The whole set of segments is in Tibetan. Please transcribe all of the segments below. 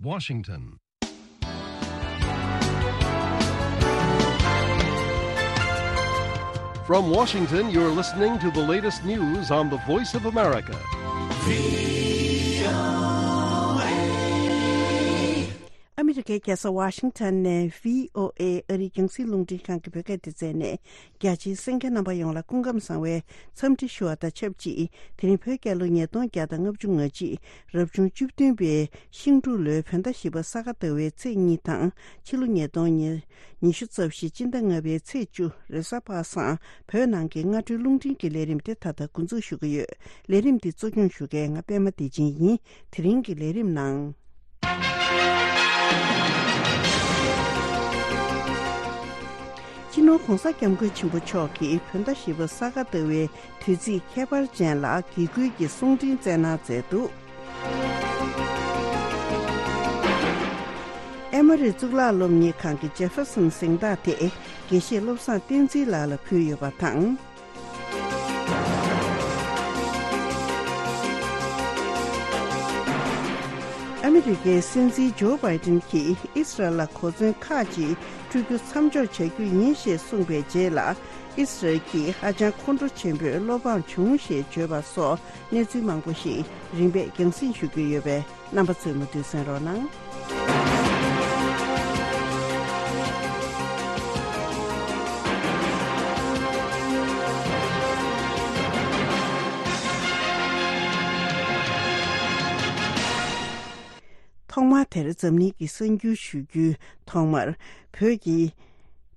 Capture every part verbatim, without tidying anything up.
Washington. From Washington, you're listening to the latest news on the Voice of America. ཨ་མི་རི་ཀའི་རྒྱལ་ས་ཝ་ཤིང་ཊོན་ནས་བྷི་ཨོ་ཨེ་ཨ་རིའི་རྒྱང་སྲིང་རླུང་འཕྲིན་ཁང་གི་བོད་སྐད་སྡེ་ཚན་ནས། རྒྱ་ཆེའི་གསན་མཁན་རྣམ་པ་ཡོངས་ལ་སྐུ་ཁམས་བཟང་བའི་འཚམས་འདྲི་ཞུ་བ་དང་ཆབས་ཅིག་དེ་རིང་བོད་རྒྱལ་ལོ་ཉིས་སྟོང་བརྒྱ་དང་ལྔ་བཅུ་ང་གཅིག་རབ་བྱུང་བཅུ་བདུན་པའི་ཤིང་འབྲུག་ལོའི་བོད་ཟླ་བཞི་པ་ས་ག་ཟླ་བའི་ཚེས་གཉིས་དང་ཕྱི་ལོ་ཉིས་སྟོང་ཉི་ཤུ་རྩ་བཞི་སྤྱི་ཟླ་ལྔ་པའི་ཚེས་བཅུ་རེས་གཟའ་པ་སངས་བོད་ནང་གི་སྔ་དྲོའི་རླུང་འཕྲིན་གྱི་ལས་རིམ་དེ་ད་ལྟ་འགོ་འཛུགས་ཞུ་གི་ཡོད། ལས་རིམ་འདི་གཙོ་སྐྱོང་ཞུ་མཁན་ང་པད་མ་བདེ་ཆེན་ཡིན། དེ་རིང་གི་ལས་རིམ་ནང་། སྤྱི་ནོར་༧གོང་ས་༧སྐྱབས་མགོན་ཆེན་པོ་མཆོག་གིས་བོད་ཟླ་བཞི་པ་ས་ག་ཟླ་བའི་དུས་ཚིགས་ཁྱད་པར་ཅན་ལ་དགེ་སྐུལ་གྱི་གསུང་འཕྲིན་སྩལ་གནང་མཛད་འདུག་ཨེ་མོ་རི་གཙུག་ལག་སློབ་གཉེར་ཁང་གི་ཇེ་ཧྥེར་སོན་གཟེངས་རྟགས་དེ་དགེ་བཤེས་བློ་བཟང་བསྟན་འཛིན་ལགས་ལ་ཕུལ་ཡོད་པ་དང་། ཨ་མི་རི་ཀའི་སྲིད་འཛིན་ཇོ་བྷའི་ཏིན་གྱིས་ཨི་སི་རལ་ལ་གོ་མཚོན་ཁག་ཅིག་སྤྲོད་རྒྱུ་མཚམས་འཇོག་བྱ་རྒྱུ་ཡིན་ཞེས་གསུངས་པའི་རྗེས་ལ། ཨི་སི་རལ་གྱིས་ཧ་ཅང་ཁོང་ཁྲོ་ཆེན་པོས་བློ་ཕམ་བྱུང་ཞེས་བརྗོད་པ་སོགས་གནས་ཚུལ་མང་པོ་ཞིག་རིམ་པས་རྒྱང་སྲིང་ཞུ་རྒྱུ་ཡོད་པས། རྣམ་པ་ཚོས་མུ་མཐུད་གསན་རོགས་གནང་། ཐོག་མར་དེར་འཛམ་གླིང་གི་གསར་འགྱུར་ཞུ་རྒྱུའི་ཐོག་མར། བོད་ཀྱི་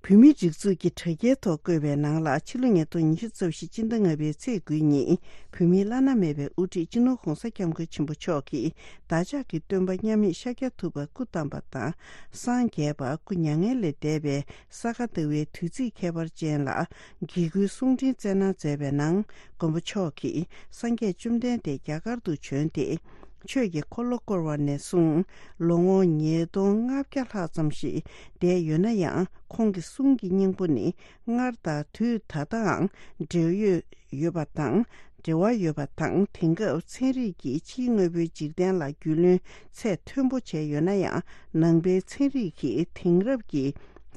བོད་མིའི་སྒྲིག་འཛུགས་ཀྱི་དྲ་རྒྱའི་ཐོག་བཀོད་པའི་ནང་ལ། ཕྱི་ལོ་ཉིས་སྟོང་ཉི་ཤུ་རྩ་བཞི་སྤྱི་ཟླ་ལྔ་པའི་ཚེས་དགུའི་ཉིན། བོད་མིའི་བླ་ན་མེད་པའི་དབུ་ཁྲིད་སྤྱི་ནོར་༧གོང་ས་༧སྐྱབས་མགོན་ཆེན་པོ་མཆོག་གིས་བདག་ཅག་གི་སྟོན་པ་མཉམ་མེད་ཤཱཀྱ་ཐུབ་པ་སྐུ་བལྟམས་པ་དང་། སངས་རྒྱས་པ་སྐུ་མྱ་ངན་ལས་འདས་པའི་ས་ག་ཟླ་བའི་དུས་ཚིགས་ཁྱད་པར་ཅན་ལ་དགེ་སྐུལ་གསུང་འཕྲིན་སྩལ་གནང་མཛད་པའི་ནང་། མགོན་པོ་མཆོག་གིས་སངས་རྒྱས་བཅོམ་ལྡན་འདས་རྒྱ་གར་དུ་བྱོན་ཏེ། ཆོས་ཀྱི་འཁོར་ལོ་བསྐོར་བ་ནས་བཟུང་ལོ་ངོ་ཉིས་སྟོང་ལྔ་བརྒྱ་ལྷག་ཙམ་ཞིག་འདས་ཡོད་ན་ཡང་། ཁོང་གི་གསུང་གི་སྙིང་པོ་ནི་སྔར་དང་དུས་ད་ལྟའང་འབྲེལ་ཡོད་ཡོད་པ་དང་། འབྲེལ་བ་ཡོད་པ་དང་། དེང་སྐབས་ཚན་རིག་གིས་ཕྱིའི་དངོས་པོའི་འཇིག་རྟེན་ལ་རྒྱུས་ལོན་ཚད་མཐོན་པོ་བྱས་ཡོད་ན་ཡང་། ནང་པའི་ཚན་རིག་གིས་དེང་རབས་ཀྱི་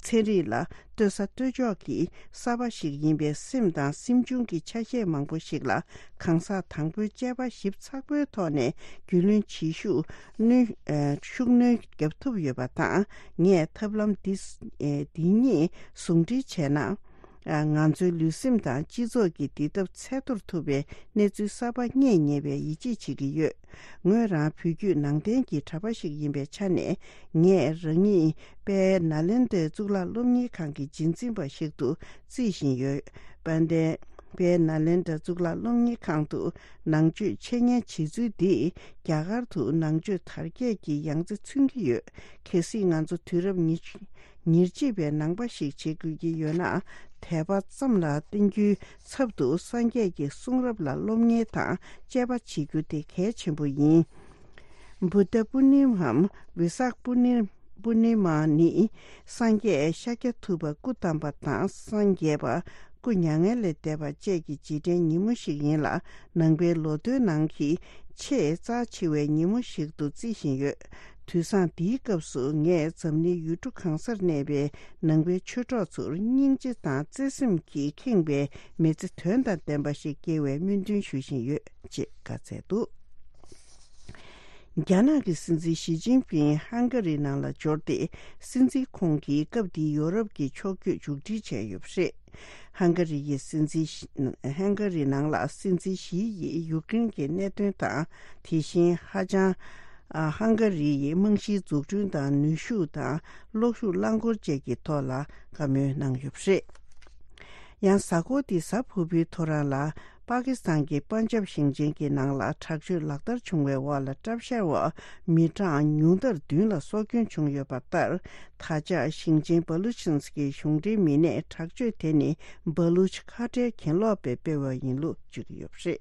ཚན་རིག་ལ་ལྟོས་ས་ལྟོས་ཕྱོགས་ཀྱི་གསར་པ་ཞིག་ཡིན་པས། སེམས་དང་སེམས་བྱུང་གི་ཆ་ཤས་མང་པོ་ཞིག་ལ་གང་ཟག་དང་པོའི་དཔྱད་པ་ཞིབ་ཚགས་པོའི་ཐོག་ནས་རྒྱུས་ལོན་བྱེད་ཤུགས་སྣོན་ཨ་ཤུགས་སྣོན་བརྒྱབ་ཐུབ་ཡོད་པ་དང་། ངས་ཐབས་ལམ་འདི་ཨ་འདི་གཉིས་ཟུང་འབྲེལ་བྱས་ན། ཨ་ང་ཚོའི་ལུས་སེམས་དང་སྤྱི་ཚོགས་ཀྱི་བདེ་ཐབས་འཚོལ་ཐུབ་པའི་གནས་ཚུལ་གསར་པ་རྙེད་ཉེ་བའི་ཡིད་ཆེས་བྱེད་ཀྱི་ཡོད། ངོས་རང་བོད་བརྒྱུད་ནང་བསྟན་གྱི་གྲྭ་པ་ཞིག་ཡིན་པའི་ཆ་ནས། ངས་རང་ཉིད་དཔལ་ནཱ་ལེནྡྲའི་གཙུག་ལག་སློབ་གཉེར་ཁང་གི་རྗེས་འཛིན་པ་ཞིག་ཏུ་བརྩིས་བཞིན་ཡོད། དཔལ་ལྡན་དཔལ་ནཱ་ལེནྡྲ་གཙུག་ལག་སློབ་གཉེར་ཁང་དུ་ནང་ཆོས་འཆད་ཉན་བྱེད་ཚུལ་འདིས་རྒྱ་གར་དུ་ནང་ཆོས་དར་རྒྱས་ཀྱི་ཡང་རྩེ་མཚོན་གྱི་ཡོད། གལ་སྲིད་ང་ཚོ་དུས་རབས་ཉེར་གཅིག་པའི་ནང་པ་ཞིག་བྱེད་དགོས་ཀྱི་ཡོད་ན། དད་པ་ཙམ་ལ་བརྟེན་རྒྱུའི་ཚབ་ཏུ་སངས་རྒྱས་ཀྱི་གསུང་རབ་ལ་སློབ་གཉེར་དང་དཔྱད་པ་བྱེད་རྒྱུ་དེ་གལ་ཆེན་པོ་ཡིན། བུདྡྷ་པུར་ནི་མའམ་བེ་སག་པུར་ནི་པུར་ནི་མ་ནི་སངས་རྒྱས་ཤཱཀྱ་ཐུབ་པ་སྐུ་བལྟམས་པ་དང་། སངས་རྒྱས་པ་སྐུ་མྱ་ངན་ལས་འདས་པ་བཅས་ཀྱི་རྗེས་དྲན་ཉིན་མོ་ཞིག་ཡིན་ལ། ནང་པའི་ལོ་ཐོའི་ནང་གི་ཆེས་རྩ་ཆེ་བའི་ཉིན་མོ་ཞིག་ཏུ་བརྩི་བཞིན་ཡོད། དུས་བཟང་འདིའི་སྐབས་སུ་ངས་འཛམ་གླིང་ཡུལ་གྲུ་གང་སར་གནས་པའི་ནང་པའི་ཆོས་གྲོགས་ཚོར་སྙིང་རྗེ་དང་བརྩེ་སེམས་ཀྱིས་ཁེངས་པའི་མི་ཚེ་དོན་དང་ལྡན་པ་ཞིག་སྐྱེལ་བའི་སྨོན་འདུན་ཞུ་བཞིན་ཡོད་ཅེས་བཀའ་སྩལ་འདུག་རྒྱ་ནག་གི་སྲིད་འཛིན་ཞི་ཅིན་ཕིང་ཧང་ག་རི་ནང་ལ་འབྱོར་ཏེ། སྲིད་འཛིན་ཁོང་གིས་སྐབས་འདིའི་ཡོ་རོབ་ཀྱི་ཕྱོགས་བསྐྱོད་མཇུག་སྒྲིལ་བྱས་ཡོད་པ་རེད། ཧང་ག་རི་ཡི་སྲིད་འཛིན་ཧང་ག་རི་ནང་ལ་སྲིད་འཛིན་ཞི་ཡིས་ཡུཀ་རེན་གྱི་གནད་དོན་དང་། དེ་བཞིན་ཧ་ཅང་ཧང་ག་རི་ཡི་རྨང་གཞིའི་འཛུགས་སྐྲུན་དང་། ནུས་ཤུགས་དང་གློག་ཤུགས་རླངས་འཁོར་བཅས་ཀྱི་ཐོག་ལ་བཀའ་མོལ་གནང་ཡོད་པ་རེད། ཡང་གཟའ་འཁོར་འདིའི་གཟའ་ཕུར་བུའི་ཐོ་རངས་ལ། པ་ཀི་སི་ཐན་གྱི་པན་ཇབ་ཞིང་ཆེན་གྱི་ནང་ལ་དྲག་སྤྱོད་ལག་བསྟར་བྱུང་བའི་འོག་ལ། གྲབས་ཤར་བ་མི་གྲངས་ཉུང་མཐར་བདུན་ལ་སྲོག་སྐྱོན་བྱུང་ཡོད་པ་ལྟར། ད་ཆ་ཞིང་ཆེན་བ་ལུ་ཆི་སི་ཐན་གྱི་གཞུང་འབྲེལ་མི་སྣས་དྲག་སྤྱོད་དེ་ནི་བ་ལུ་ཆི་ཁ་བྲལ་གྱེན་ལོག་པས་སྤེལ་བ་ཡིན་ལུགས་བརྗོད་ཀྱི་ཡོད་པ་རེད།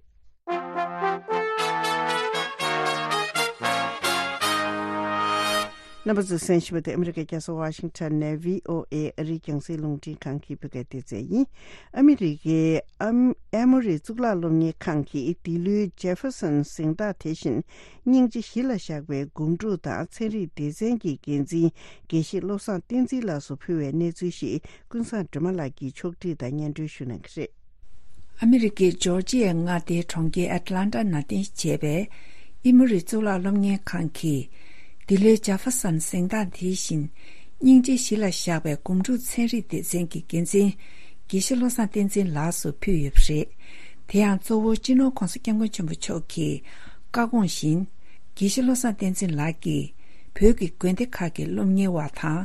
རྣམ་པ་ཚོས་གསན་བཞིན་པ་དེ་ཨ་མི་རི་ཀའི་རྒྱལ་ས་ཝ་ཤིང་ཊོན་ནས་བྷི་ཨོ་ཨེ་ཨ་རིའི་རྒྱང་སྲིང་རླུང་འཕྲིན་ཁང་གི་བོད་སྐད་སྡེ་ཚན་ཡིན། ཨ་མི་རི་ཀའི་ཨམ་ཨེ་མོ་རི་གཙུག་ལག་སློབ་གཉེར་ཁང་གིས་འདི་ལོའི་ཇེ་ཧྥེར་སོན་གཟེངས་རྟགས་དེ་བཞིན་སྙིང་རྗེ་གཞི་ལ་བཞག་པའི་སྒོམ་སྒྲུབ་དང་ཚན་རིག་སྡེ་ཚན་གྱི་འགན་འཛིན་དགེ་བཤེས་བློ་བཟང་བསྟན་འཛིན་ལགས་སུ་ཕུལ་བའི་གནས་ཚུལ་ཞིག་ཀུན་བཟང་སྒྲོལ་མ་ལགས་ཀྱིས་ཕྱོགས་བསྒྲིགས་དང་སྙན་སྒྲོན་ཞུ་གནང་གི་རེད། ཨ་མི་རི་ཀའི་ཇོར་ཇི་ཡའི་མངའ་སྡེའི་གྲོང་ཁྱེར་ཨེ་ཊ་ལན་ཊ་ནང་རྟེན་གཞི་བྱས་པའི་ཨི་མོ་རི་གཙུག་ལག་སློབ་གཉེར་ཁང་གིས། འདི་ལོའི་ཇེ་ཧྥེར་སོན་གཟེངས་རྟགས་དེ་བཞིན་སྙིང་རྗེ་གཞི་ལ་བཞག་པའི་སྒོམ་སྒྲུབ་ཚན་རིག་སྡེ་ཚན་གྱི་འགན་འཛིན་དགེ་བཤེས་བློ་བཟང་བསྟན་འཛིན་ལགས་སུ་ཕུལ་ཡོད་པ་རེད། དེ་ཡང་གཙོ་བོ་སྤྱི་ནོར་༧གོང་ས་༧སྐྱབས་མགོན་ཆེན་པོ་མཆོག་གི་བཀའ་དགོངས་བཞིན། དགེ་བཤེས་བློ་བཟང་བསྟན་འཛིན་ལགས་ཀྱིས་བོད་ཀྱི་དགོན་སྡེ་ཁག་གི་སློབ་གཉེར་བ་དང་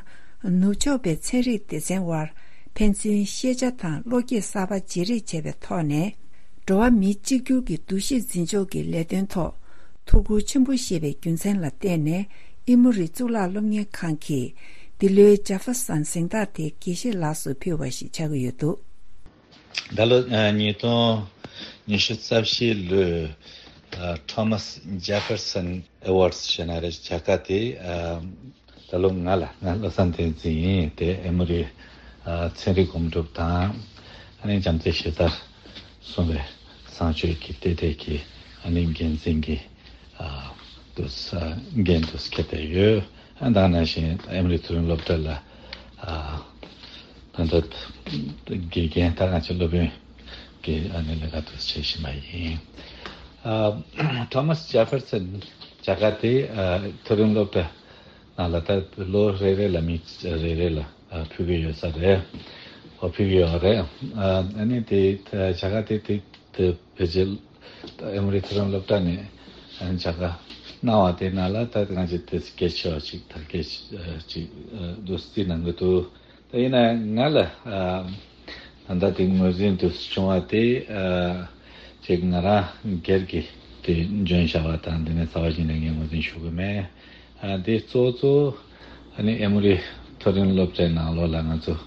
ནུབ་ཕྱོགས་པའི་ཚན་རིག་སྡེ་ཚན་དབར་ཕན་ཚུན་ཤེས་བྱ་དང་བློ་སྐྱེད་གསར་པ་བརྗེ་རེས་བྱས་པའི་ཐོག་ནས། འགྲོ་བ་མི་གཅིག་གྱུར་གྱི་འདུ་ཤེས་འཛིན་ཕྱོགས་ཀྱི་ལས་དོན་ཐོག་ཐུགས་ཁུར་ཆེན་པོ་བཞེས་པའི་རྒྱུ་མཚན་ལ་བརྟེན་ནས་ཨི་མོ་རི་གཙུག་ལག་སློབ་གཉེར་ཁང་གིས་འདི་ལོའི་ཇེ་ཧྥེར་སོན་གཟེངས་རྟགས་དེ་དགེ་བཤེས་ལགས་སུ་ཕུལ་བ་ཞིག་ཆགས་ཀྱི་ཡོད་འདུག། ད་ལོ་ཨ་ཉིས་སྟོང་ཉི་ཤུ་རྩ་བཞི་ལོའི་ཨ་Thomas Jefferson Awards ཞེས་ན་རེ་བྱ་དགའ་དེ་ཨ་ད་ལོ་ང་ལ་ང་བློ་བཟང་བསྟན་འཛིན་ཡིན། དེ་ཨེ་མོ་རི་ཨ་ཚན་རིག་སྒོམ་སྒྲུབ་དང་ཨ་ནི་བྱམས་བརྩེ་གཞི་རྩར་བཟུང་བའི་བཟང་སྤྱོད་ཀྱི་ལྟེ་གནས་ཀྱི་ཨ་ནི་འགན་འཛིན་གྱི་ཨ་དུ་ས་འགན་དུ་འཁྱེར་ཏེ་ཡོད། ཨ་ད་ནང་བཞིན་ཨེ་མོ་རི་མཐོ་རིམ་སློབ་གྲྭ་ལ་ཨ་ད་ལྟ་དགེ་རྒན་ད་ང་ཚོ་སློབ་དཔོན་གྱི་ཨ་ནི་ལས་ཀ་དུ་བྱེད་བཞིན་པ་ཡིན། ཨ་Thomas Jefferson བྱ་དགའ་དེ་ཨ་མཐོ་རིམ་སློབ་གྲྭ་ནང་ལ་ད་ལོ་རེ་རེ་ལ་མི་རེ་རེ་ལ་ཨ་ཕུལ་གྱི་ཡོད་ས་རེད། ཨོ་ཕུལ་གྱི་ཡོད་རེད། ཨ་ཨ་ནི་དེ་བྱ་དགའ་དེ་དེ་དེ་ཕལ་ཆེར་ཨེ་མོ་རི་མཐོ་རིམ་སློབ་གྲྭ་ནས་ཨ་ནི་བྱ་དགའ་གནང་བ་དེ་ནང་ལ་ད་ང་ཚོ་དེ་གལ་ཆེ་བ་ཅིག་དར་རྒྱས་ཅིག་འདུག་རྩིས་གནང་གི་འདུག། ད་ཡིན་ན་ང་ལ་ཨ་ད་ལྟ་དེ་ངོས་འཛིན་དུ་བྱུང་བ་དེ་ཨ་ཅིག་ང་རང་སྒེར་གྱི་དེ་འཇོན་བྱ་བ་དང་དེ་ནས་རྩ་བ་ཉིད་ནས་ངས་ངོས་འཛིན་ཞུ་གི་མེད། ཨ་དེ་གཙོ་གཙོ་ཨ་ནི་ཨེ་མོ་རི་མཐོ་རིམ་སློབ་གྲྭའི་ནང་ལོགས་ལ་ང་ཚོ་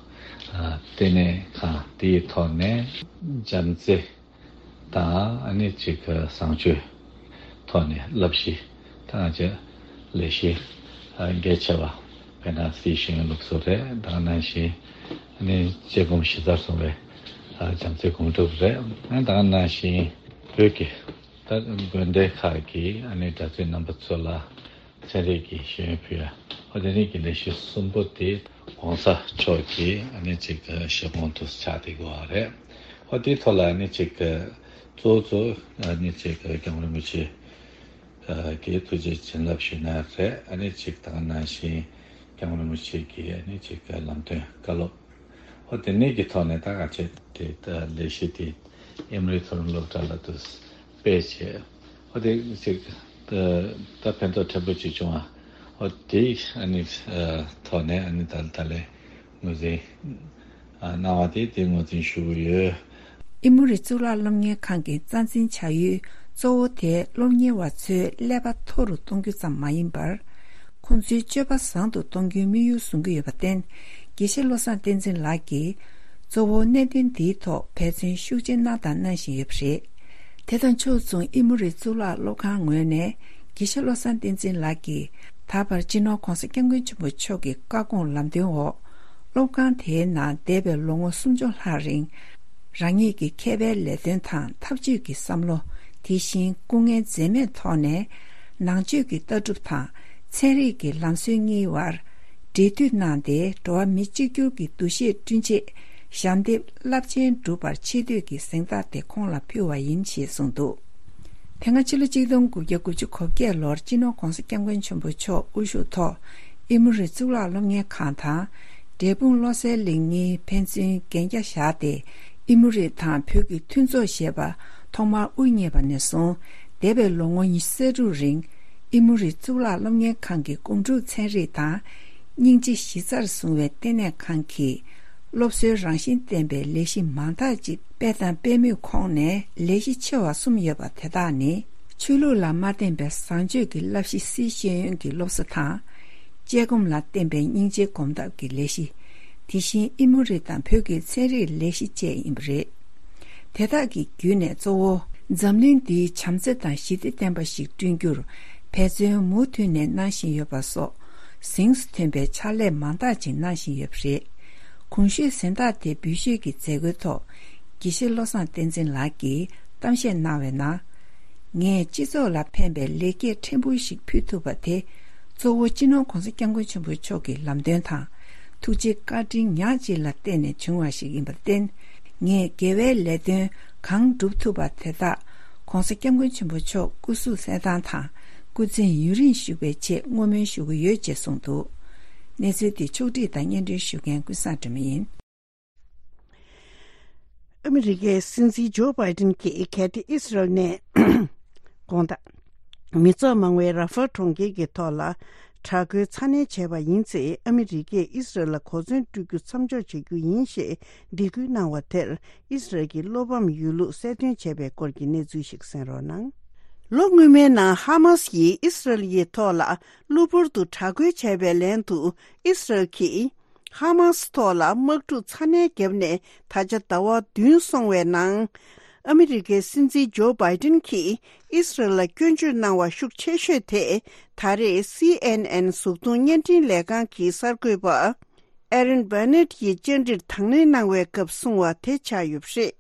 ཨ་ལྟེ་གནས་ཁང་དེའི་ཐོག་ནས་བྱམས་བརྩེ་དང་ཨ་ནི་ཅིག་བཟང་སྤྱོད་ཐོག་ནས་བསླབ་གཞི་དང་བཅས་ལས་གཞི་ཨ་གལ་ཆེ་བ་དཔེར་ན་སྲིད་ཤེས་ཡོན་སློབ་གསོ་རེད། ད་ག་ནང་བཞིན་ཨ་ནི་དཔྱད་སྒོམ་གཞི་རྩར་བཟུང་བའི་ཨ་བྱམས་བརྩེ་སྒོམ་སྒྲུབ་རེད། ཨ་ད་ག་ནང་བཞིན་བོད་ཀྱི་ད་དགོན་སྡེ་ཁག་གི་ཨ་ནི་གྲྭ་བཙུན་རྣམ་པ་ཚོ་ལ་ཚན་རིག་གི་ཤེས་ཡོན་ཕུལ་ཡ། ཨོ་དེ་རིང་གི་ལས་གཞི་གསུམ་པོ་དེ་༧གོང་ས་མཆོག་གིས་ཨ་ནི་ཅིག་ཞལ་འབོང་དུ་ཆགས་བསྡད་ཡོད་རེད། ཨོ་དེའི་ཐོག་ལ་ཨ་ནི་ཅིག་གཙོ་བོ་གཙོ་བོ་ཨ་ནི་ཅིག་༧སྐྱབས་མགོན་རིན་པོ་ཆེ་གི་ཐུགས་རྗེ་བྱིན་རླབས་ཞུས་ན་རེད། ཨ་ནི་ཅིག་ད་ག་ནང་བཞིན་༧སྐྱབས་མགོན་རིན་པོ་ཆེ་གི་ཨ་ནི་ཅིག་ལམ་སྟོན་བཀའ་སློབ། ཨོ་དེ་ནས་ཀྱི་ཐོག་ནས་ད་ག་ཆེད་དེ་ད་ལས་གཞི་དེ་ཨེ་མོ་རི་མཐོ་རིམ་སློབ་གྲྭ་ལ་དུ་སྤེལ་བྱས། ཨོ་དེ་ཅིག་ད་ད་ཕན་ཐོགས་ཕྲན་བུ་ཅིག་བྱུང་བ། ཨོ་དེ་ཨ་ནི་ཐོག་ནས་ཨ་ནི་ད་ད་ལས་ངོས་འཛིན་གནང་བ་དེ་དེ་ངོས་འཛིན་ཞུ་གི་ཡོད། ཨི་མོ་རི་གཙུག་ལག་སློབ་གཉེར་ཁང་གི་རྩ་འཛིན་བྱ་ཡུལ་གཙོ་བོ་དེ་སློབ་གཉེར་བ་ཚོའི་ཀླད་པ་མཐོ་རུ་གཏོང་རྒྱུ་ཙམ་མ་ཡིན་པར། ཁོང་ཚོའི་སྤྱོད་པ་བཟང་དུ་གཏོང་རྒྱུའི་དམིགས་ཡུལ་བཟུང་གི་ཡོད་པར་བརྟེན། དགེ་བཤེས་བློ་བཟང་བསྟན་འཛིན་ལགས་ཀྱིས་གཙོ་བོ་གནད་དོན་འདིའི་ཐོག་འབད་བརྩོན་ཤུགས་ཆེ་གནང་དང་གནང་བཞིན་ཡོད་པ་རེད། དེ་དང་ཕྱོགས་མཚུངས་ཨི་མོ་རི་གཙུག་ལག་སློབ་ཁང་ངོས་ནས་དགེ་བཤེས་བློ་བཟང་བསྟན་འཛིན་ལགས་ཀྱིས་ད་བར་སྤྱི་ནོར་༧གོང་ས་༧སྐྱབས་མགོན་ཆེན་པོ་མཆོག་གི་བཀའ་དགོངས་ལམ་སྟོན་འོག་སློབ་ཁང་དེའི་ནང་འདས་པའི་ལོ་ངོ་སུམ་ཅུ་ལྷག་རིང་། རང་ཉིད་ཀྱི་མཁས་པའི་ལས་དོན་དང་འཐབ་ཇུས་ཀྱི་བསམ་བློ། དེ་བཞིན་སྐུ་ངལ་འཛེམས་མེད་ཐོག་ནས་ནང་ཆོས་ཀྱི་ལྟ་གྲུབ་དང་ཚན་རིག་གི་ལམ་སྲོལ་གཉིས་བར་འབྲེལ་མཐུད་གནང་སྟེ། འགྲོ་བ་མི་གཅིག་གྱུར་གྱི་འདུ་ཤེས་བསྐྲུན་ཆེད་ཞབས་འདེགས་རླབས་ཆེན་བསྒྲུབས་པར་ཆེ་བསྟོད་ཀྱི་གཟེངས་རྟགས་དེ་ཁོང་ལ་ཕུལ་བ་ཡིན་ཞེས་གསུངས་འདུག། དེ་སྔ་ཕྱི་ལོ་གཅིག་སྟོང་དགུ་བརྒྱ་དགུ་བཅུ་གོ་བརྒྱད་ལོར་སྤྱི་ནོར་༧གོང་ས་༧སྐྱབས་མགོན་ཆེན་པོ་མཆོག་དབུ་བཞུགས་ཐོག་ཨི་མོ་རི་གཙུག་ལག་སློབ་གཉེར་ཁང་དང་། འབྲས་སྤུངས་བློ་གསལ་གླིང་གཉིས་ཕན་ཚུན་གན་རྒྱ་བཞག་སྟེ། ཨི་མོ་རི་དང་བོད་ཀྱི་མཐུན་ཚོགས་ཞེས་པ་ཐོག་མར་དབུ་བརྙེས་པ་ནས་བཟུང་། འདས་པའི་ལོ་ངོ་ཉི་ཤུ་རྩ་དྲུག་རིང་། ཨི་མོ་རི་གཙུག་ལག་སློབ་གཉེར་ཁང་གི་སྒོམ་སྒྲུབ་ཚན་རིག་དང་། སྙིང་རྗེ་གཞི་རྩར་བཟུང་བའི་ལྟེ་གནས་ཁང་གིས། སློབ་གསོའི་རང་བཞིན་ལྡན་པའི་ལས་གཞི་མང་དག་ཅིག་སྤེལ་དང་སྤེལ་མུས་ཁོངས་ནས་ལས་གཞི་ཆེ་བ་གསུམ་ཡོད་པ་དེ་དག་ནི། ཆོས་ལུགས་ལ་མ་བརྟེན་པའི་བཟང་སྤྱོད་ཀྱི་བསླབ་གཞི་སྲིད་ཤེས་ཡོན་གྱི་སློབ་གསོ་དང་། དཔྱད་སྒོམ་ལ་བརྟེན་པའི་སྙིང་རྗེའི་སྒོམ་ཐབས་ཀྱི་ལས་གཞི། དེ་བཞིན་ཨི་མོ་རི་དང་བོད་ཀྱི་ཚན་རིག་ལས་གཞི་བཅས་ཡིན་པ་རེད། དེ་དག་གི་བརྒྱུད་ནས་གཙོ་བོ། འཛམ་གླིང་འདིའི་བྱམས་བརྩེ་དང་ཞི་བདེ་ལྡན་པ་ཞིག་བསྐྲུན་རྒྱུར་འབད་བརྩོན་མུ་མཐུད་ནས་གནང་བཞིན་ཡོད་པ་སོགས། གཟེངས་སུ་ཐོན་པའི་ཕྱག་ལས་མང་དག་ཅིག་གནང་བཞིན་ཡོད་པ་རེད། གོང་ཞུས་གཟེངས་རྟགས་དེ་འབུལ་ཞུས་ཀྱི་མཛད་སྒོའི་ཐོག་དགེ་བཤེས་བློ་བཟང་བསྟན་འཛིན་ལགས་ཀྱིས་གཏམ་བཤད་གནང་བའི་ནང་། ངས་སྤྱི་ཚོགས་ལ་ཕན་པའི་ལེགས་སྐྱེས་ཕྲན་བུ་ཞིག་ཕུལ་ཐུབ་པ་དེ། གཙོ་བོ་སྤྱི་ནོར་༧གོང་ས་༧སྐྱབས་མགོན་ཆེན་པོ་མཆོག་གི་ལམ་སྟོན་དང་། ཐུགས་རྗེ་བཀའ་དྲིན་ཉག་གཅིག་ལ་བརྟེན་ནས་བྱུང་བ་ཞིག་ཡིན་པར་བརྟེན། ངས་དགེ་བའི་ལས་དོན་གང་བསྒྲུབ་ཐུབ་པ་དེ་དག་༧གོང་ས་༧སྐྱབས་མགོན་ཆེན་པོ་མཆོག་སྐུ་གཟུགས་གསལ་ཐང་དང་སྐུ་ཚེ་ཡུན་རིང་བཞུགས་པའི་ཆེད་བསྔོ་སྨོན་ཞུ་གི་ཡོད་ཅེས་གསུངས་འདུག་གནས་ཚུལ་འདི་ཕྱོགས་སྒྲིག་དང་སྙན་སྒྲོན་ཞུ་མཁན་ཀུན་བཟང་སྒྲོལ་མ་ཡིན། ཨ་མི་རི་ཀའི་སྲིད་འཛིན་ཇོ་བྷའི་ཏིན་གྱིས་གལ་ཏེ་ཨི་སི་རལ་ནས་དགོང་དག་མི་ཚོགས་མང་བའི་ར་ཧྥལ་གྲོང་ཁྱེར་གྱི་ཐོག་ལ་དྲག་རྒོལ་ཚ་ནན་བྱས་པ་ཡིན་ཚེ། ཨ་མི་རི་ཀས་ཨི་སི་རལ་ལ་གོ་མཚོན་སྤྲོད་རྒྱུ་མཚམས་འཇོག་བྱ་རྒྱུ་ཡིན་ཞེས་སྡིགས་སྐུལ་གནང་བ་དེར། ཨི་སི་རལ་གྱི་བློ་ཕམ་ཡོད་ལུགས་གསལ་སྟོན་བྱས་པའི་སྐོར་གྱི་གནས་ཚུལ་ཞིག་གསན་རོགས་གནང་། ལོ་སྔོན་མའི་ནང་ཧ་མ་སི་ཡིས་ཨི་སི་རལ་ཡི་ཐོག་ལ་གློ་བུར་དུ་དྲག་རྒོལ་བྱས་པའི་ལན་དུ། ཨི་སི་རལ་གྱིས་ཧ་མ་སི་ཐོག་ལ་དམག་འཁྲུག་ཚ་ནན་བརྒྱབ་ནས་ད་ཆ་ཟླ་བ་བདུན་སོང་བའི་ནང་། ཨ་མི་རི་ཀའི་སྲིད་འཛིན་ཇོ་བྷའི་ཏིན་གྱིས་ཨི་སི་རལ་ལ་སྐྱོན་བརྗོད་གནང་བ་ཤུགས་ཆེ་ཤོས་དེ། ད་རེས་སི་ཨེན་ཨེན་གཟུགས་མཐོང་བརྙན་འཕྲིན་ལས་ཁང་གི་གསར་འགོད་པ་ཨེ་རན་བྷ་ནེད་ཀྱིས་བཅར་འདྲིར་དང་ལེན་གནང་བའི་སྐབས་གསུངས་བ་དེ་ཆགས་ཡོད་པ་རེད།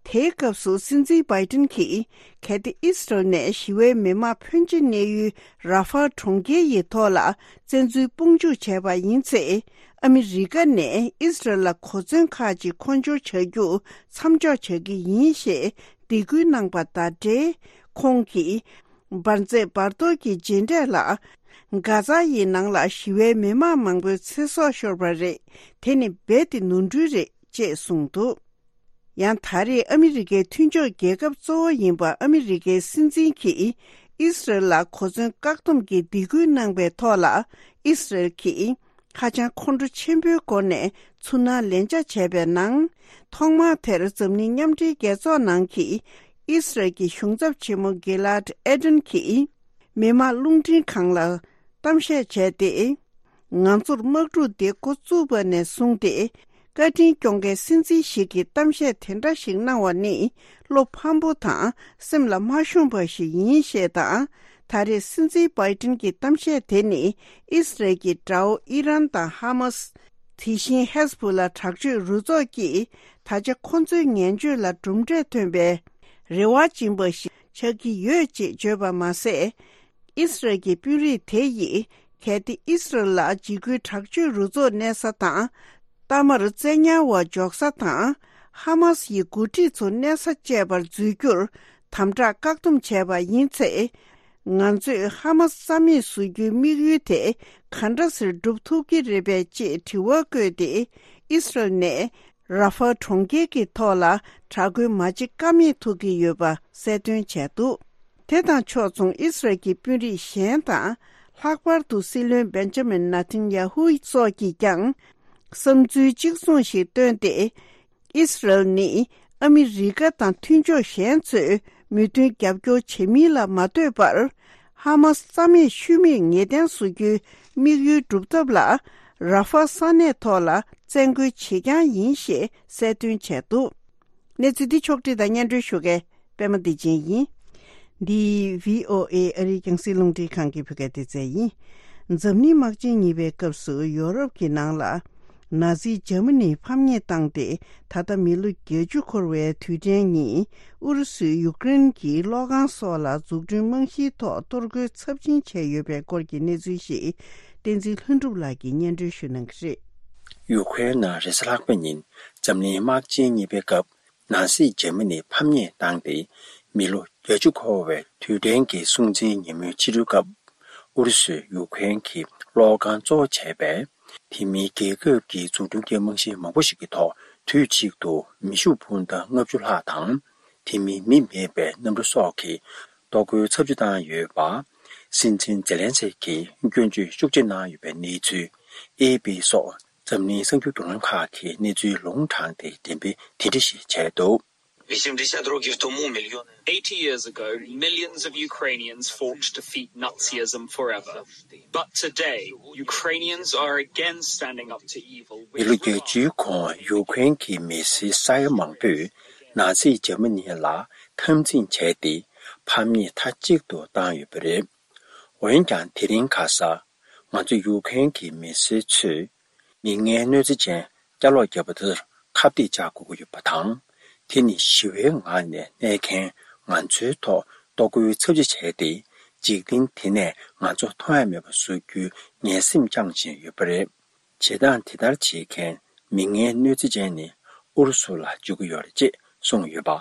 དེའི་སྐབས་སུ་སྲིད་འཛིན་བྷའི་ཏིན་གྱིས། གལ་ཏེ་ཨི་སི་རལ་ནས་ཞི་བའི་མི་མང་ཕོན་ཆེ་གནས་ཡུལ་ར་ཧྥལ་གྲོང་ཁྱེར་ཡི་ཐོག་ལ་བཙན་འཛུལ་དཔུང་འཇུག་བྱས་པ་ཡིན་ཚེ། ཨ་མི་རི་ཀ་ནས་ཨི་སི་རལ་ལ་གོ་མཚོན་ཁག་ཅིག་མཁོ་སྦྱོར་བྱ་རྒྱུ་མཚམས་འཇོག་བྱ་གི་ཡིན་ཞེས་སྡིགས་སྐུལ་གནང་པ་དང་འབྲེལ། ཁོང་གིས། འབར་རྫས་འབར་གཏོར་གྱི་རྗེས་འབྲས་ལ། གྷ་ཛ་ཡི་ནང་ལ་ཞི་བའི་མི་མང་མང་པོའི་ཚེ་སྲོག་ཤོར་བ་རེད། དེ་ནི་རྦད་དེ་ནོར་འཁྲུལ་རེད། ཅེས་གསུངས་འདུག་ཡང་ད་རེས་ཨ་མི་རི་ཀའི་མཐུན་ཕྱོགས་རྒྱལ་ཁབ་གཙོ་བོ་ཡིན་པ་ཨ་མི་རི་ཀའི་སྲིད་འཛིན་གྱིས་ཨི་སི་རལ་ལ་གོ་མཚོན་བཀག་སྡོམ་གྱི་སྡིགས་སྐུལ་གནང་པའི་ཐོག་ལ། ཨི་སི་རལ་གྱིས་ཧ་ཅང་ཁོང་ཁྲོ་ཆེན་པོའི་སྒོ་ནས་ཚུར་སྣང་ལན་ཆགས་བྱས་པའི་ནང་། ཐོག་མར་དེར་འཛམ་གླིང་མཉམ་འབྲེལ་རྒྱལ་ཚོགས་ནང་གི་ཨི་སི་རལ་གྱི་གཞུང་ཚབ་ཆེན་མོ་གི་ལཱད་ཨེ་ཏན་གྱིས། མི་དམངས་རླུང་འཕྲིན་ཁང་ལ་གཏམ་བཤད་བྱས་ཏེ། ང་ཚོར་དམག་འཁྲུག་འདི་འགོ་བཙུགས་པ་ནས་བཟུང་སྟེ། བཀའ་དྲིན་སྐྱོང་མཁན་སྲིད་འཛིན་ཞིག་གིས་གཏམ་བཤད་དེ་འདྲ་ཞིག་གནང་བ་ནི། བློ་ཕམ་པོ་དང་སེམས་ལ་མ་ཤོང་པ་ཞིག་ཡིན་ཞེས་དང་། ད་རེས་སྲིད་འཛིན་བྷའི་ཏིན་གྱི་གཏམ་བཤད་དེ་ནི། ཨི་སི་རལ་གྱི་དགྲ་བོ་ཨི་རན་དང་ཧ་མ་སི། དེ་བཞིན་ཧེ་ཟ་བྷོ་ལ་དྲག་སྤྱོད་རུ་ཚོགས་ཀྱིས། ད་ཆ་ཁོ་ཚོའི་ངན་སྤྱོད་ལ་གྲུབ་འབྲས་ཐོན་པའི་རེ་བ་སྦྱིན་པ་ཞིག་ཆགས་ཀྱི་ཡོད་ཅེས་བརྗོད་པ་མ་ཟད། ཨི་སི་རལ་གྱི་དཔོན་རིགས་དེ་ཡིས། གལ་ཏེ་ཨི་སི་རལ་ལ་འཇིགས་སྐུལ་དྲག་སྤྱོད་རུ་ཚོགས་གནས་ས་དང་། གཏའ་མར་བཙན་ཉར་བ་འཇོག་ས་དང་། ཧ་མ་སི་ཡི་འགོ་ཁྲིད་ཚོ་གནས་ས་བཅས་པར་འཛུལ་རྒྱུར་དམ་དྲག་བཀག་སྡོམ་བྱས་པ་ཡིན་ཚེ། ང་ཚོས་ཧ་མ་སི་རྩ་མེད་བཟོ་རྒྱུའི་དམིགས་ཡུལ་དེ་ག་འདྲ་སེ་སྒྲུབ་ཐུབ་ཀྱི་རེད་པས་ཅེས་དྲི་བ་བཀོད་དེ། ཨི་སི་རལ་ནས་ར་ཧྥལ་གྲོང་ཁྱེར་གྱི་ཐོག་ལ་དྲག་རྒོལ་མ་བྱེད་ཀ་མེད་ཐུག་གི་ཡོད་པ་གསལ་སྟོན་བྱས་འདུག་དེ་དང་ཕྱོགས་མཚུངས་ཨི་སི་རལ་གྱི་དཔོན་རིགས་གཞན་དང་། ལྷག་པར་དུ་སྲིད་བློན་བེན་ཇ་མིན་ནེ་ཐན་ཡ་ཧུ་སོགས་ཀྱིས་ཀྱང་། བསམ་ཚུལ་གཅིག་མཚུངས་ཤིག་བཏོན་ཏེ། ཨི་སི་རལ་ནི་ཨ་མི་རི་ཀ་དང་མཐུན་ཕྱོགས་གཞན་ཚོས་མོས་མཐུན་རྒྱབ་སྐྱོར་བྱེད་མིན་ལ་མ་ལྟོས་པར། ཧ་མ་སི་རྩ་མེད་ཤུལ་མེད་ངེས་གཏན་བཟོ་རྒྱུའི་དམིགས་ཡུལ་སྒྲུབ་ཐབས་ལ། ར་ཧྥལ་ས་གནས་ཐོག་ལ་བཙན་རྒོལ་བྱེད་རྐྱང་ཡིན་ཞེས་གསལ་སྟོན་བྱས་འདུག་གནས་ཚུལ་འདི་ཕྱོགས་བསྒྲིགས་དང་སྙན་སྒྲོན་ཞུ་མཁན་པད་མ་བདེ་ཆེན་ཡིན། འདི་བྷི་ཨོ་ཨེ་ཨ་རིའི་རྒྱང་སྲིང་རླུང་འཕྲིན་ཁང་གི་བོད་སྐད་སྡེ་ཚན་ཡིན། འཛམ་གླིང་དམག་ཆེན་གཉིས་པའི་སྐབས་སུ་ཡོ་རོབ་ཀྱི་ནང་ལ། ནཱ་ཛི་འཇར་མ་ནི་ཕམ་ཉེས་བཏང་སྟེ། ད་ལྟ་མི་ལོ་བརྒྱད་ཅུ་འཁོར་བའི་དུས་དྲན་ཉིན། ཨུ་རུ་སུས་ཡུཀ་རེན་གྱི་གློག་ཁང་སོགས་ལ་འཛུགས་སྐྲུན་རྨང་གཞིའི་ཐོག་གཏོར་རྒོལ་ཚབས་ཆེན་བྱས་ཡོད་པའི་སྐོར་གྱི་གནས་ཚུལ་ཞིག་བསྟན་འཛིན་ལྷུན་གྲུབ་ལགས་ཀྱིས་སྙན་སྒྲོན་ཞུ་གནང་གི་རེད། ཡུཀ་རེན་ནང་རེས་གཟའ་ལྷག་པ་ཉིན་འཛམ་གླིང་དམག་ཆེན་གཉིས་པའི་སྐབས། ནཱ་ཛི་འཇར་མ་ནི་ཕམ་ཉེས་བཏང་སྟེ། མི་ལོ་བརྒྱད་ཅུ་འཁོར་བའི་དུས་དྲན་གྱི་སྲུང་བརྩིའི་ཉིན་མོའི་ཕྱི་དྲོའི་སྐབས། ཨུ་རུ་སུས་ཡུཀ་རེན་གྱི་གློག་ཁང་གཙོ་བོ་བྱས་པའི་དེ་མིན་རྒྱལ་ཁབ་ཀྱི་འཛུགས་སྐྲུན་གྱི་རྨང་གཞི་མང་པོ་ཞིག་གི་ཐོག་དུས་གཅིག་ཏུ་མེ་ཤུགས་འཕུར་མདའ་ལྔ་བཅུ་ལྷག་དང་། དེ་མིན་མི་མེད་པའི་གནམ་གྲུ་སོགས་ཀྱིས་གཏོར་རྒོལ་ཚབས་ཆེ་བཏང་ཡོད་པ། སྲིད་འཛིན་ཛེ་ལན་སི་ཀིས་སྐྱོན་བརྗོད་ཤུགས་ཆེ་གནང་ཡོད་པའི་གནས་ཚུལ། ཨེ་ཨེ་པི་སོགས། འཛམ་གླིང་གསར་འགྱུར་བརྒྱུད་ལམ་ཁག་གིས་གནས་ཚུལ་ལུང་དྲངས་ཏེ་འགྲེམས་སྤེལ་དེ་འདྲ་ཞིག་བྱས་འདུག Eighty years ago, millions of Ukrainians fought to defeat Nazism forever. But today, Ukrainians are again standing up to evil. མི་ལོ་བརྒྱད་ཅུའི་གོང་ཡུ་ཀེ་རེན་གྱི་མི་སེར་ས་ཡ་མང་པོས་ནཱ་ཛི་འཇར་མ་ནི་ལ་འཐབ་འཛིང་བྱས་ཏེ་ཕམ་ཉེས་མཐའ་གཅིག་ཏུ་བཏང་ཡོད་པ་རེད། འོན་ཀྱང་དེ་རིང་ཁ་སང་ ང་ཚོ་ཡུ་ཁུ་རེན་གྱི་མི་སེར་ཚོས་མི་ངན་གནོད་འཚེ་ཅན་སྐྱ་ལོག་བརྒྱབ་པ་དེར་ཁ་གཏད་བཅག་དགོས་ཀྱི་ཡོད་པ་དང་། དེ་ནི་ཞི་བའི་ངང་ནས་གནས་མཁན་ང་ཚོའི་ཐོག་གཏོར་རྒོལ་ཚབས་ཆེ་བྱས་ཏེ། འཇིག་རྟེན་འདི་ནས་ང་ཚོ་མཐོང་ཡ་མེད་པ་བཟོ་རྒྱུའི་ངན་སེམས་བཅངས་བཞིན་ཡོད་པ་རེད། བྱེད་སྟངས་དེ་ལྟར་བྱེད་མཁན་མི་ངན་གནོད་འཚེ་ཅན་ནི་ཨུ་རུ་སུ་ལ་འཇུག་གི་ཡོད་རེད་ཅེས་གསུངས་ཡོད་པ།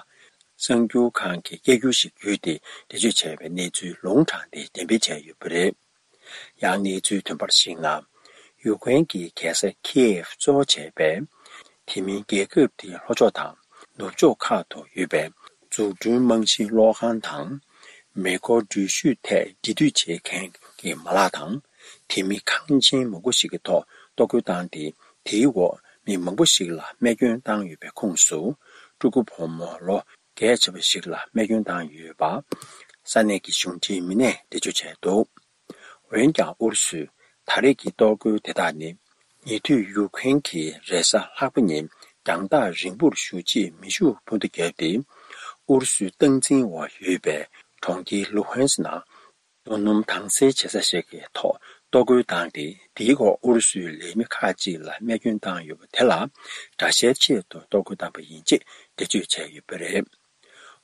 གསར་འགྱུར་ཁང་གིས་སྐད་སྒྱུར་ཞིག་བརྒྱུད་དེ་འགྲེལ་བརྗོད་བྱས་པའི་གནས་ཚུལ་ལུང་དྲངས་ཏེ་འགྲེམས་སྤེལ་བྱས་ཡོད་པ་རེད། ཡང་གནས་ཚུལ་ཐོན་པར་གཞིགས་ན། ཡུ་ཀེ་རེན་གྱི་རྒྱལ་ས་ཁི་ཨེབ་གཙོ་བོ་བྱས་པའི་དེ་མིན་རྒྱལ་ཁབ་དེའི་ལྷོ་ཕྱོགས་དང་ནུབ་ཕྱོགས་ཁག་ཏུ་ཡོད་པའི་འཛུགས་སྐྲུན་རྨང་གཞིའི་གློག་ཁང་དང་། མེ་འཁོར་འགྲུལ་བཞུད་ཐད་འབྲེལ་མཐུད་བྱེད་མཁན་གྱི་མ་ལག་དང་། དེ་མིན་ཁང་ཆེན་མང་པོ་ཞིག་གི་ཐོག་གཏོར་རྒོལ་བཏང་སྟེ། དེའི་འོག་མི་མང་པོ་ཞིག་ལ་རྨས་སྐྱོན་བཏང་ཡོད་པའི་ཁོངས་སུ། ཕྲུ་གུ་བུ་མོ་ལོ་བརྒྱད་ཆེ་བ་ཞིག་ལ་རྨས་སྐྱོན་བཏང་ཡོད་པ། ས་གནས་ཀྱི་གཞུང་འབྲེལ་མི་སྣས་འགྲེལ་བརྗོད་བྱས་འདུག་འོན་ཀྱང་ཨུ་རུ་སུས་ད་རེས་ཀྱི་གཏོར་རྒོལ་དེ་དག་ནི། ཉེ་དུས་ཡུ་ཀེ་རེན་གྱིས་རེས་གཟའ་ལྷག་པ་ཉིན་རྒྱང་ཐག་རིང་པོར་བཞུར་རྗེས་མེ་ཤུགས་འཕུར་མདའ་བརྒྱབ་སྟེ། ཨུ་རུ་སུའི་སྟངས་འཛིན་འོག་ཡོད་པའི་གྲོང་ཁྱེར་ལུ་ཧན་སི་ནང་རྡོ་སྣུམ་དྭངས་གསལ་བྱེད་ས་ཞིག་གི་ཐོག་གཏོར་རྒོལ་བཏང་སྟེ། དེའི་འོག་ཨུ་རུ་སུའི་ལས་མི་ཁག་ཅིག་ལ་རྨས་སྐྱོན་བཏང་ཡོད་པ་དེ་ལ་དགྲ་ཤའི་ཆེད་དུ་གཏོར་རྒོལ་བཏང་པ་ཡིན་ཅེས་འགྲེལ་བརྗོད་བྱས་ཡོད་པ་རེད།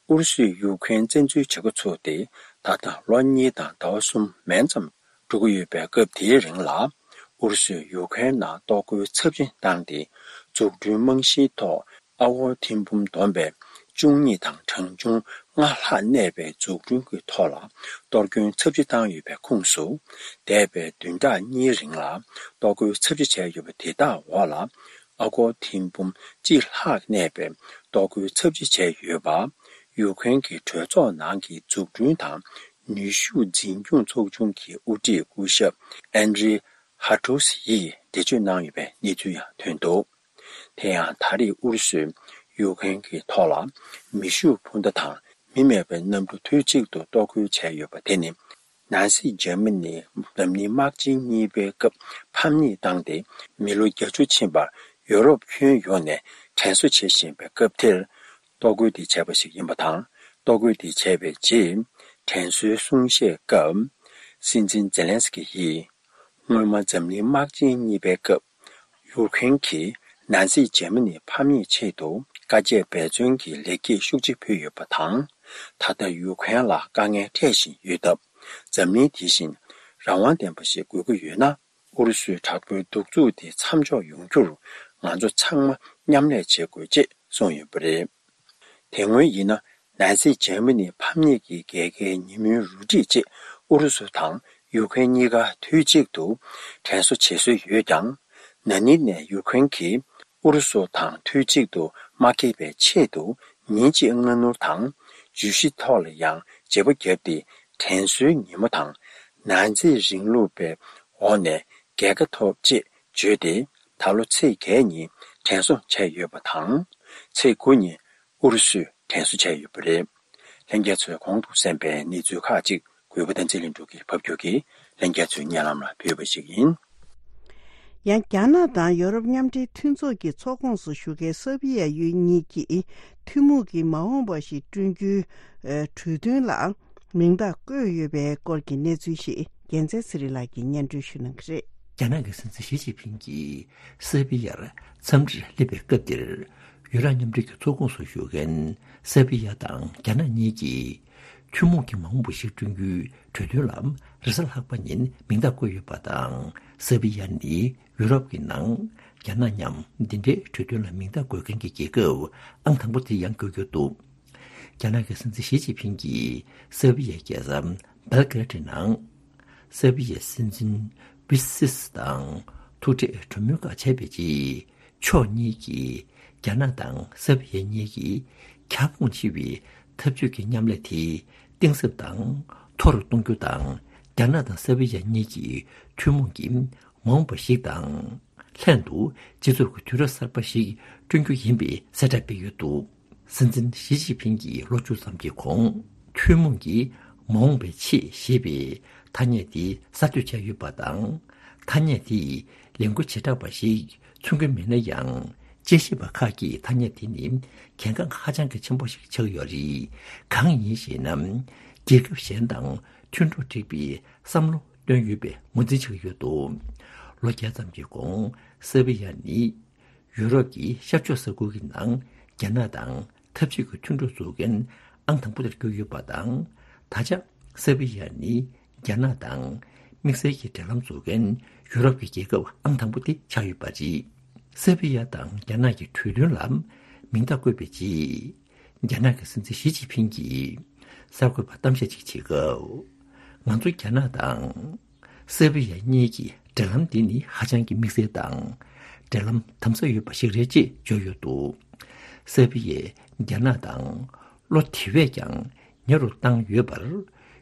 ཨུ་རུ་སུས་ཡུ་ཀེ་རེན་བཙན་འཛུལ་བྱེད་འགོ་ཚུགས་ཏེ་ད་ལྟ་ལོ་གཉིས་དང་ཟླ་བ་གསུམ་མན་ཙམ་འགྲོ་གི་ཡོད་པའི་སྐབས་དེའི་རིང་ལ། ཨུ་རུ་སུས་ཡུ་ཀེ་རེན་ནང་གཏོར་རྒོལ་ཚབས་ཆེན་བཏང་སྟེ། འཛུགས་སྐྲུན་རྨང་གཞིའི་ཐོག་ཨ་སྒོར་ཐེར་འབུམ་བསྡོམས་པས་བཅུ་གཉིས་དང་གྲངས་ཆུང་ལྔ་ལྷག་གནས་པའི་འཛུགས་སྐྲུན་གྱི་ཐོག་ལ་གཏོར་སྐྱོན་ཚབས་ཆེ་བཏང་ཡོད་པའི་ཁོངས་སུ། འདས་པའི་བདུན་ཕྲག་གཉིས་རིང་ལ་གཏོར་རྒོལ་ཚབས་ཆེ་བྱས་ཡོད་པ་དེ་དག་འོག་ལ། ཨ་སྒོར་ཐེར་འབུམ་གཅིག་ལྷག་གནས་པའི་གཏོར་རྒོལ་ཚབས་ཆེ་བྱས་ཡོད་པ། ཡུ་ཀེ་རེན་གྱི་གྲོས་ཚོགས་ནང་གི་འཛུགས་སྐྲུན་དང་ནུས་ཤུགས་འཛིན་སྐྱོང་ཚོགས་ཆུང་གི་དབུ་ཁྲིད་སྐུ་ཞབས་ཨན་ཌྲི་ཧ་ཀྲུ་སི་ཡིས་འགྲེལ་བརྗོད་གནང་ཡོད་པའི་གནས་ཚུལ་ཡང་ཐོན་འདུག་དེ་ཡང་ད་རེས་ཨུ་རུ་སུས་ཡུ་ཀེ་རེན་གྱི་ཐོག་ལ་མེ་ཤུགས་འཕུར་མདའ་དང་མི་མེད་པའི་གནམ་གྲུ་དུས་གཅིག་ཏུ་གཏོར་རྒོལ་བྱས་ཡོད་པ་དེ་ནི། ནཱ་སི་འཇར་མ་ནིས་འཛམ་གླིང་དམག་ཆེན་གཉིས་པའི་སྐབས་ཕམ་ཉེས་བཏང་སྟེ། མི་ལོ་བརྒྱད་ཅུ་ཕྱིན་པར་ཡོ་རོབ་ཁྱོན་ཡོངས་ནས་དྲན་གསོ་བྱེད་བཞིན་པའི་སྐབས་དེར། གཏོར་རྒོལ་དེ་བྱས་པ་ཞིག་ཡིན་པ་དང་། གཏོར་རྒོལ་དེ་བྱས་པའི་རྗེས། དྲན་གསོའི་གསུང་བཤད་སྐབས། སྲིད་འཛིན་ཛེ་ལན་སི་ཀི་ཡིས། སྔོན་མ་འཛམ་གླིང་དམག་ཆེན་གཉིས་པའི་སྐབས། ཡུ་ཀེ་རེན་གྱིས་ནཱ་སི་འཇར་མ་ནི་ཕམ་ཉེས་ཆེད་དུ་དཀའ་སྤྱད་འབད་བརྩོན་གྱི་ལེགས་སྐྱེས་ཤུགས་ཆེ་ཕུལ་ཡོད་པ་དང་། ད་ལྟ་ཡུ་ཀེ་རེན་ལ་དཀའ་ངལ་འཕྲད་བཞིན་ཡོད་སྟབས། འཛམ་གླིང་དེ་བཞིན་རང་དབང་ལྡན་པ་ཞིག་དགོས་ཀྱི་ཡོད་ན། ཨུ་རུ་སུའི་དྲག་པོའི་གདུག་རྩུབ་དེ་མཚམས་འཇོག་ཡོང་རྒྱུར། ང་ཚོ་ཚང་མ་མཉམ་ལས་བྱེད་དགོས་ཅེས་གསུངས་ཡོད་པ་རེད། དེ་སྔོན་ཡིན་ན། ནཱ་སི་འཇར་མ་ནི་ཕམ་ཉེས་ཀྱི་རྒྱལ་ཁའི་ཉིན་མོའི་རུ་སྒྲིག་ཅེས་ཨུ་རུ་སུ་དང་ཡུ་ཀེ་རེན་གཉིས་ཀ་དུས་གཅིག་ཏུ་དྲན་གསོ་བྱེད་སྲོལ་ཡོད་ཀྱང་། ན་ནིང་ནས་ཡུ་ཀེ་རེན་གྱིས་ཨུ་རུ་སུ་དང་དུས་གཅིག་ཏུ་མ་འགྲིག་པའི་ཆེད་དུ། ཉིན་གཅིག་སྔ་སྣུར་དང་། བརྗོད་གཞི་ཐོག་ལ་ཡང་བརྗེ་པོ་བརྒྱབ་སྟེ། དྲན་གསོའི་ཉིན་མོ་དང་། ནཱ་ཛི་རིང་ལུགས་པའི་འོག་ནས་རྒྱལ་ཁ་ཐོབ་ཅེས་བརྗོད་དེ། ད་ལོ་ཚེས་བརྒྱད་ཉིན་དྲན་གསོ་བྱས་ཡོད་པ་དང་། ཚེས་དགུ་ཉིན་ཨུ་རུ་སུས་དྲན་གསོ་བྱས་ཡོད་པ་རེད། ལྷན་རྒྱས་ཚོས་གོང་དུ་གསན་པའི་གནས་ཚུལ་ཁག་ཅིག་གུས་པ་བསྟན་འཛིན་ལྷུན་གྲུབ་ཀྱིས་ཕབ་སྒྱུར་གྱིས་ལྷན་རྒྱས་ཚོའི་སྙན་ལམ་ལ་ཕུལ་བ་ཞིག་ཡིན། ཡང་རྒྱ་ནག་དང་ཡོ་རོབ་མཉམ་འབྲེལ་མཐུན་ཚོགས་ཀྱི་ཚོགས་ཁོངས་སུ་ཞུགས་མཁན་སར་བྷི་ཡ་ཡུལ་གཉིས་ཀྱིས་ཐུན་མོང་གི་མ་འོངས་པ་ཞིག་བསྐྲུན་རྒྱུའི་གྲོས་མཐུན་ལ་མིང་རྟགས་བཀོད་ཡོད་པའི་སྐོར་གྱི་གནས་ཚུལ་ཞིག་རྒྱལ་མཚན་ཚེ་རིང་ལགས་ཀྱིས་སྙན་སྒྲོན་ཞུ་གནང་གི་རེད། རྒྱ་ནག་གི་སྲིད་འཛིན་ཞི་ཅིན་ཕིང་གིས་སར་བྷི་ཡར་འཚམས་འདྲིར་སླེབས་པའི་སྐབས་དེར། ཡུ་རོབ་མཉམ་འབྲེལ་གྱི་ཚོགས་ཁོངས་སུ་ཞུགས་མཁན་སར་བྷི་ཡ་དང་རྒྱ་ནག་གཉིས་ཀྱིས། ཐུན་མོང་གི་མ་འོངས་པ་ཞིག་བསྐྲུན་རྒྱུའི་གྲོས་མཐུན་ལ་རེས་གཟའ་ལྷག་པ་ཉིན་མིང་རྟགས་བཀོད་ཡོད་པ་དང་། སར་བྷི་ཡ་ནི་ཡུ་རོབ་ཀྱི་ནང་རྒྱ་ནག་མཉམ་འདི་འདྲའི་གྲོས་མཐུན་ལ་མིང་རྟགས་འགོད་མཁན་གྱི་རྒྱལ་ཁབ་ཨང་དང་པོ་དེ་ཡང་འགོད་རྒྱུ་འདུག་རྒྱ་ནག་གི་སྲིད་འཛིན་ཞི་ཅིན་ཕིང་གིས་སར་བྷི་ཡའི་རྒྱལ་ས་སྦེལ་ཀེ་རེད་ནང་། སར་བྷི་ཡའི་སྲིད་འཛིན་བྷི་སིས་དང་ཐུག་འཕྲད་གྲོས་མོལ་ཁག་བྱས་པའི་རྗེས། ཕྱོགས་གཉིས་ཀྱིས་རྒྱ་ནག་དང་སར་བྷི་ཡ་གཉིས་ཀྱི་ཁྱབ་ཁོངས་ཆེ་བའི་འཐབ་ཇུས་ཀྱི་མཉམ་ལས་དེ་གཏིང་ཟབ་དང་མཐོ་རུ་གཏོང་རྒྱུ་དང་། རྒྱ་ནག་དང་སར་བྷི་ཡ་གཉིས་ཀྱི་ཐུན་མོང་གི་མ་འོངས་པ་ཞིག་དང་། ལྷན་དུ་སྤྱི་ཚོགས་ཀྱི་དུས་རབས་གསར་པ་ཞིག་བསྐྲུན་རྒྱུ་ཡིན་པའི་གསལ་བསྒྲགས་སྤེལ་ཡོད་འདུག་སྲིད་འཛིན་ཞི་ཅིན་ཕིང་གིས་ལོ་བཅུ་ཙམ་གྱི་གོང་ཐུན་མོང་གི་མ་འོངས་པའི་ཆེད་ཞེས་པའི་ཐ་སྙད་དེ་གསར་གཏོད་བྱས་ཡོད་པ་དང་། ཐ་སྙད་དེས་ལས་འགུལ་བྱེ་བྲག་པ་ཞིག་མཚོན་གྱི་མེད་ན་ཡང་། དཔྱད་ཞིབ་པ་ཁག་གིས་ཐ་སྙད་དེ་ནི་གལ་འགངས་ཧ་ཅང་གི་ཆེན་པོ་ཞིག་ཆགས་ཡོད་རེད། གང་ཡིན་ཞེ་ན། རྒྱལ་ཁབ་གཞན་དང་མཐུན་གྲོགས་སྒྲིག་པའི་བསམ་བློ་ བཏོན་ཡོད་པའི་ངོས་འཛིན་བྱེད་ཀྱི་ཡོད་འདུག་ལོ་བརྒྱ་ཙམ་གྱི་གོང་སེར་བི་ཡ་ནི་ཡུ་རོབ་ཀྱི་ཤར་ཕྱོགས་ས་ཁུལ་གྱི་ནང་རྒྱ་ནག་དང་འཐབ་ཇུས་ཀྱི་མཐུན་གྲོགས་བཟོ་མཁན་ཨང་དང་པོ་དེར་གྱུར་ཡོད་པ་དང་། ད་ཆ་སེར་བི་ཡ་ནི་རྒྱ་ནག་དང་དམིགས་བསལ་གྱི་འབྲེལ་ལམ་བཟོ་མཁན་ཡུ་རོབ་ཀྱི་རྒྱལ་ཁབ་ཨང་དང་པོ་དེ་ཆགས་ཡོད་པ་རེད། སེར་བི་ཡ་དང་རྒྱ་ནག་གི་གྲོས་མཐུན་ལ་མིང་རྟགས་བཀོད་པའི་རྗེས། རྒྱ་ནག་གི་སྲིད་འཛིན་ཞི་ཅིན་ཕིང་གིས་གསར་འགོད་པར་གཏམ་བཤད་ཅིག་བྱེད་སྐབས། ང་ཚོ་རྒྱ་ནག་དང་སེར་བི་ཡ་གཉིས་ཀྱི་འབྲེལ་ལམ་འདི་ནི་ཧ་ཅང་གི་དམིགས་བསལ་དང་། འབྲེལ་ལམ་དམ་ཟབ་ཡོད་པ་ཞིག་རེད་ཅེས་བརྗོད་ཡོད་འདུག་སེར་བི་ཡས་རྒྱ་ནག་དང་བློ་དེ་བས་ཀྱང་ཉེ་རུ་བཏང་ཡོད་པར།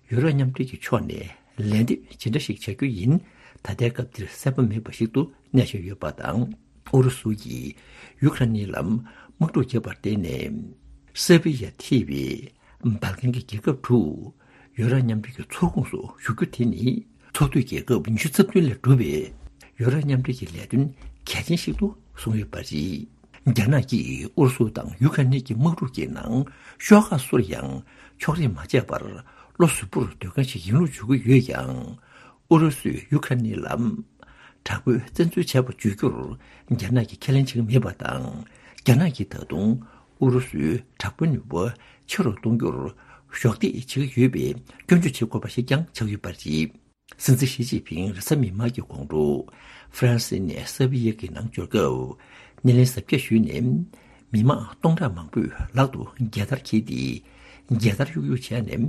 ཡུ་རོབ་མཉམ་འབྲེལ་གྱི་ཕྱོགས་ནས་ལན་འདེབས་ཇི་འདྲ་ཞིག་བྱ་རྒྱུ་ཡིན། ད་ལྟའི་སྐབས་འདིར་གསལ་པོ་མེད་པ་ཞིག་ཏུ་གནས་བཞིན་ཡོད་པ་དང་། ཨུ་རུ་སུ་ཡིས་ཡུ་ཁ་རེན་ལ་དམག་འཁྲུག་བརྒྱབ་པར་བརྟེན་ནས། སེར་བི་ཡ་ཐེ་བའི་སྦལ་ཀན་གྱི་རྒྱལ་ཁབ་དྲུག་ཡུ་རོབ་མཉམ་འབྲེལ་གྱི་ཚོགས་ཁོངས་སུ་ཞུགས་རྒྱུ་དེ་ནི་ཚོགས་འཐུས་རྒྱལ་ཁབ་ཉི་ཤུ་རྩ་བདུན་ལས་གྲུབ་པའི་ཡུ་རོབ་མཉམ་འབྲེལ་གྱི་ལས་དོན་གལ་ཆེན་ཞིག་ཏུ་བཟུང་ཡོད་པ་རེད། རྒྱ་ནག་གིས་ཨུ་རུ་སུ་དང་ཡུ་ཁ་ནི་གྱི་དམག་འཁྲུག་གི་ནང་ཤོག་ཁག་སུར་ཡང་ཕྱོགས་རིས་མ་བྱས་པར་བློ་གཟུ་བོར་སྡོད་མཁན་ཞིག་ཡིན་ལུགས་བརྗོད་ཀྱི་ཡོད་ཀྱང་། ཨུ་རུ་སུས་ཡུ་ཁ་ནི་ལ་དྲག་པོའི་བཙན་འཛུལ་བྱས་པ་བརྗོད་རྒྱུར་རྒྱ་ནག་གིས་ཁས་ལེན་བྱེད་ཀྱི་མེད་པ་དང་། རྒྱ་ནག་གིས་ད་དུང་ཨུ་རུ་སུའི་དྲག་པོའི་ནུས་པ་ཆེ་རུ་གཏོང་རྒྱུར་གཞོགས་འདེགས་བྱེད་ཀྱི་ཡོད་པའི་སྐྱོན་བརྗོད་བྱེད་དགོས་པ་ཞིག་ཀྱང་ཆགས་ཡོད་པ་རེད། སྲིད་འཛིན་ཞི་ཅིན་ཕིང་རེས་གཟའ་མིག་དམར་གྱི་དགོང་དྲོ་ཧྥ་རན་སི་ནས་སེར་བི་ཡ་གི་ནང་འབྱོར་སྐབས། སྣེ་ལེན་གཟབ་རྒྱས་ཞུས་ནས། མི་མང་སྟོང་ཕྲག་མང་པོས་ལག་ཏུ་རྒྱལ་དར་འཁྱེར་ཏེ། རྒྱལ་དར་གཡུག་གཡུག་བྱས་ནས།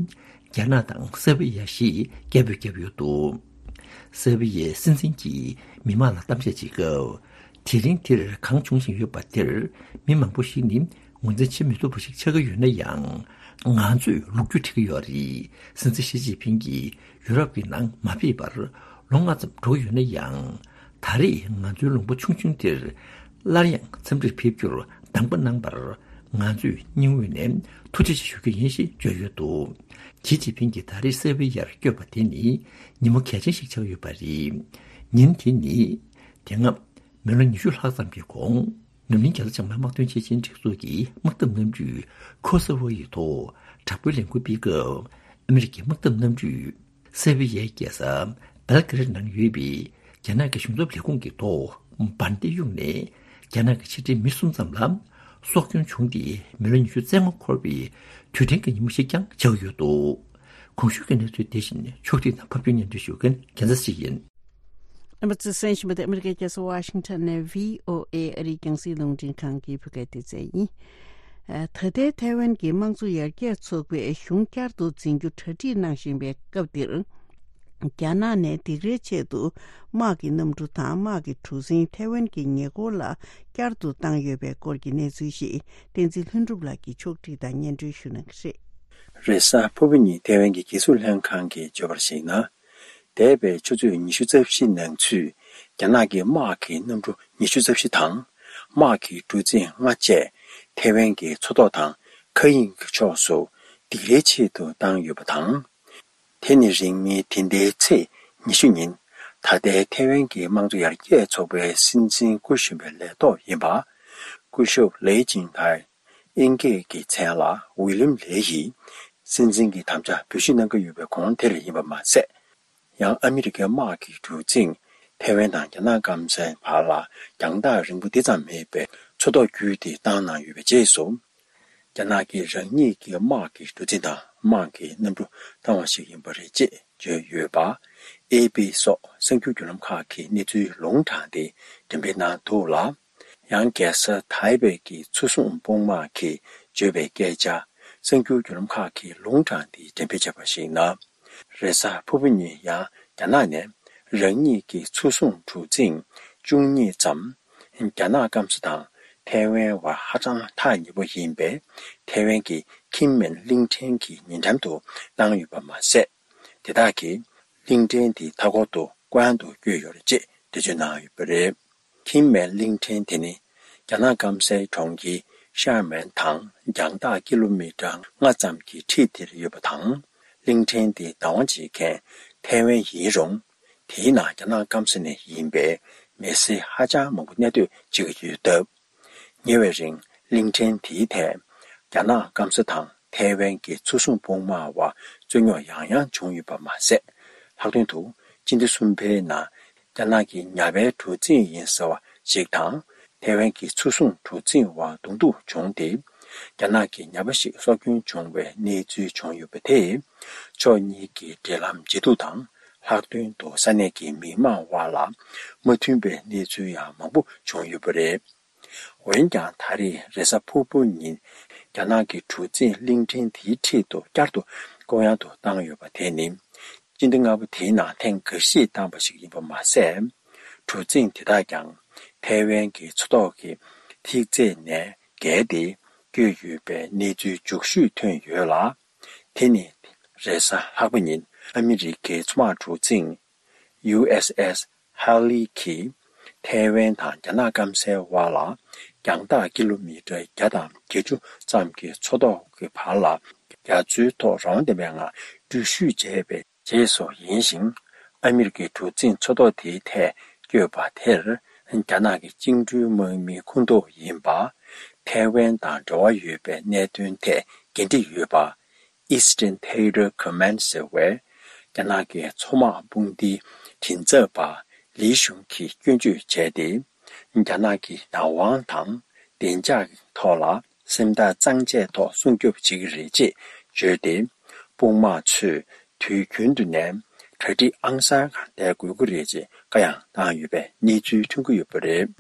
རྒྱ་ནག་དང་སེར་བི་ཡ་ཞེས་སྐད་འབོད་བརྒྱབ་ཡོད་འདུག་སེར་བི་ཡའི་སྲིད་འཛིན་གྱིས་མི་མང་ལ་གཏམ་བཤད་བྱེད་སྐབས། དེ་རིང་འདིར་གང་བྱུང་བཞིན་ཡོད་པ་དེར་མི་མང་པོ་ཞིག་ནི། ངོས་འཛིན་བྱེད་མི་ཐུབ་པ་ཞིག་ཆགས་ཀྱི་ཡོད་ན་ཡང་། ང་ཚོས་ལོ་རྒྱུས་བྲིས་ཀྱི་ཡོད་རེད། སྲིད་འཛིན་ཞི་ཅིན་ཕིང་གིས་ཡུ་རོབ་ཀྱི་ནང་མ་ཕེབས་པར་ལོ་ལྔ་ཙམ་འགྲོ་གི་ཡོད་ན་ཡང་། ད་རེས་ང་ཚོའི་ལུང་པ་ཆུང་ཆུང་འདིར་སླར་ཡང་འཚམས་འདྲིར་ཕེབས་རྒྱུར་གདམས་པ་གནང་བར། ང་ཚོས་སྙིང་དབུས་ནས་ཐུགས་རྗེ་ཆེ་ཞུ་རྒྱུ་ཡིན་ཞེས་བརྗོད་ཡོད་འདུག་ཞི་ཅིན་ཕིང་གིས་ད་རེས་སེར་བི་ཡར་བསྐྱོད་པ་དེ་ནི་ཉིན་མོ་གལ་ཆེན་ཞིག་ཆགས་ཡོད་པ་རེད། ཉིན་དེ་ནི་དེ་སྔ་མི་ལོ་ཉི་ཤུ་ལྷག་ཙམ་གྱི་གོང་། འཛམ་གླིང་རྒྱལ་ས་ལྕང་མའི་དམག་དོན་ཆེད་ཆེན་སྒྲིག་འཛུགས་ཀྱི་དམག་འཐབ་གནམ་གྲུས་ཁོ་སོ་ཝོ་ཡི་ཐོག་དྲག་པོའི་ལས་འགུལ་སྤེལ་སྐབས། ཨ་མི་རི་ཀའི་དམག་འཐབ་གནམ་གྲུས་སེར་བི་ཡའི་རྒྱལ་ས་སྦེལ་ཀེ་རེད་ནང་ཡོད་པའི་རྒྱ་ནག་གི་གཞུང་ཚབ་ལས་ཁུངས་ཀྱི་ཐོག་འབར་མདེལ་གཡུགས་ནས། རྒྱ་ནག་གི་ཕྱི་འབྲེལ་མི་གསུམ་ཙམ་ལ་སྲོག་སྐྱོན་བྱུང་སྟེ། མི་ལོ་ཉི་ཤུ་རྩ་ལྔ་འཁོར་བའི་དུས་དྲན་གྱི་ཉིན་མོ་ཞིག་ཀྱང་ཆགས་ཡོད་འདུག་གོང་ཞུས་ཀྱི་གནས་ཚུལ་དེ་བཞིན་ཕྱོགས་སྒྲིག་དང་ཕབ་སྒྱུར་སྙན་སྒྲོན་ཞུ་མཁན་རྒྱལ་མཚན་ཞིག་ཡིན། ཨ་མ་ཙི་སན་ཞིམ་པ་དེ་ཨ་མི་རི་ཀའི་རྒྱལ་ས་ཝ་ཤིང་ཊོན་ནས་བྷི་ཨོ་ཨེ་ཨ་རིའི་རྒྱང་སྲིང་རླུང་འཕྲིན་ཁང་གི་བོད་སྐད་སྡེ་ཚན་ཡིན། ཨ། ད་ལྟའི་ཐའེ་ཝན་གྱི་དམངས་གཙོ་ཡར་རྒྱས་ཚོགས་པས་གཞུང་བསྐྱར་དུ་འཛིན་རྒྱུ་གྲ་སྒྲིག་གནང་བཞིན་པའི་སྐབས་འདིར། རྒྱ་ནག་ནས་སྡིགས་རའི་ཆེད་དུ་དམག་གི་གནམ་གྲུ་དང་དམག་གི་གྲུ་གཟིངས་ཐའེ་ཝན་གྱི་ཉེ་འཁོར་ལ་བསྐྱར་དུ་བཏང་ཡོད་པའི་སྐོར་གྱི་གནས་ཚུལ་ཞིག་བསྟན་འཛིན་ལྷུན་གྲུབ་ལགས་ཀྱིས་ཕྱོགས་སྒྲིག་དང་སྙན་སྒྲོན་ཞུ་གནང་གི་རེད། རེས་གཟའ་ཕུར་བུ་ཉིན་ཐའེ་ཝན་གྱི་རྒྱལ་སྲུང་ལྷན་ཁང་གིས་བརྗོད་པར་གཞིགས་ན། འདས་པའི་ཆུ་ཚོད་ཉི་ཤུ་རྩ་བཞི་ནང་ཚུད་རྒྱ་ནག་གི་དམག་གི་གནམ་གྲུ་ཉི་ཤུ་རྩ་བཞི་དང་། དམག་གི་གྲུ་གཟིངས་ལྔ་བཅས་ཐའེ་ཝན་གྱི་མཚོ་ཐོག་དང་མཁའ་དབྱིངས་ཀྱི་ཕྱོགས་སུ་སྡིགས་རའི་ཆེད་དུ་བཏང་ཡོད་པ་དང་། དེ་ནི་རིང་མིན་འདི་ཟླའི་ཚེས་ཉི་ཤུ་ཉིན། ད་ལྟའི་ཐའེ་ཝན་གྱི་དམངས་གཙོ་ཡར་རྒྱས་ཚོགས་པའི་སྲིད་འཛིན་སྐུ་གཞོན་པའི་ལས་ཐོག་ཡིན་པ། སྐུ་ཞབས་ལེ་ཅིང་ཐའེ། དབྱིན་སྐད་ཀྱི་མཚན་ལ་ཝི་ལིམ་ལེ་ཡིས་སྲིད་འཛིན་གྱི་དམ་བཅའ་འབུལ་ཞུས་གནང་གི་ཡོད་པའི་གོང་དེར་ཡིན་པ་མ་ཟད། ཡང་ཨ་མི་རི་ཀའི་དམག་གི་གྲུ་གཟིངས་ཐའེ་ཝན་དང་རྒྱ་ནག་སྐམ་སའི་བར་ལ་རྒྱང་ཐག་རིང་པོ་འདི་ཙམ་མེད་པའི་མཚོ་ཐོག་བརྒྱུད་དེ་བཏང་གནང་ཡོད་པའི་རྗེས་སུ། རྒྱ་ནག་གིས་རང་ཉིད་ཀྱི་དམག་གི་གྲུ་གཟིངས་དང་དམག་གི་གནམ་གྲུ་བཏང་བ་ཞིག་ཡིན་པ་རེད་ཅེས་བརྗོད་ཡོད་པ། ཨེ་པི་སོགས་གསར་འགྱུར་བརྒྱུད་ལམ་ཁག་གིས་གནས་ཚུལ་ལུང་དྲངས་ཏེ་འགྲེམས་སྤེལ་གནང་འདུག་ལ། ཡང་རྒྱལ་ས་ཐའེ་པེ་གི་མཚོ་སྲུང་དཔུང་དམག་གིས་བརྗོད་པའི་སྐད་ཆ་གསར་འགྱུར་བརྒྱུད་ལམ་ཁག་གིས་ལུང་དྲངས་ཏེ་འགྲེམས་སྤེལ་བྱས་པར་གཞིགས་ན། རེས་གཟའ་ཕུར་བུ་ཉིན་ཡང་རྒྱ་ནག་ནས་རང་ཉིད་ཀྱི་མཚོ་སྲུང་གྲུ་གཟིངས་བཅུ་གཉིས་ཙམ་རྒྱ་ནག་སྐམ་ས་དང་ཐའེ་ཝན་བར་ཧ་ཅང་ཐག་ཉེ་པོ་ཡིན་པའི་ཐའེ་ཝན་གྱི་ཁིན་མེན་གླིང་ཕྲན་གྱི་ཉེ་འགྲམ་དུ་བཏང་ཡོད་པ་མ་ཟད། དེ་དག་གིས་གླིང་ཕྲན་དེའི་མཐའ་འཁོར་དུ་བཀོད་དབྱང་དུ་བསྐྱོད་ཡོད་རེད་ཅེས་འགྲེལ་བརྗོད་གནང་ཡོད་པ་རེད། ཁིན་མེན་གླིང་ཕྲན་དེ་ནི་རྒྱ་ནག་སྐམ་སའི་གྲོང་ཁྱེར་ཤར་མན་དང་རྒྱང་ཐག་ཀི་ལོ་མི་ཊར་ལྔ་ཙམ་གྱི་འཁྲིས་དེར་ཡོད་པ་དང་། གླིང་ཕྲན་དེ་བདག་དབང་བྱེད་མཁན་ཐའེ་ཝན་ཡིན་རུང་། དེའི་ནང་རྒྱ་ནག་སྐམ་ས་ནས་ཡིན་པའི་མི་སེར་ཧ་ཅང་མང་པོ་གནས་སྡོད་བྱེད་ཀྱི་ཡོད་སྟབས། ཉེ་བའི་རིང་གླིང་ཕྲན་དེའི་ཐད་རྒྱ་ནག་སྐམ་ས་དང་ཐའེ་ཝན་གྱི་མཚོ་སྲུང་དཔུང་དམག་བར་རྩོད་རྙོག་ཡང་ཡང་བྱུང་ཡོད་པ་མ་ཟད། ལྷག་དོན་དུ་ སྤྱི་ཟླ་གསུམ་པའི་ནང་རྒྱ་ནག་གི་ཉ་པའི་གྲུ་གཟིངས་ཡིན་ཟེར་བ་ཞིག་དང་། ཐའེ་ཝན་གྱི་མཚོ་སྲུང་གྲུ་གཟིངས་དབར་གདོང་ཐུག་བྱུང་སྟེ། རྒྱ་ནག་གི་ཉ་པ་ཞིག་སྲོག་སྐྱོན་བྱུང་བའི་གནས་ཚུལ་བྱུང་ཡོད་པ་དེས། ཕྱོགས་གཉིས་ཀྱི་འབྲེལ་ལམ་ཇེ་སྡུག་དང་། ལྷག་དོན་དུ་ས་གནས་ཀྱི་མི་མང་དབར་ལ་མ་མཐུན་པའི་གནས་ཚུལ་ཡང་མང་པོ་བྱུང་ཡོད་པ་རེད། འོན་ཀྱང་། ད་རེས་རེས་གཟའ་ཕུར་བུ་ཉིན་རྒྱ་ནག་གི་གྲུ་གཟིངས་གླིང་ཕྲན་དེའི་འཁྲིས་སུ་བསྐྱར་དུ་སྐོར་གཡང་དུ་བཏང་ཡོད་པ་དེ་ནི། སྤྱི་ཟླ་ལྔ་པ་དེའི་ནང་ཐེངས་འགའ་ཤས་བཏང་བ་ཞིག་ཡིན་པ་མ་ཟད། གྲུ་གཟིངས་དེ་དག་ཀྱང་ཐའེ་ཝན་གྱི་མཚོ་ཐོག་གི་ཐིག་ཚད་ནས་བརྒལ་ཏེ་བསྐྱོད་ཡོད་པའི་གནས་ཚུལ་མཇུག་ཤོས་ཐོན་ཡོད་ལ། དེ་ནི་རེས་གཟའ་ལྷག་པ་ཉིན་ཨ་མི་རི་ཀའི་མཚོ་དམག་གྲུ་གཟིངས་ཡུ་ཨེས་ཨེས་ཧ་ལི་གིས་ཐའེ་ཝན་དང་རྒྱ་ནག་སྐམ་སའི་དབར་ལ་རྒྱང་ཐག་ཀི་ལོ་མི་ཊར་བརྒྱ་དང་བརྒྱད་ཅུ་ཙམ་གྱི་མཚོ་ཐོག་གི་བར་ལ་རྒྱ་མཚོའི་ཐོག་རང་དབང་ལྡན་པའི་ངང་འགྲུལ་བཞུད་བྱས་པའི་རྗེས་སུ་ཡིན་ཞིང་། ཨ་མི་རི་ཀའི་གྲུ་གཟིངས་མཚོ་ཐོག་དེའི་ཐད་བསྐྱོད་པ་དེར། རྒྱ་ནག་གི་བཅིངས་འགྲོལ་དམག་མིའི་ཁོངས་གཏོགས་ཡིན་པ། ཐའེ་ཝན་དང་འབྲེལ་བ་ཡོད་པའི་གནད་དོན་ཐད་འགན་འཁྲི་ཡོད་པ། Eastern Theater Command ཟེར་བའི་རྒྱ་ནག་གི་མཚོ་དམག་དཔུང་སྡེའི་མགྲིན་ཚབ་པ་ལི་ཞུང་གིས་སྐྱོན་བརྗོད་བྱས་ཏེ། རྒྱ་ནག་གི་ནགས་དབང་དང་བདེ་འཇགས་ཐོག་ལ་སེམས་ཐག་གཙང་བཅད་ཐོག་སྲུང་སྐྱོབ་བྱེད་ཀྱི་རེད་ཅེས་བརྗོད་དེ། དཔུང་དམག་ཚོས་དུས་རྒྱུན་དུ་ནས་གྲ་སྒྲིག་ཨང་གསར་གང་བསྡད་དགོས་ཀྱི་རེད་ཅེས་བཀའ་ཡང་བཏང་ཡོད་པའི་གནས་ཚུལ་ཐོན་གྱི་ཡོད་པ་རེད།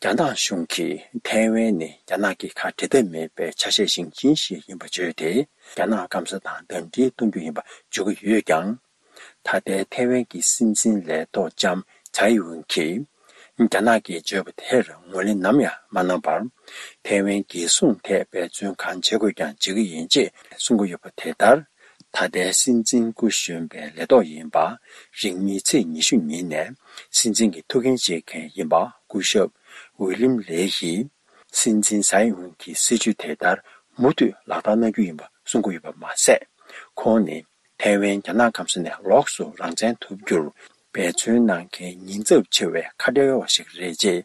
རྒྱ་ནག་གཞུང་གིས་ཐའེ་ཝན་ནི་རྒྱ་ནག་གི་ཁ་འབྲལ་ཐབས་མེད་པའི་ཆ་ཤས་ཤིག་ཡིན་ཞེས་ཡིན་པ་བརྗོད་དེ། རྒྱ་ནག་སྐམ་ས་དང་འདབས་འབྲེལ་གཏོང་རྒྱུ་ཡིན་པ་བརྗོད་ཀྱི་ཡོད་ཀྱང་། ད་ལྟའི་ཐའེ་ཝན་གྱི་སྲིད་འཛིན་ལས་ཐོག་ལྕམ་ཚའེ་ཝེན་གྱིས། རྒྱ་ནག་གིས་བརྗོད་པ་དེར་ངོས་ལེན་ནམ་ཡང་མ་གནང་བར། ཐའེ་ཝན་རྒྱལ་སྲུང་ཐད་འབད་བརྩོན་གང་བྱེད་དགོས་ཀྱང་བྱེད་ཀྱི་ཡིན་ཅེས་གསུང་གི་ཡོད་པ་དེ་ལྟར། ད་ལྟའི་སྲིད་འཛིན་སྐུ་གཞོན་པའི་ལས་ཐོག་ཡིན་པ། རིང་མིན་ཚེས་ཉི་ཤུ་ཉིན་ནས་སྲིད་འཛིན་གྱི་ཐུགས་འགན་བཞེས་མཁན་ཡིན་པ། སྐུ་ཞབས་ཝི་ལིམ་ལེ་ཡིས། སྲིད་འཛིན་ཚའེ་ཝེན་གྱི་སྲིད་བྱུས་དེ་ལྟར་མུ་མཐུད་ལག་བསྟར་གནང་རྒྱུ་ཡིན་པ་གསུང་གི་ཡོད་པ་མ་ཟད། ཁོང་ནི་ཐའེ་ཝན་རྒྱ་ནག་སྐམ་ས་ནས་ལོགས་སུ་རང་བཙན་ཐོབ་རྒྱུར་འབད་བརྩོན་གནང་མཁན་ཉེན་ཚབས་ཆེ་བའི་ཁ་བྲལ་བ་ཞིག་རེད་ཅེས་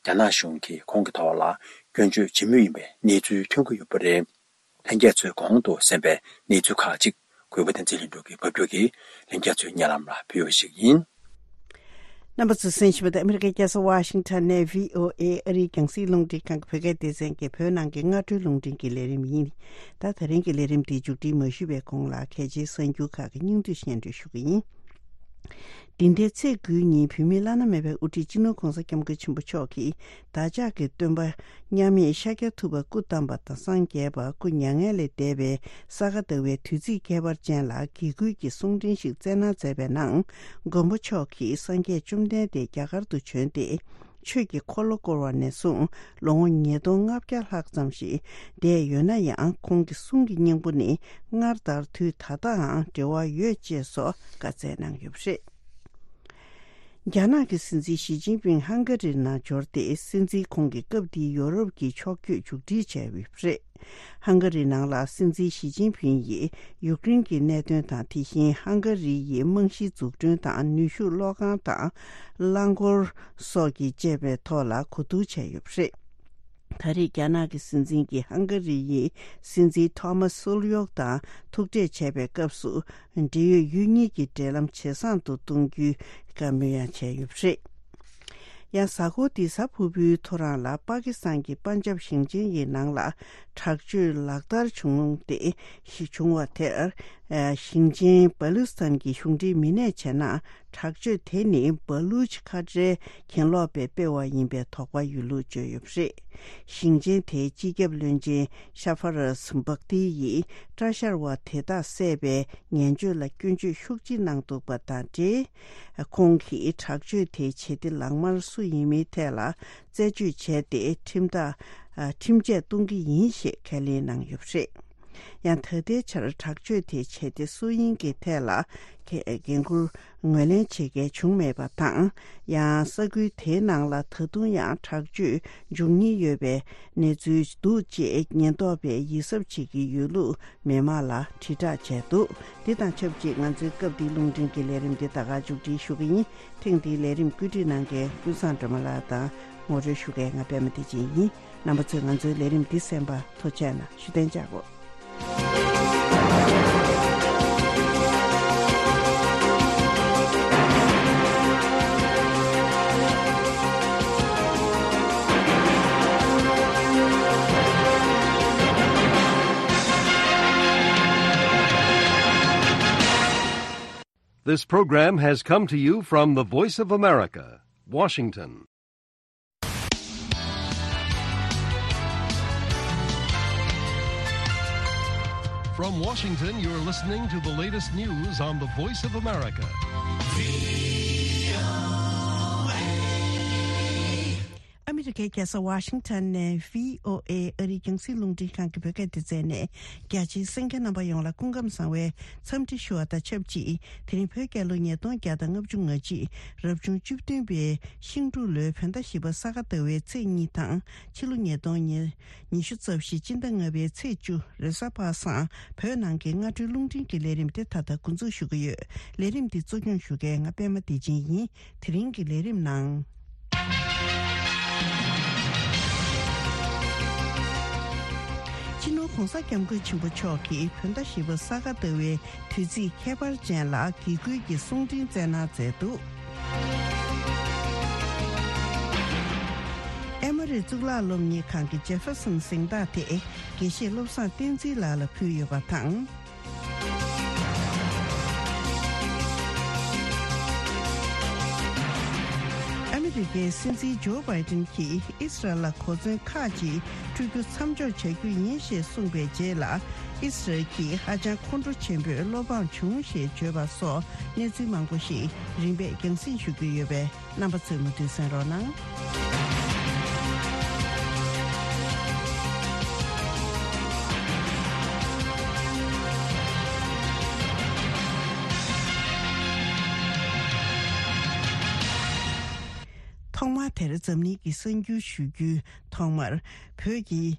རྒྱ་ནག་གཞུང་གིས་ཁོང་གི་ཐོག་ལ་སྐྱོན་བརྗོད་བྱེད་མུས་ཡིན་པའི་གནས་ཚུལ་ཐོན་གྱི་ཡོད་པ་རེད། ལྷན་རྒྱས་ཚོས་གོང་དུ་གསན་པའི་གནས་ཚུལ་ཁག་ཅིག་གུས་པ་བསྟན་འཛིན་ལྷུན་གྲུབ་ཀྱིས་ཕབ་སྒྱུར་གྱིས་ལྷན་རྒྱས་ཚོའི་སྙན་ལམ་ལ་ཕུལ་བ་ཞིག་ཡིན། རྣམ་པ་ཚོས་གསན་བཞིན་པ་དེ་ཨ་མི་རི་ཀའི་རྒྱལ་ས་ཝ་ཤིང་ཊོན་ནས་བྷི་ཨོ་ཨེ་ཨ་རིའི་རྒྱང་སྲིང་རླུང་འཕྲིན་ཁང་གི་བོད་སྐད་སྡེ་ཚན་གྱི་བོད་ནང་གི་སྔ་དྲོའི་རླུང་འཕྲིན་གྱི་ལས་རིམ་ཡིན། ད་དེ་རིང་གི་ལས་རིམ་འདི་མཇུག་སྒྲིལ་མ་ཞུས་པའི་གོང་ལ་གལ་ཆེའི་གསར་འགྱུར་ཁག་གི་སྙིང་བསྡུས་སྙན་སྒྲོན་ཞུ་གི་ཡིན། འདི་ཟླའི་ཚེས་དགུའི་ཉིན་བོད་མིའི་བླ་ན་མེད་པའི་དབུ་ཁྲིད་སྤྱི་ནོར་༧གོང་ས་༧སྐྱབས་མགོན་ཆེན་པོ་མཆོག་གིས་བདག་ཅག་གི་སྟོན་པ་མཉམ་མེད་ཤཱཀྱ་ཐུབ་པ་སྐུ་བལྟམས་པ་དང་སངས་རྒྱས་པ་སྐུ་མྱ་ངན་ལས་འདས་པའི་ས་ག་ཟླ་བའི་དུས་ཚིགས་ཁྱད་པར་ཅན་ལ་དགེ་སྐུལ་གྱི་གསུང་འཕྲིན་ཞིག་སྩལ་གནང་མཛད་པའི་ནང་མགོན་པོ་མཆོག་གིས་སངས་རྒྱས་བཅོམ་ལྡན་འདས་རྒྱ་གར་དུ་བྱོན་ཏེ། ཆོས་ཀྱི་འཁོར་ལོ་བསྐོར་བ་ནས་བཟུང་ལོ་ངོ་ཉིས་སྟོང་ལྔ་བརྒྱ་ལྷག་ཙམ་ཞིག་འདས་ཡོད་ན་ཡང་། ཁོང་གི་གསུང་གི་སྙིང་པོ་ནི་སྔར་ལྟར་དུས་ད་ལྟའང་འབྲེལ་བ་ཡོད་ཅེས་སོགས་བཀའ་སྩལ་གནང་ཡོད་པ་རེད། རྒྱ་ནག་གི་སྲིད་འཛིན་ཞི་ཅིན་ཕིང་ཧང་ག་རིར་ནང་འབྱོར་ཏེ། སྲིད་འཛིན་ཁོང་གིས་སྐབས་འདིའི་ཡོ་རོབ་ཀྱི་ཕྱོགས་བསྐྱོད་མཇུག་སྒྲིལ་བྱས་ཡོད་པ་རེད། ཧང་ག་རི་ནང་ལ་སྲིད་འཛིན་ཞི་ཅིན་ཕིང་ཡིས་ཡུཀ་རེན་གྱི་གནད་དོན་དང་། དེ་བཞིན་ཧང་ག་རི་ཡི་རྨང་གཞི་འཛུགས་སྐྲུན་དང་། ནུས་ཤུགས་གློག་ཁང་དང་རླངས་འཁོར་སོགས་ཀྱི་བཅས་པའི་ཐོག་ལ་གོ་བསྡུར་བྱས་ཡོད་པ་རེད། ད་རེས་རྒྱ་ནག་གི་སྲིད་འཛིན་གྱིས་ཧང་ག་རི་ཡི་སྲིད་འཛིན་ཐོ་མཱ་སུལ་ཡོག་དང་ཐུག་འཕྲད་བྱས་པའི་སྐབས་སུ། འབྲེལ་ཡོད་ཡུལ་གཉིས་ཀྱི་འབྲེལ་ལམ་ཇེ་བཟང་དུ་གཏོང་རྒྱུའི་བཀའ་མོལ་ཡང་བྱས་ཡོད་པ་རེད། ཡང་གཟའ་འཁོར་འདིའི་གཟའ་ཕུར་བུའི་ཐོ་རངས་ལ་པ་ཀི་སི་ཐན་གྱི་པན་ཇབ་ཞིང་ཆེན་ཡི་ནང་ལ་དྲག་སྤྱོད་ལག་བསྟར་བྱུང་སྟེ། བྱུང་བ་དེར། ཞིང་ཆེན་བ་ལུ་སི་ཐན་གྱི་གཞུང་འབྲེལ་མི་སྣས་བྱས་ན། དྲག་སྤྱོད་དེ་ནི་བ་ལུ་ཆི་ཁ་བྲལ་གྱེན་ལོག་པས་སྤེལ་བ་ཡིན་པའི་དོགས་པ་ཡོད་ལུགས་བརྗོད་ཡོད་པ་རེད། ཞིང་ཆེན་དེའི་སྤྱི་ཁྱབ་བློན་ཆེན་ཤ་ཧྥ་ར་སི་བག་ཏི་ཡིས་སྐྲ་བཞར་བ་དེ་དག་བསད་པའི་ངན་བྱུས་ལ་སྐྱོན་བརྗོད་ཤུགས་ཆེ་གནང་འདུག་པ་དང་འབྲེལ། ཁོང་གིས་དྲག་སྤྱོད་དེའི་བྱེད་གཏེ་ལག་དམར་སུ་ཡིན་མིན་ཐད་ལ་རྩད་གཅོད་བྱས་ཏེ། ཁྲིམས་ཐག་ཁྲིམས་ཆད་གཏོང་གི་ཡིན་ཞེས་ཁས་ལེན་གནང་ཡོད་པ་རེད། ཡང་ད་ལྟའི་ཆར་དྲག་སྤྱོད་དེའི་བྱེད་གཏེ་སུ་ཡིན་གྱི་ཐད་ལ་འགན་འཁུར་ངོས་ལེན་བྱེད་མཁན་བྱུང་མེད་པ་དང་། ཡང་ས་ཁུལ་དེའི་ནང་ལ་ད་དུང་ཡང་དྲག་སྤྱོད་འབྱུང་ཉེན་ཡོད་པའི་གནས་ཚུལ་འདུག་ཅེས་ཉེན་རྟོག་པས་ཡིད་གཟབ་བྱེད་ཀྱི་ཡོད་ལུགས་མི་མང་ལ་དྲིལ་བསྒྲགས་བྱས་འདུག་འདི་དང་ཆབས་ཅིག་ང་ཚོའི་སྐབས་འདིའི་རླུང་འཕྲིན་གྱི་ལས་རིམ་འདི་ད་ག་མཇུག་སྒྲིལ་ཞུ་གི་ཡིན། ཐེངས་འདིའི་ལས་རིམ་བཀོད་སྒྲིག་གནང་མཁན་ཀུན་བཟང་སྒྲོལ་མ་ལགས་དང་ངོ་སྤྲོད་ཞུ་མཁན་ང་པད་མ་བདེ་ཆེན་ཡིན། རྣམ་པ་ཚོས་ང་ཚོའི་ལས་རིམ་འདི་གསན་པར་ཐུགས་རྗེ་གནང་། བཞུགས་གདན་འཇགས་དགོས། This program has come to you from the Voice of America, Washington. From Washington, you're listening to the latest news on the Voice of America. ཨ་མི་རི་ཀའི་རྒྱལ་ས་ཝ་ཤིང་ཊོན་ནས་བྷི་ཨོ་ཨེ་ཨ་རིའི་རྒྱང་སྲིང་རླུང་འཕྲིན་ཁང་གི་བོད་སྐད་སྡེ་ཚན་ནས། རྒྱ་ཆེའི་གསན་མཁན་རྣམ་པ་ཡོངས་ལ་སྐུ་ཁམས་བཟང་བའི་འཚམས་འདྲི་ཞུ་བ་དང་ཆབས་ཅིག་དེ་རིང་བོད་རྒྱལ་ལོ་ཉིས་སྟོང་བརྒྱ་དང་ལྔ་བཅུ་ང་གཅིག་རབ་བྱུང་བཅུ་བདུན་པའི་ཤིང་འབྲུག་ལོའི་བོད་ཟླ་བཞི་པ་ས་ག་ཟླ་བའི་ཚེས་གཉིས་དང་། ཕྱི་ལོ་ཉིས་སྟོང་ཉི་ཉི་ཤུ་རྩ་བཞི་སྤྱི་ཟླ་ལྔ་པའི་ཚེས་བཅུ་རེས་གཟའ་པ་སངས། བོད་ནང་གི་སྔ་དྲོའི་རླུང་འཕྲིན་གྱི་ལས་རིམ་དེ་ད་ལྟ་འགོ་འཛུགས་ཞུ་གི་ཡོད། ལས་རིམ་འདི་གཙོ་སྐྱོང་ཞུ་མཁན་ང་པད་མ་བདེ་ཆེན་ཡིན། དེ་རིང་གི་ལས་རིམ་ནང་། སྤྱི་ནོར་༧གོང་ས་༧སྐྱབས་མགོན་ཆེན་པོ་མཆོག་གིས་བོད་ཟླ་བཞི་པ་ས་ག་ཟླ་བའི་དུས་ཚིགས་ཁྱད་པར་ཅན་ལ་དགེ་སྐུལ་གྱི་གསུང་འཕྲིན་སྩལ་གནང་མཛད་འདུག་ཨེ་མོ་རི་གཙུག་ལག་སློབ་གཉེར་ཁང་གི་ཇེ་ཧྥེར་སོན་གཟེངས་རྟགས་དེ་དགེ་བཤེས་བློ་བཟང་བསྟན་འཛིན་ལགས་ལ་ཕུལ་ཡོད་པ་དང་། ཨ་མི་རི་ཀའི་སྲིད་འཛིན་ཇོ་བྷའི་ཏིན་གྱིས་ཨིས་རལ་ལ་གོ་མཚོན་ཁག་ཅིག་སྤྲོད་རྒྱུ་མཚམས་འཇོག་བྱ་རྒྱུ་ཡིན་ཞེས་གསུངས་པའི་རྗེས་ལ། ཨིས་རལ་གྱིས་ཧ་ཅང་ཁོང་ཁྲོ་ཆེན་པོས་བློ་ཕམ་བྱུང་ཞེས་བརྗོད་པ་སོགས་གནས་ཚུལ་མང་པོ་ཞིག་རིམ་པས་རྒྱང་སྲིང་ཞུ་རྒྱུ་ཡོད་པས། རྣམ་པ་ཚོས་མུ་མཐུད་གསན་རོགས་གནང་། ཐོག་མར་དེར་འཛམ་གླིང་གི་གསར་འགྱུར་ཞུ་རྒྱུའི་ཐོག་མར། བོད་ཀྱི་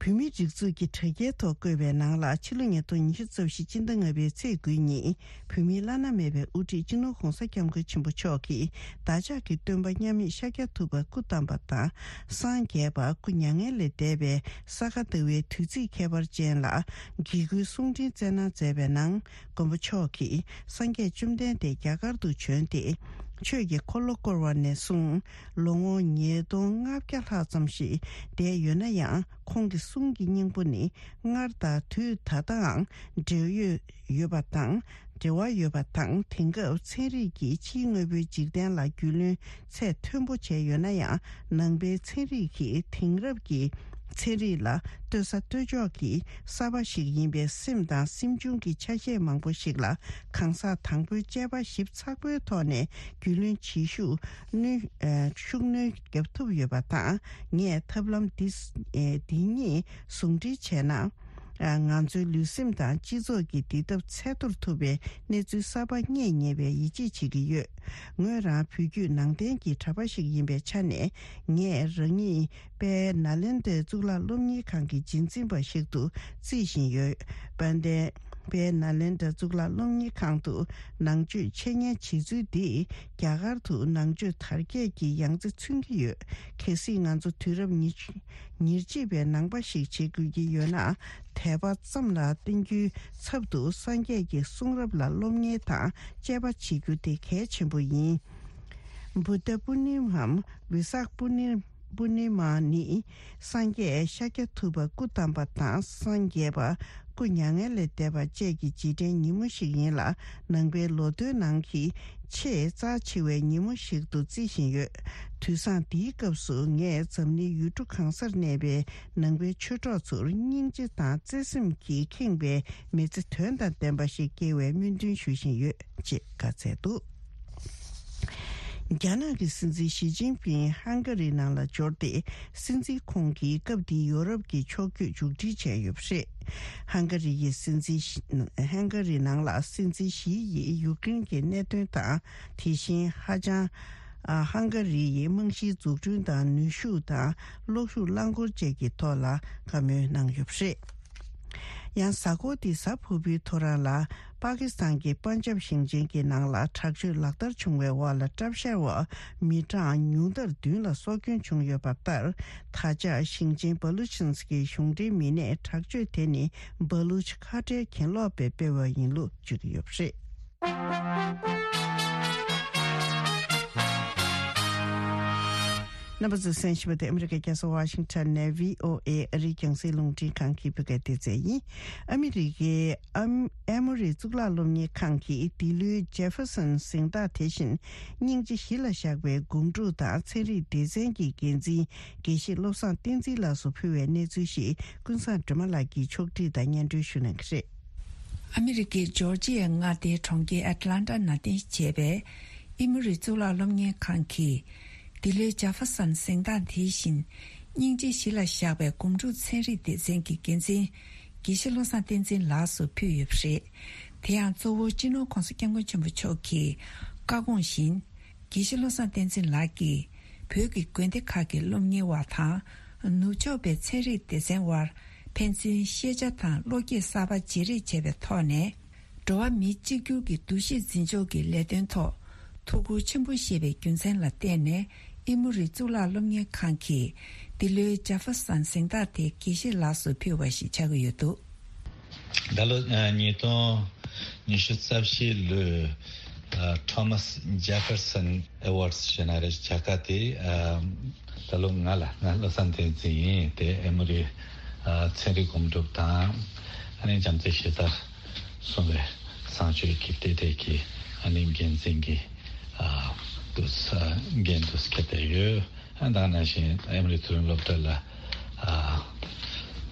བོད་མིའི་སྒྲིག་འཛུགས་ཀྱི་དྲ་རྒྱའི་ཐོག་བཀོད་པའི་ནང་ལ། ཕྱི་ལོ་ཉིས་སྟོང་ཉི་ཤུ་རྩ་བཞི་སྤྱི་ཟླ་ལྔ་པའི་ཚེས་དགུའི་ཉིན། བོད་མིའི་བླ་ན་མེད་པའི་དབུ་ཁྲིད་སྤྱི་ནོར་༧གོང་ས་༧སྐྱབས་མགོན་ཆེན་པོ་མཆོག་གིས་བདག་ཅག་གི་སྟོན་པ་མཉམ་མེད་ཤཱཀྱ་ཐུབ་པ་སྐུ་བལྟམས་པ་དང་། སངས་རྒྱས་པ་སྐུ་མྱ་ངན་ལས་འདས་པའི་ས་ག་ཟླ་བའི་དུས་ཚིགས་ཁྱད་པར་ཅན་ལ་དགེ་སྐུལ་གསུང་འཕྲིན་སྩལ་གནང་མཛད་པའི་ནང་། མགོན་པོ་མཆོག་གིས་སངས་རྒྱས་བཅོམ་ལྡན་འདས་རྒྱ་གར་དུ་བྱོན་ཏེ། ཆོས་ཀྱི་འཁོར་ལོ་བསྐོར་བ་ནས་བཟུང་། ལོ་ངོ་ཉིས་སྟོང་ལྔ་བརྒྱ་ལྷག་ཙམ་ཞིག་འདས་ཡོད་ན་ཡང་། ཁོང་གི་གསུང་གི་སྙིང་པོ་ནི་སྔར་དང་དུས་ད་ལྟའང་འབྲེལ་ཡོད་ཡོད་པ་དང་། འབྲེལ་བ་ཡོད་པ་དང་། དེང་སྐབས་ཚན་རིག་གིས་ཕྱིའི་དངོས་པོའི་འཇིག་རྟེན་ལ་རྒྱུས་ལོན་ཚད་མཐོན་པོ་བྱས་ཡོད་ན་ཡང་། ནང་པའི་ཚན་རིག་གིས་དེང་རབས་ཀྱི་ཚན་རིག་ལ་ལྟོས་ས་ལྟོས་འཇོག་གི་གསར་པ་ཞིག་ཡིན་པས། སེམས་དང་སེམས་བྱུང་གི་ཆ་ཤས་མང་པོ་ཞིག་ལ་གང་ཟག་དང་པོའི་དཔྱད་པ་ཞིབ་ཚགས་པོའི་ཐོག་ནས་རྒྱུས་ལོན་བྱེད་ཤུགས་སྣོན་ཨ། ཤུགས་སྣོན་བརྒྱབ་ཐུབ་ཡོད་པ་དང་། ངས་ཐབས་ལམ་འདི་ཨ། འདི་གཉིས་ཟུང་འབྲེལ་བྱས་ན། ཨ། ང་ཚོའི་ལུས་སེམས་དང་སྤྱི་ཚོགས་ཀྱི་འདི་ཐབས་ཚད་མཐོར་ཐུབ་པའི་གནས་ཚུལ་གསར་པ་རྙེད་ཉེ་བའི་ཡིད་ཆེས་བྱེད་ཀྱི་ཡོད། ངོས་རང་བོད་བརྒྱུད་ནང་བསྟན་གྱི་གྲྭ་པ་ཞིག་ཡིན་པའི་ཆ་ནས། ངས་རང་ཉིད་དཔལ་ནཱ་ལེནྡྲའི་གཙུག་ལག་སློབ་གཉེར་ཁང་གི་རྗེས་འཛིན་པ་ཞིག་ཏུ་བརྩི་བཞིན་ཡོད། དཔལ་ལྡན་དཔལ་ནཱ་ལེནྡྲ་གཙུག་ལག་སློབ་གཉེར་ཁང་དུ་ནང་ཆོས་འཆད་ཉན་བྱེད་ཚུལ་འདིས་རྒྱ་གར་དུ་ནང་ཆོས་དར་རྒྱས་ཀྱི་ཡང་རྩེ་མཚོན་གྱི་ཡོད། གལ་སྲིད་ང་ཚོ་དུས་རབས་ཉེར་གཅིག་པའི་ནང་པ་ཞིག་བྱེད་དགོས་ཀྱི་ཡོད་ན། དད་པ་ཙམ་ལ་བརྟེན་རྒྱུའི་ཚབ་ཏུ་སངས་རྒྱས་ཀྱི་གསུང་རབ་ལ་སློབ་གཉེར་དང་དཔྱད་པ་བྱེད་རྒྱུ་དེ་གལ་ཆེན་པོ་ཡིན། བུདྡྷ་པུར་ནི་མའམ་བི་སཱཀ་པུར་ནི་པུར་ནི་མ་ནི། སངས་རྒྱས་ཤཱཀྱ་ཐུབ་པ་སྐུ་བལྟམས་པ་དང་། སངས་རྒྱས་པ་སྐུ་མྱ་ངན་ལས་འདས་པ་བཅས་ཀྱི་རྗེས་དྲན་ཉིན་མོ་ཞིག་ཡིན་ལ། ནང་པའི་ལོ་ཐོའི་ནང་གི་ཆེས་རྩ་ཆེ་བའི་ཉིན་མོ་ཞིག་ཏུ་བརྩི་བཞིན་ཡོད། དུས་བཟང་འདིའི་སྐབས་སུ། ངས་འཛམ་གླིང་ཡུལ་གྲུ་གང་སར་གནས་པའི་ནང་པའི་ཆོས་གྲོགས་ཚོར་སྙིང་རྗེ་དང་བརྩེ་སེམས་ཀྱིས་ཁེངས་པའི་མི་ཚེ་དོན་དང་ལྡན་པ་ཞིག་སྐྱེལ་བའི་སྨོན་འདུན་ཞུ་བཞིན་ཡོད། ཅེས་བཀའ་སྩལ་འདུག་རྒྱ་ནག་གི་སྲིད་འཛིན་ཞི་ཅིན་ཕིང་ཧང་ག་རི་ནང་ལ་འབྱོར་ཏེ། སྲིད་འཛིན་ཁོང་གིས་སྐབས་འདིའི་ཡོ་རོབ་ཀྱི་ཕྱོགས་བསྐྱོད་མཇུག་སྒྲིལ་བྱས་ཡོད་པ་རེད། ཧང་ག་རི་ཡི་སྲིད་འཛིན་ཧང་ག་རི་ནང་ལ་སྲིད་འཛིན་ཞི་ཡིས་ཡུཀ་རེན་གྱི་གནད་དོན་དང་། དེ་བཞིན་ཧ་ཅང་ཧང་ག་རི་ཡི་རྨང་གཞིའི་འཛུགས་སྐྲུན་དང་། ནུས་ཤུགས་དང་། གློག་ཤུགས་རླངས་འཁོར་བཅས་ཀྱི་ཐོག་ལ་བཀའ་མོལ་གནང་ཡོད་པ་རེད། ཡང་གཟའ་འཁོར་འདིའི་གཟའ་ཕུར་བུའི་ཐོ་རངས་ལ། པ་ཀི་སི་ཐན་གྱི་པན་ཇབ་ཞིང་ཆེན་གྱི་ནང་ལ་དྲག་སྤྱོད་ལག་བསྟར་བྱུང་བའི་འོག་ལ། གྲབས་ཤར་བ་མི་གྲངས་ཉུང་མཐར་བདུན་ལ་སྲོག་སྐྱོན་བྱུང་ཡོད་པ་ལྟར། ད་ཆ་ཞིང་ཆེན་བ་ལུ་ཆན་སི་ཀི་གཞུང་འབྲེལ་མི་སྣས་དྲག་སྤྱོད་དེ་ནི་བ་ལུ་ཆི་ཁ་བྲལ་གྱེན་ལོག་པས་སྤེལ་བ་ཡིན་ལུགས་བརྗོད་ཀྱི་ཡོད་པ་རེད། རྣམ་པ་ཚོས་གསན་བཞིན་པ་དེ་ཨ་མི་རི་ཀའི་རྒྱལ་ས་ཝ་ཤིང་ཊོན་ནས་བྷི་ཨོ་ཨེ་ཨ་རིའི་རྒྱང་སྲིང་རླུང་འཕྲིན་ཁང་གི་བོད་སྐད་སྡེ་ཚན་ཡིན། ཨ་མི་རི་ཀའི་ཨམ་ཨེ་མོ་རི་གཙུག་ལག་སློབ་གཉེར་ཁང་གིས་འདི་ལོའི་ཇེ་ཧྥེར་སོན་གཟེངས་རྟགས་དེ་བཞིན་སྙིང་རྗེ་གཞི་ལ་བཞག་པའི་སྒོམ་སྒྲུབ་དང་ཚན་རིག་སྡེ་ཚན་གྱི་འགན་འཛིན་དགེ་བཤེས་བློ་བཟང་བསྟན་འཛིན་ལགས་སུ་ཕུལ་བའི་གནས་ཚུལ་ཞིག་ཀུན་བཟང་སྒྲོལ་མ་ལགས་ཀྱིས་ཕྱོགས་བསྒྲིགས་དང་སྙན་སྒྲོན་ཞུ་གནང་གི་རེད། ཨ་མི་རི་ཀའི་ཇོར་ཇི་ཡའི་མངའ་སྡེའི་གྲོང་ཁྱེར་ཨེ་ཊ་ལན་ཊ་ནང་རྟེན་གཞི་བྱས་པའི་ཨི་མོ་རི་གཙུག་ལག་སློབ་གཉེར་ཁང་གིས། འདི་ལོའི་ཇེ་ཧྥེར་སོན་གཟེངས་རྟགས་དེ་བཞིན་སྙིང་རྗེ་གཞི་ལ་བཞག་པའི་སྒོམ་སྒྲུབ་ཚན་རིག་སྡེ་ཚན་གྱི་འགན་འཛིན་དགེ་བཤེས་བློ་བཟང་བསྟན་འཛིན་ལགས་སུ་ཕུལ་ཡོད་པ་རེད། དེ་ཡང་གཙོ་བོ་སྤྱི་ནོར་༸གོང་ས་༸སྐྱབས་མགོན་ཆེན་པོ་མཆོག་གི་བཀའ་དགོངས་བཞིན། དགེ་བཤེས་བློ་བཟང་བསྟན་འཛིན་ལགས་ཀྱིས་བོད་ཀྱི་དགོན་སྡེ་ཁག་གི་སློབ་གཉེར་བ་དང་ནུབ་ཕྱོགས་པའི་ཚན་རིག་སྡེ་ཚན་དབར་ཕན་ཚུན་ཤེས་བྱ་དང་བློ་སྐྱེད་གསར་པ་བརྗེ་རེས་བྱས་པའི་ཐོག་ནས། འགྲོ་བ་མི་གཅིག་གྱུར་གྱི་འདུ་ཤེས་འཛིན་ཕྱོགས་ཀྱི་ལས་དོན་ཐོག་ཐུགས་ཁུར་ཆེན་པོ་བཞེས་པའི་རྒྱུ་མཚན་ལ་བརྟེན་ནས་ཨི་མོ་རི་གཙུག་ལག་སློབ་གཉེར་ཁང་གིས་འདི་ལོའི་ཇེ་ཧྥེར་སོན་གཟེངས་རྟགས་དེ་དགེ་བཤེས་ལགས་སུ་ཕུལ་བ་ཞིག་ཆགས་ཀྱི་ཡོད་འདུག། ད་ལོ་ཨ་ཉིས་སྟོང་ཉི་ཤུ་རྩ་བཞི་ལོའི་ཨ་Thomas Jefferson Awards ཞེས་ན་རེ་བྱ་དགའ་དེ་ཨ་ད་ལོ་ང་ལ་ང་བློ་བཟང་བསྟན་འཛིན་ཡིན། དེ་ཨི་མོ་རི་ཨ་ཚན་རིག་སྒོམ་སྒྲུབ་དང་ཨ་ནི་བྱམས་བརྩེ་གཞི་རྩར་སོང་བའི་བཟང་སྤྱོད་ཀྱི་ལྟེ་གྲས་ཀྱི་ཨ་ནི་འགན་འཛིན་གྱི་ཨ་དུ་ས་འགན་དུ་འཁྱེར་བསྡད་ཡོད། ཨ་ད་ག་ནང་བཞིན་ཨི་མོ་རི་མཐོ་རིམ་སློབ་གྲྭ་ལ་ཨ་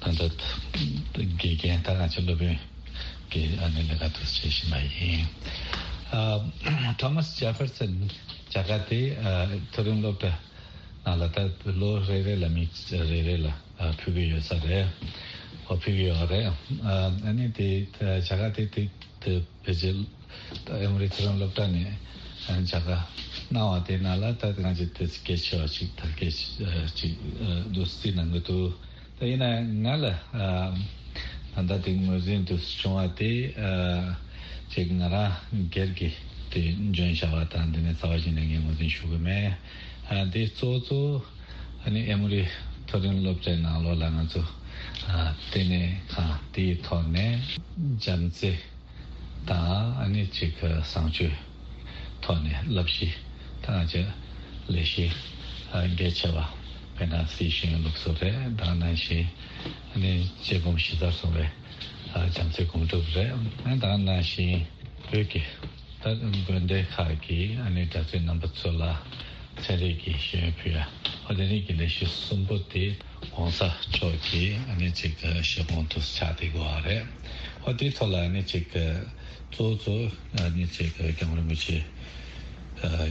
ད་ལྟ་དགེ་རྒན་ད་ག་ཅིག་སློབ་དཔོན་གྱི་ཨ་ནི་ལས་ཀ་དུ་བྱེད་བཞིན་པ་ཡིན། ཨ་Thomas Jefferson བྱ་དགའ་དེ་ཨ་མཐོ་རིམ་སློབ་གྲྭ་ནང་ལ་ད་ལོ་རེ་རེ་ལ་མི་རེ་རེ་ལ་ཨ་ཕུལ་གྱི་ཡོད་ས་རེད། ཨོ་ཕུལ་གྱི་ཡོད་རེད། ཨ་ཨ་ནི་དེ་བྱ་དགའ་དེ་དེ་དེ་ཕལ་ཆེར་ད་ཨི་མོ་རི་མཐོ་རིམ་སློབ་གྲྭ་ནས་ཨ་ནི་བྱ་དགའ་གནང་བ་དེ་ནང་ལ་ད་ང་ཚོ་དེ་གལ་ཆེ་བ་ཅིག་དར་རྒྱས་ཅིག་འདུག་རྩིས་གནང་གི་འདུག། ད་ཡིན་ན་ང་ལ་ཨ་ད་ལྟ་དེ་ངོས་འཛིན་དུ་བྱུང་བ་དེ་ཨ་ཅིག་ང་རང་སྒེར་གྱི་དེ་འཇོན་བྱ་བ་དང་དེ་ནས་རྩ་བ་ཞིག་ནས་ངས་ངོས་འཛིན་ཞུ་གི་མེད། ཨ་དེ་གཙོ་བོ་གཙོ་བོ་ཨ་ནི་ཨི་མོ་རི་མཐོ་རིམ་སློབ་གྲྭའི་ནང་ལོགས་ལ་ང་ཚོ་ཨ་ལྟེ་གནས་ཁང་དེའི་ཐོག་ནས་བྱམས་བརྩེ་དང་ཨ་ནི་ཅིག་བཟང་སྤྱོད་ཐོག་ནས་བསླབ་གཞི་དང་ཅིག་ལས་གཞི་ཨ་གལ་ཆེ་བ་དཔེར་ན་སྲིད་ཤེས་ཡོན་སློབ་གསོ་རེད། དེ་ནང་བཞིན་ཨ་ནི་དཔྱད་སྒོམ་གཞི་རྩར་སོང་བའི་ཨ་བྱམས་བརྩེ་སྒོམ་སྒྲུབ་རེད། ཨ་དེ་ནང་བཞིན་བོད་ཀྱི་ད་དགོན་སྡེ་ཁག་གི་ཨ་ནི་གྲྭ་བཙུན་རྣམ་པ་ཚོ་ལ་ཚན་རིག་གི་ཤེས་ཡོན་ཕུལ་ཡ། ཨ་དེ་རིང་གི་ལས་གཞི་གསུམ་པོ་དེ་༸གོང་ས་མཆོག་གི་ཨ་ནི་ཅིག་བཞེད་དགོངས་དུ་ཆགས་བསྡད་ཡོད་རེད། ཨ་དེའི་ཐོག་ལ་ཨ་ནི་ཅིག་གཙོ་བོ་གཙོ་བོ་ཨ་ནི་ཅིག་༸སྐྱབས་མགོན་རིན་པོ་ཆེ་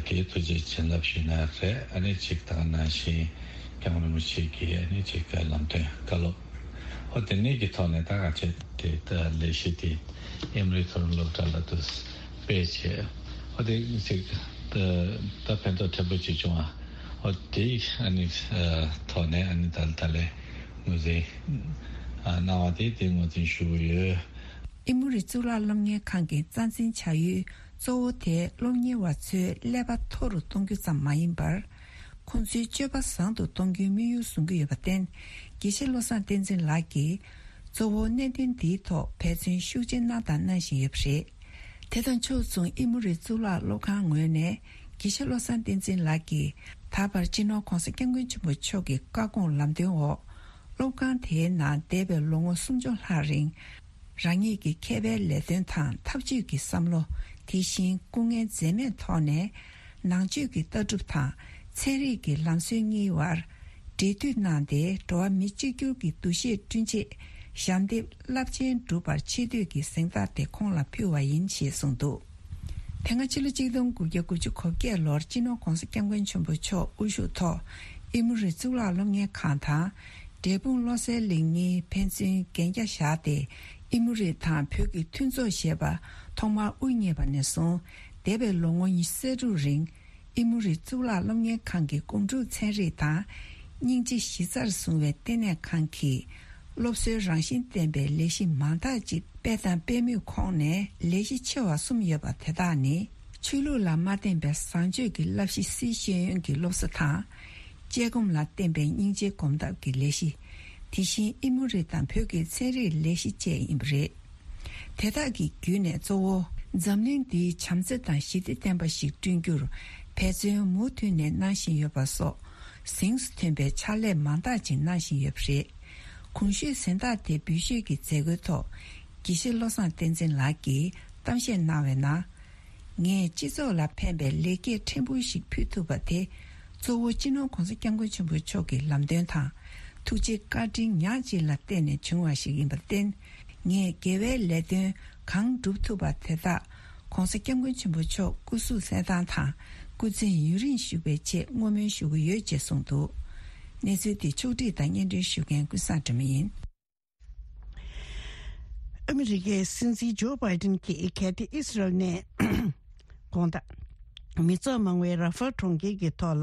གི་ཐུགས་རྗེ་བྱིན་རླབས་ཞུས་ན་རེད། ཨ་ནི་ཅིག་དེ་ནང་བཞིན་༸སྐྱབས་མགོན་རིན་པོ་ཆེ་གི་ཨ་ནི་ཅིག་ལམ་སྟོན་བཀའ་སློབ། ཨོ་དེ་ནས་ཀྱི་ཐོག་ནས་ད་ག་ཚོད་དེ་ད་ལས་གཞི་དེ་ཨི་མོ་རི་མཐོ་རིམ་སློབ་གྲྭ་ལ་དུ་སྤེལ་བྱས། ཨོ་དེ་ཅིག་ད་ད་ཕན་ཐོགས་ཕྲན་བུ་ཅིག་བྱུང་བ། ཨོ་དེ་ཨ་ནི་ཐོག་ནས་ཨ་ནི་ད་ད་ལས་ངོས་འཛིན་གནང་བ་དེ་དེ་ངོས་འཛིན་ཞུ་གི་ཡོད། ཨི་མོ་རི་གཙུག་ལག་སློབ་གཉེར་ཁང་གི་རྩ་འཛིན་བྱ་ཡུལ་གཙོ་བོ་དེ་སློབ་གཉེར་བ་ཚོའི་ཀླད་པ་མཐོ་རུ་གཏོང་རྒྱུ་ཙམ་མ་ཡིན་པར། ཁོང་ཚོའི་སྤྱོད་པ་བཟང་དུ་གཏོང་རྒྱུའི་དམིགས་ཡུལ་བཟུང་གི་ཡོད་པར་བརྟེན། དགེ་བཤེས་བློ་བཟང་བསྟན་འཛིན་ལགས་ཀྱིས་གཙོ་བོ་གནད་དོན་འདིའི་ཐོག་འབད་བརྩོན་ཤུགས་ཆེ་གནང་དང་གནང་བཞིན་ཡོད་པ་རེད། དེ་དང་ཕྱོགས་མཚུངས་ཨི་མོ་རི་གཙུག་ལག་སློབ་ཁང་ངོས་ནས་དགེ་བཤེས་བློ་བཟང་བསྟན་འཛིན་ལགས་ཀྱིས་ད་བར་སྤྱི་ནོར་༸གོང་ས་༸སྐྱབས་མགོན་ཆེན་པོ་མཆོག་གི་བཀའ་དགོངས་ལམ་སྟོན་འོག་སློབ་ཁང་དེའི་ནང་འདས་པའི་ལོ་ངོ་སུམ་ཅུ་ལྷག་རིང་། རང་ཉིད་ཀྱི་མཁས་པའི་ལས་དོན་དང་འཐབ་ཇུས་ཀྱི་བསམ་བློ། དེ་བཞིན་སྐུ་ངལ་འཛེམས་མེད་ཐོག་ནས་ནང་ཆོས་ཀྱི་ལྟ་གྲུབ་དང་ཚན་རིག་གི་ལམ་སྲོལ་གཉིས་བར་འབྲེལ་མཐུད་གནང་སྟེ། འགྲོ་བ་མི་གཅིག་གྱུར་གྱི་འདུ་ཤེས་བསྐྲུན་ཆེད་ཞབས་འདེགས་རླབས་ཆེན་བསྒྲུབས་པར་ཆེ་བསྟོད་ཀྱི་གཟེངས་རྟགས་དེ་ཁོང་ལ་ཕུལ་བ་ཡིན་ཞེས་གསུངས་འདུག། དེ་སྔ་ཕྱི་ལོ་གཅིག་སྟོང་དགུ་བརྒྱ་དགུ་བཅུ་གོ་བརྒྱད་ལོར་སྤྱི་ནོར་༸གོང་ས་༸སྐྱབས་མགོན་ཆེན་པོ་མཆོག་དབུ་བཞུགས་ཐོག་ཨི་མོ་རི་གཙུག་ལག་སློབ་གཉེར་ཁང་དང་། འབྲས་སྤུངས་བློ་གསལ་གླིང་གཉིས་ཕན་ཚུན་གན་རྒྱ་བཞག་སྟེ། ཨི་མོ་རི་དང་བོད་ཀྱི་མཐུན་ཚོགས་ཞེས་པ་ཐོག་མར་དབུ་བརྙེས་པ་ནས་བཟུང་འདས་པའི་ལོ་ངོ་ཉི་ཤུ་རྩ་དྲུག་རིང་། ཨི་མོ་རི་གཙུག་ལག་སློབ་གཉེར་ཁང་གི་སྒོམ་སྒྲུབ་ཚན་རིག་དང་། སྙིང་རྗེ་གཞི་རྩར་བཟུང་བའི་ལྟེ་གནས་ཁང་གིས། སློབ་གསོའི་རང་བཞིན་ལྡན་པའི་ལས་གཞི་མང་དག་ཅིག་སྤེལ་དང་སྤེལ་མུས་ཁོངས་ནས་ལས་གཞི་ཆེ་བ་གསུམ་ཡོད་པ་དེ་དག་ནི། ཆོས་ལུགས་ལ་མ་བརྟེན་པའི་བཟང་སྤྱོད་ཀྱི་བསླབ་གཞི་སྲིད་ཤེས་ཡོན་གྱི་སློབ་གསོ་དང་། དཔྱད་སྒོམ་ལ་བརྟེན་པའི་སྙིང་རྗེའི་སྒོམ་ཐབས་ཀྱི་ལས་གཞི། དེ་བཞིན་ཨི་མོ་རི་དང་བོད་ཀྱི་ཚན་རིག་ལས་གཞི་བཅས་ཡིན་པ་རེད། དེ་དག་གི་བརྒྱུད་ནས་གཙོ་བོ་འཛམ་གླིང་འདིའི་བྱམས་བརྩེ་དང་ཞི་བདེ་ལྡན་པ་ཞིག་བསྐྲུན་རྒྱུར་འབད་བརྩོན་མུ་མཐུད་ནས་གནང་བཞིན་ཡོད་པ་སོགས། གཟེངས་སུ་ཐོན་པའི་ཕྱག་ལས་མང་དག་ཅིག་གནང་བཞིན་ཡོད་པ་རེད། གོང་ཞུས་གཟེངས་རྟགས་དེ་འབུལ་ཞུས་ཀྱི་མཛད་སྒོའི་ཐོག་དགེ་བཤེས་བློ་བཟང་བསྟན་འཛིན་ལགས་ཀྱིས་གཏམ་བཤད་གནང་བའི་ནང་། ངས་སྤྱི་ཚོགས་ལ་ཕན་པའི་ལེགས་སྐྱེས་ཕྲན་བུ་ཞིག་ཕུལ་ཐུབ་པ་དེ། གཙོ་བོ་སྤྱི་ནོར་༧གོང་ས་༧སྐྱབས་མགོན་ཆེན་པོ་མཆོག་གི་ལམ་སྟོན་དང་། ཐུགས་རྗེ་བཀའ་དྲིན་ཉག་གཅིག་ལ་བརྟེན་ནས་བྱུང་བ་ཞིག་ཡིན་པར་བརྟེན། ངས་དགེ་བའི་ལས་དོན་གང་བསྒྲུབ་ཐུབ་པ་དེ་དག་༧གོང་ས་༧སྐྱབས་མགོན་ཆེན་པོ་མཆོག་སྐུ་གཟུགས་གསལ་ཐང་དང་སྐུ་ཚེ་ཡུན་རིང་བཞུགས་པའི་ཆེད་བསྔོ་སྨོན་ཞུ་གི་ཡོད་ཅེས་གསུངས་འདུག་གནས་ཚུལ་དེ་ཕྱོགས་སྒྲིག་དང་སྙན་སྒྲོན་ཞུ་མཁན་ཀུན་བཟང་སྒྲོལ་མ་ཡིན། ཨ་མི་རི་ཀའི་སྲིད་འཛིན་ཇོ་བྷའི་ཏིན་གྱིས་གལ་ཏེ་ཨི་སི་རལ་ནས་དགོང་དག་མི་ཚོགས་མང་བའི་ར་ཧྥལ་གྲོང་ཁྱེར་གྱི་ཐོག་ལ་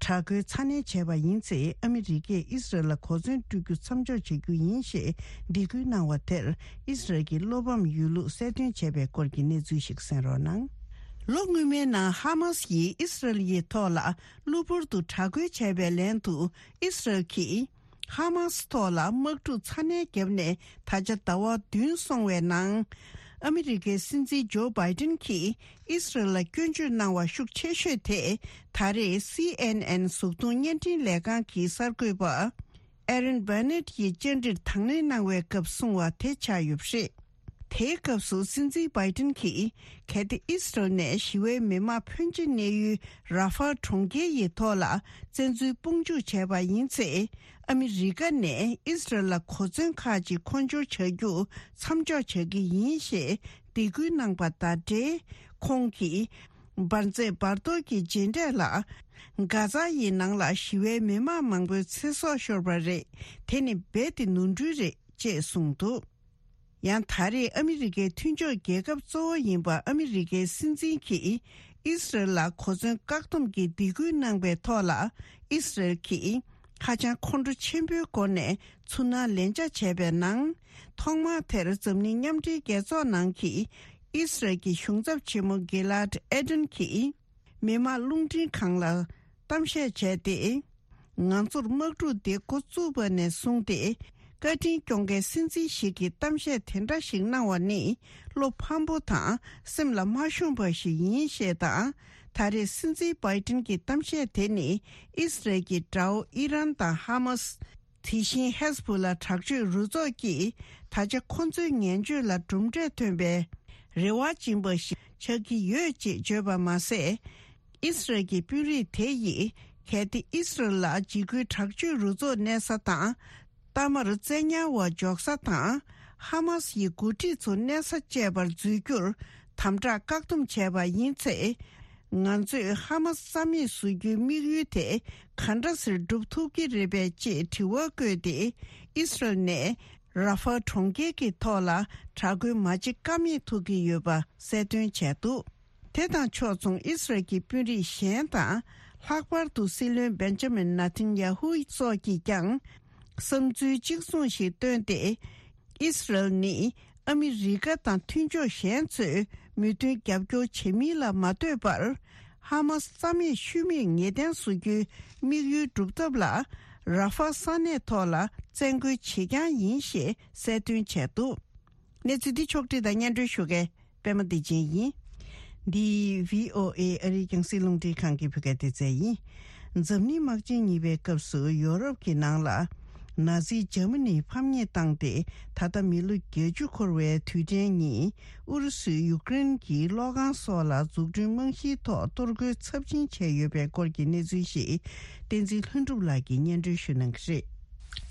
དྲག་རྒོལ་ཚ་ནན་བྱས་པ་ཡིན་ཚེ། ཨ་མི་རི་ཀས་ཨི་སི་རལ་ལ་གོ་མཚོན་སྤྲོད་རྒྱུ་མཚམས་འཇོག་བྱ་རྒྱུ་ཡིན་ཞེས་སྡིགས་སྐུལ་གནང་བ་དེར། ཨི་སི་རལ་གྱི་བློ་ཕམ་ཡོད་ལུགས་གསལ་སྟོན་བྱས་པའི་སྐོར་གྱི་གནས་ཚུལ་ཞིག་གསན་རོགས་གནང་། ལོ་སྔོན་མའི་ནང་ཧ་མ་སི་ཡིས་ཨི་སི་རལ་ཡི་ཐོག་ལ་གློ་བུར་དུ་དྲག་རྒོལ་བྱས་པའི་ལན་དུ། ཨི་སི་རལ་གྱིས་ཧ་མ་སི་ཐོག་ལ་དམག་འཁྲུག་ཚ་ནན་བརྒྱབ་ནས་ད་ཆ་ཟླ་བ་བདུན་སོང་བའི་ནང་། ཨ་མི་རི་ཀའི་སྲིད་འཛིན་ཇོ་བྷའི་ཏིན་གྱིས་ཨི་སི་རལ་ལ་སྐྱོན་བརྗོད་གནང་བ་ཤུགས་ཆེ་ཤོས་དེ། ད་རེས་སི་ཨེན་ཨེན་གཟུགས་མཐོང་བརྙན་འཕྲིན་ལས་ཁང་གི་གསར་འགོད་པ་ཨེ་རན་བྷ་ནེད་ཀྱིས་བཅར་འདྲིར་དང་ལེན་གནང་བའི་སྐབས་གསུངས་བ་དེ་ཆགས་ཡོད་པ་རེད། དེའི་སྐབས་སུ་སྲིད་འཛིན་བྷའི་ཏིན་གྱིས། གལ་ཏེ་ཨི་སི་རལ་ནས་ཞི་བའི་མི་མང་ཕོན་ཆེ་གནས་ཡུལ་ར་ཧྥལ་གྲོང་ཁྱེར་ཡི་ཐོག་ལ་བཙན་འཛུལ་དཔུང་འཇུག་བྱས་པ་ཡིན་ཚེ། ཨ་མི་རི་ཀ་ནས་ཨི་སི་རལ་ལ་གོ་མཚོན་ཁག་ཅིག་མཁོ་སྦྱོར་བྱ་རྒྱུ་མཚམས་འཇོག་བྱ་གི་ཡིན་ཞེས་སྡིགས་སྐུལ་གནང་པ་དང་འབྲེལ། ཁོང་གིས། འབར་རྫས་འབར་གཏོར་གྱི་རྗེས་འབྲས་ལ། གྷ་ཛ་ཡི་ནང་ལ་ཞི་བའི་མི་མང་མང་པོའི་ཚེ་སྲོག་ཤོར་བ་རེད། དེ་ནི་རྦད་དེ་ནོར་འཁྲུལ་རེད། ཅེས་གསུངས་འདུག་ཡང་ད་རེས་ཨ་མི་རི་ཀའི་མཐུན་ཕྱོགས་རྒྱལ་ཁབ་གཙོ་བོ་ཡིན་པ་ཨ་མི་རི་ཀའི་སྲིད་འཛིན་གྱིས་ཨི་སི་རལ་ལ་གོ་མཚོན་བཀག་སྡོམ་གྱི་སྡིགས་སྐུལ་གནང་པའི་ཐོག་ལ། ཨི་སི་རལ་གྱིས་ཧ་ཅང་ཁོང་ཁྲོ་ཆེན་པོའི་སྒོ་ནས་ཚུར་སྣང་ལན་ཆགས་བྱས་པའི་ནང་། ཐོག་མར་དེར་འཛམ་གླིང་མཉམ་འབྲེལ་རྒྱལ་ཚོགས་ནང་གི་ཨི་སི་རལ་གྱི་གཞུང་ཚབ་ཆེན་མོ་གི་ལཱད་ཨེ་ཏན་གྱིས། མི་དམངས་རླུང་འཕྲིན་ཁང་ལ་གཏམ་བཤད་བྱས་ཏེ། ང་ཚོར་དམག་འཁྲུག་འདི་འགོ་བཙུགས་པ་ནས་བཟུང་སྟེ། བཀའ་དྲིན་སྐྱོང་མཁན་སྲིད་འཛིན་ཞིག་གིས་གཏམ་བཤད་དེ་འདྲ་ཞིག་གནང་བ་ནི། བློ་ཕམ་པོ་དང་སེམས་ལ་མ་ཤོང་པ་ཞིག་ཡིན་ཞེས་དང་། ད་རེས་སྲིད་འཛིན་བྷའི་ཏིན་གྱི་གཏམ་བཤད་དེ་ནི། ཨི་སི་རལ་གྱི་དགྲ་བོ་ཨི་རན་དང་ཧ་མ་སི། དེ་བཞིན་ཧེ་ཟ་བྷོ་ལ་དྲག་སྤྱོད་རུ་ཚོགས་ཀྱིས་ད་ཆ་ཁོ་ཚོའི་ངན་སྤྱོད་ལ་གྲུབ་འབྲས་ཐོན་པའི་རེ་བ་སྦྱིན་པ་ཞིག་ཆགས་ཀྱི་ཡོད་ཅེས་བརྗོད་པ་མ་ཟད། ཨི་སི་རལ་གྱི་དཔོན་རིགས་དེ་ཡིས་གལ་ཏེ་ཨི་སི་རལ་ལ་འཇིགས་སྐུལ་དྲག་སྤྱོད་རུ་ཚོགས་གནས་ས་དང་། གཏའ་མར་བཙན་ཉར་བ་འཇོག་ས་དང་། ཧ་མ་སི་ཡི་འགོ་ཁྲིད་ཚོ་གནས་ས་བཅས་པར་འཛུལ་རྒྱུར་དམ་དྲག་བཀག་སྡོམ་བྱས་པ་ཡིན་ཚེ། ང་ཚོས་ཧ་མ་སི་རྩ་མེད་བཟོ་རྒྱུའི་དམིགས་ཡུལ་དེ་ག་འདྲ་སེ་སྒྲུབ་ཐུབ་ཀྱི་རེད་པས་ཅེས་དྲི་བ་བཀོད་དེ། ཨི་སི་རལ་ནས་ར་ཧྥལ་གྲོང་ཁྱེར་གྱི་ཐོག་ལ་དྲག་རྒོལ་མ་བྱེད་ཀ་མེད་ཐུག་གི་ཡོད་པ་གསལ་སྟོན་བྱས་འདུག་དེ་དང་ཕྱོགས་མཚུངས་ཨི་སི་རལ་གྱི་དཔོན་རིགས་གཞན་དང་། ལྷག་པར་དུ་སྲིད་བློན་བེན་ཇ་མིན་ནེ་ཐན་ཡ་ཧུ་སོགས་ཀྱིས་ཀྱང་། བསམ་ཚུལ་གཅིག་མཚུངས་ཤིག་བཏོན་ཏེ། ཨི་སི་རལ་ནི་ཨ་མི་རི་ཀ་དང་མཐུན་ཕྱོགས་གཞན་ཚོས་མོས་མཐུན་རྒྱབ་སྐྱོར་བྱེད་མིན་ལ་མ་ལྟོས་པར། ཧ་མ་སི་རྩ་མེད་ཤུལ་མེད་ངེས་གཏན་བཟོ་རྒྱུའི་དམིགས་ཡུལ་སྒྲུབ་ཐབས་ལ། ར་ཧྥལ་ས་གནས་ཐོག་ལ་བཙན་རྒོལ་བྱེད་རྐྱང་ཡིན་ཞེས་གསལ་སྟོན་བྱས་འདུག་གནས་ཚུལ་འདི་ཕྱོགས་བསྒྲིགས་དང་སྙན་སྒྲོན་ཞུ་མཁན་པད་མ་བདེ་ཆེན་ཡིན། འདི་བྷི་ཨོ་ཨེ་ཨ་རིའི་རྒྱང་སྲིང་རླུང་འཕྲིན་ཁང་གི་བོད་སྐད་སྡེ་ཚན་ཡིན། འཛམ་གླིང་དམག་ཆེན་གཉིས་པའི་སྐབས་སུ་ཡོ་རོབ་ཀྱི་ནང་ལ་ནཱ་ཛི་འཇར་མ་ནི་ཕམ་ཉེས་བཏང་སྟེ། ད་ལྟ་མི་ལོ་བརྒྱད་ཅུ་འཁོར་བའི་དུས་དྲན་ཉིན། ཨུ་རུ་སུས་ཡུཀ་རེན་གྱི་གློག་ཁང་སོགས་ལ་འཛུགས་སྐྲུན་རྨང་གཞིའི་ཐོག་གཏོར་རྒོལ་ཚབས་ཆེན་བྱས་ཡོད་པའི་སྐོར་གྱི་གནས་ཚུལ་ཞིག་བསྟན་འཛིན་ལྷུན་གྲུབ་ལགས་ཀྱིས་སྙན་སྒྲོན་ཞུ་གནང་གི་རེད།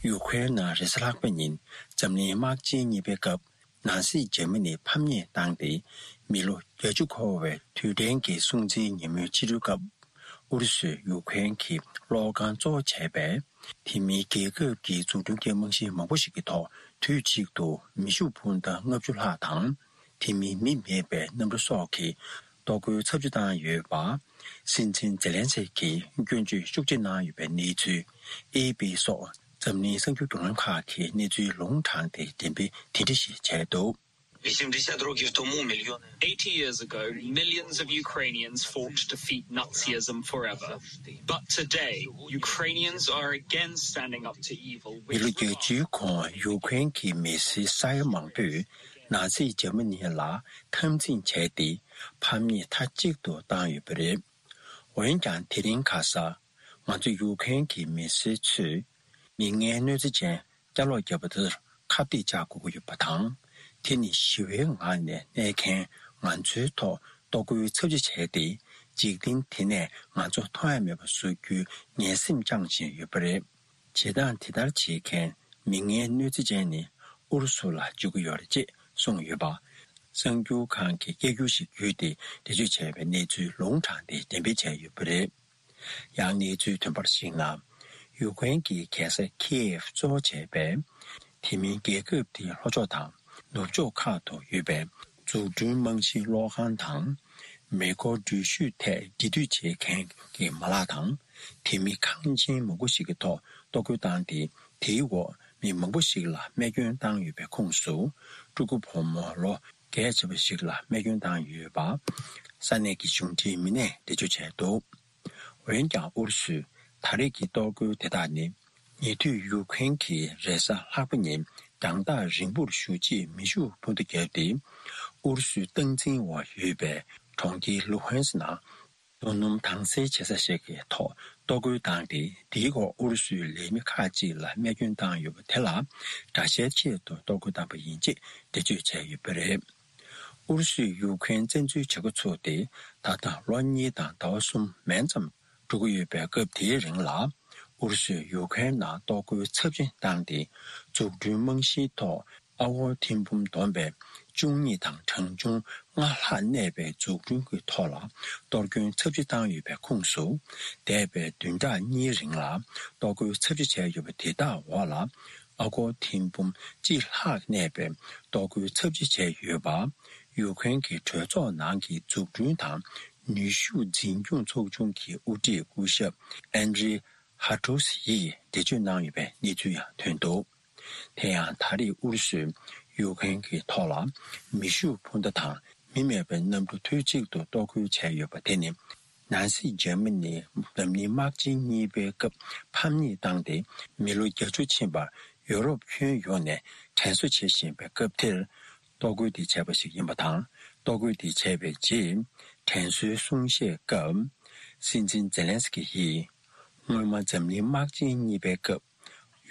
ཡུ་ཁུ་རེན་ནང་རེས་གཟའ་ལྷག་པ་ཉིན་འཛམ་གླིང་དམག་ཆེན་གཉིས་པའི་སྐབས། ནཱ་སི་འཇར་མ་ནི་ཕམ་ཉེས་བཏང་སྟེ། མི་ལོ་བརྒྱད་ཅུ་འཁོར་བའི་དུས་དྲན་གྱི་སྲུང་བརྩིའི་ཉིན་མོའི་ཕྱི་དྲོའི་སྐབས། ཨུ་རུ་སུས་ཡུ་ཁུ་རེན་གྱི་གློག་ཁང་གཙོ་བོ་བྱས་པའི་དེ་མིན་རྒྱལ་ཁབ་ཀྱི་འཛུགས་སྐྲུན་གྱི་རྨང་གཞི་མང་པོ་ཞིག་གི་ཐོག་དུས་གཅིག་ཏུ་མེ་ཤུགས་འཕུར་མདའ་ལྔ་བཅུ་ལྷག་དང་། དེ་མིན་མི་མེད་པའི་གནམ་གྲུ་སོགས་ཀྱིས་གཏོར་རྒོལ་ཚབས་ཆེ་བཏང་ཡོད་པ། སྲིད་འཛིན་ཛེ་ལན་སི་ཀིས་སྐྱོན་བརྗོད་ཤུགས་ཆེ་གནང་ཡོད་པའི་གནས་ཚུལ། ཨེ་ཨེ་པི་སོགས་འཛམ་གླིང་གསར་འགྱུར་བརྒྱུད་ལམ་ཁག་གིས་གནས་ཚུལ་ལུང་དྲངས་ཏེ་འགྲེམས་སྤེལ་དེ་འདྲ་ཞིག་བྱས་འདུག Eighty years ago, millions of Ukrainians fought to defeat Nazism forever. But today, Ukrainians are again standing up to evil. མི་ལོ་བརྒྱད་ཅུའི་གོང་ཡུ་ཁུ་རེན་གྱི་མི་སེར་ས་ཡ་མང་པོས་ནཱ་ཛི་འཇར་མ་ནི་ལ་འཐབ་འཛིང་བྱས་ཏེ། ཕམ་ཉེས་མཐའ་གཅིག་ཏུ་བཏང་ཡོད་པ་རེད། འོན་ཀྱང་དེ་རིང་ཁ་སང་ ང་ཚོ་ཡུ་ཁུ་རེན་གྱི་མི་སེར་ཚོས་མི་ངན་གནོད་འཚེ་ཅན་སྐྱ་ལོག་བརྒྱབ་པ་དེར་ཁ་གཏད་བཅག་དགོས་ཀྱི་ཡོད་པ་དང་། དེ་ནི་ཞི་བའི་ངང་ནས་གནས་མཁན་ང་ཚོའི་ཐོག་གཏོར་རྒོལ་ཚབས་ཆེ་བྱས་ཏེ། འཇིག་རྟེན་དེ་ནས་ང་ཚོ་མཐོང་ཡ་མེད་པ་བཟོ་རྒྱུའི་ངན་སེམས་བཅངས་བཞིན་ཡོད་པ་རེད། བྱེད་སྟངས་དེ་ལྟར་བྱེད་མཁན་མི་ངན་གནོད་འཚེ་ཅན་ནི་ཨུ་རུ་སུ་ལ་འཇུག་གི་ཡོད་རེད་ཅེས་གསུངས་ཡོད་པ། གསར་འགྱུར་ཁང་གི་སྐད་སྒྱུར་ཞིག་བརྒྱུད་དེ་འགྲེལ་བརྗོད་བྱས་པའི་གནས་ཚུལ་ལུང་དྲངས་ཏེ་འགྲེམས་སྤེལ་བྱས་ཡོད་པ་རེད། ཡང་གནས་ཚུལ་ཐོན་པར་གཞིགས་ན། ཡུ་ཀེ་རེན་གྱི་རྒྱལ་ས་ཁི་ཨེབ་གཙོ་བོ་བྱས་པའི་དེ་མིན་རྒྱལ་ཁབ་དེའི་ལྷོ་ཕྱོགས་དང་ནུབ་ཕྱོགས་ཁག་ཏུ་ཡོད་པའི་འཛུགས་སྐྲུན་རྨང་གཞིའི་གློག་ཁང་དང་། མེ་འཁོར་འགྲུལ་བཞུད་ཐད་འབྲེལ་མཐུད་བྱེད་མཁན་གྱི་མ་ལག་དང་། དེ་མིན་ཁང་ཆེན་མང་པོ་ཞིག་གི་ཐོག་གཏོར་རྒོལ་བཏང་སྟེ། དེའི་འོག་མི་མང་པོ་ཞིག་ལ་རྨས་སྐྱོན་བཏང་ཡོད་པའི་ཁོངས་སུ། ཕྲུ་གུ་བུ་མོ་ལོ་བརྒྱད་བྱས་པ་ཞིག་ལ་རྨས་སྐྱོན་བཏང་ཡོད་པ། ས་གནས་ཀྱི་གཞུང་འབྲེལ་མི་སྣས་འགྲེལ་བརྗོད་བྱས་འདུག་འོན་ཀྱང་ཨུ་རུ་སུས་ད་རེས་ཀྱི་གཏོར་རྒོལ་དེ་དག་ནི། ཉེ་དུས་ཡུ་ཀེ་རེན་གྱི་རེས་གཟའ་ལྷག་པ་ཉིན་རྒྱང་ཐག་རིང་པོར་བཞུགས་རྗེས་མེ་ཤུགས་འཕུར་མདའ་བརྒྱབ་སྟེ། ཨུ་རུ་སུའི་སྟངས་འཛིན་འོག་ཡོད་པའི་གྲོང་ཁྱེར་ལུ་ཧན་སི་ནང་རྡོ་སྣུམ་དྭངས་གསལ་བྱེད་ས་ཞིག་གི་ཐོག་གཏོར་རྒོལ་བཏང་སྟེ། དེའི་འོག་ཨུ་རུ་སུའི་ལས་མི་ཁག་ཅིག་ལ་རྨས་སྐྱོན་བཏང་ཡོད་པ་དེ་ལ་དགྲ་ཤའི་ཆེད་དུ་གཏོར་རྒོལ་བཏང་པ་ཡིན་ཅེས་འགྲེལ་བརྗོད་བྱས་ཡོད་པ་རེད། ཨུ་རུ་སུས་ཡུ་ཀེ་རེན་བཙན་འཛུལ་བྱེད་འགོ་ཚུགས་ཏེ་ད་ལྟ་ལོ་གཉིས་དང་ཟླ་བ་གསུམ་མན་ཙམ་འགྲོ་གི་ཡོད་པའི་སྐབས་དེའི་རིང་ལ། ཨུ་རུ་སུས་ཡུ་ཀེ་རེན་ནང་གཏོར་རྒོལ་ཚབས་ཆེན་བཏང་སྟེ། འཛུགས་སྐྲུན་རྨང་གཞིའི་ཐོག་ཨ་སྒོར་ཐེར་འབུམ་བསྡོམས་པའི་བཅུ་གཉིས་དང་གྲངས་ཆུང་ལྔ་ལྷག་གནས་པའི་འཛུགས་སྐྲུན་གྱི་ཐོག་ལ་གཏོར་སྐྱོན་ཚབས་ཆེ་བཏང་ཡོད་པའི་ཁོངས་སུ། འདས་པའི་བདུན་ཕྲག་གཉིས་རིང་ལ་གཏོར་རྒོལ་ཚབས་ཆེ་བྱས་ཡོད་པ་དེ་དག་འོག་ལ། ཨ་སྒོར་ཐེར་འབུམ་གཅིག་ལྷག་གནས་པའི་གཏོར་རྒོལ་ཚབས་ཆེ་བྱས་ཡོད་པ། ཡུ་ཀེ་རེན་གྱི་གྲོས་ཚོགས་ནང་གི་འཛུགས་སྐྲུན་དང་ནུས་ཤུགས་འཛིན་སྐྱོང་ཚོགས་ཆུང་གི་དབུ་ཁྲིད་སྐུ་ཞབས་ཨན་ཌྲི་ཧ་ཏོ་སི་ཡིས་འགྲེལ་བརྗོད་གནང་ཡོད་པའི་གནས་ཚུལ་ཡང་ཐོན་འདུག་དེ་ཡང་ད་རེས་ཨུ་རུ་སུས་ཡུ་ཀེ་རེན་གྱི་ཐོག་ལ་མེ་ཤུགས་འཕུར་མདའ་དང་མི་མེད་པའི་གནམ་གྲུ་དུས་གཅིག་ཏུ་གཏོར་རྒོལ་བྱས་ཡོད་པ་དེ་ནི། ནང་སྲིད་འཇར་མ་ནི་འཛམ་གླིང་དམག་ཆེན་གཉིས་པའི་སྐབས་ཕམ་ཉེས་བཏང་སྟེ། མི་ལོ་བརྒྱད་ཅུ་ཕྱིན་པར་ཡོ་རོབ་ཁྱོན་ཡོངས་ནས་དྲན་གསོ་བྱེད་བཞིན་པའི་སྐབས་དེར། གཏོར་རྒོལ་དེ་བྱས་པ་ཞིག་ཡིན་པ་དང་། གཏོར་རྒོལ་དེ་བྱས་པའི་རྗེས། དྲན་གསོའི་གསུང་བཤད་སྐབས། སྲིད་འཛིན་ཛེ་ལན་སི་ཀི་ཡིས། སྔོན་མ་འཛམ་གླིང་དམག་ཆེན་གཉིས་པའི་སྐབས།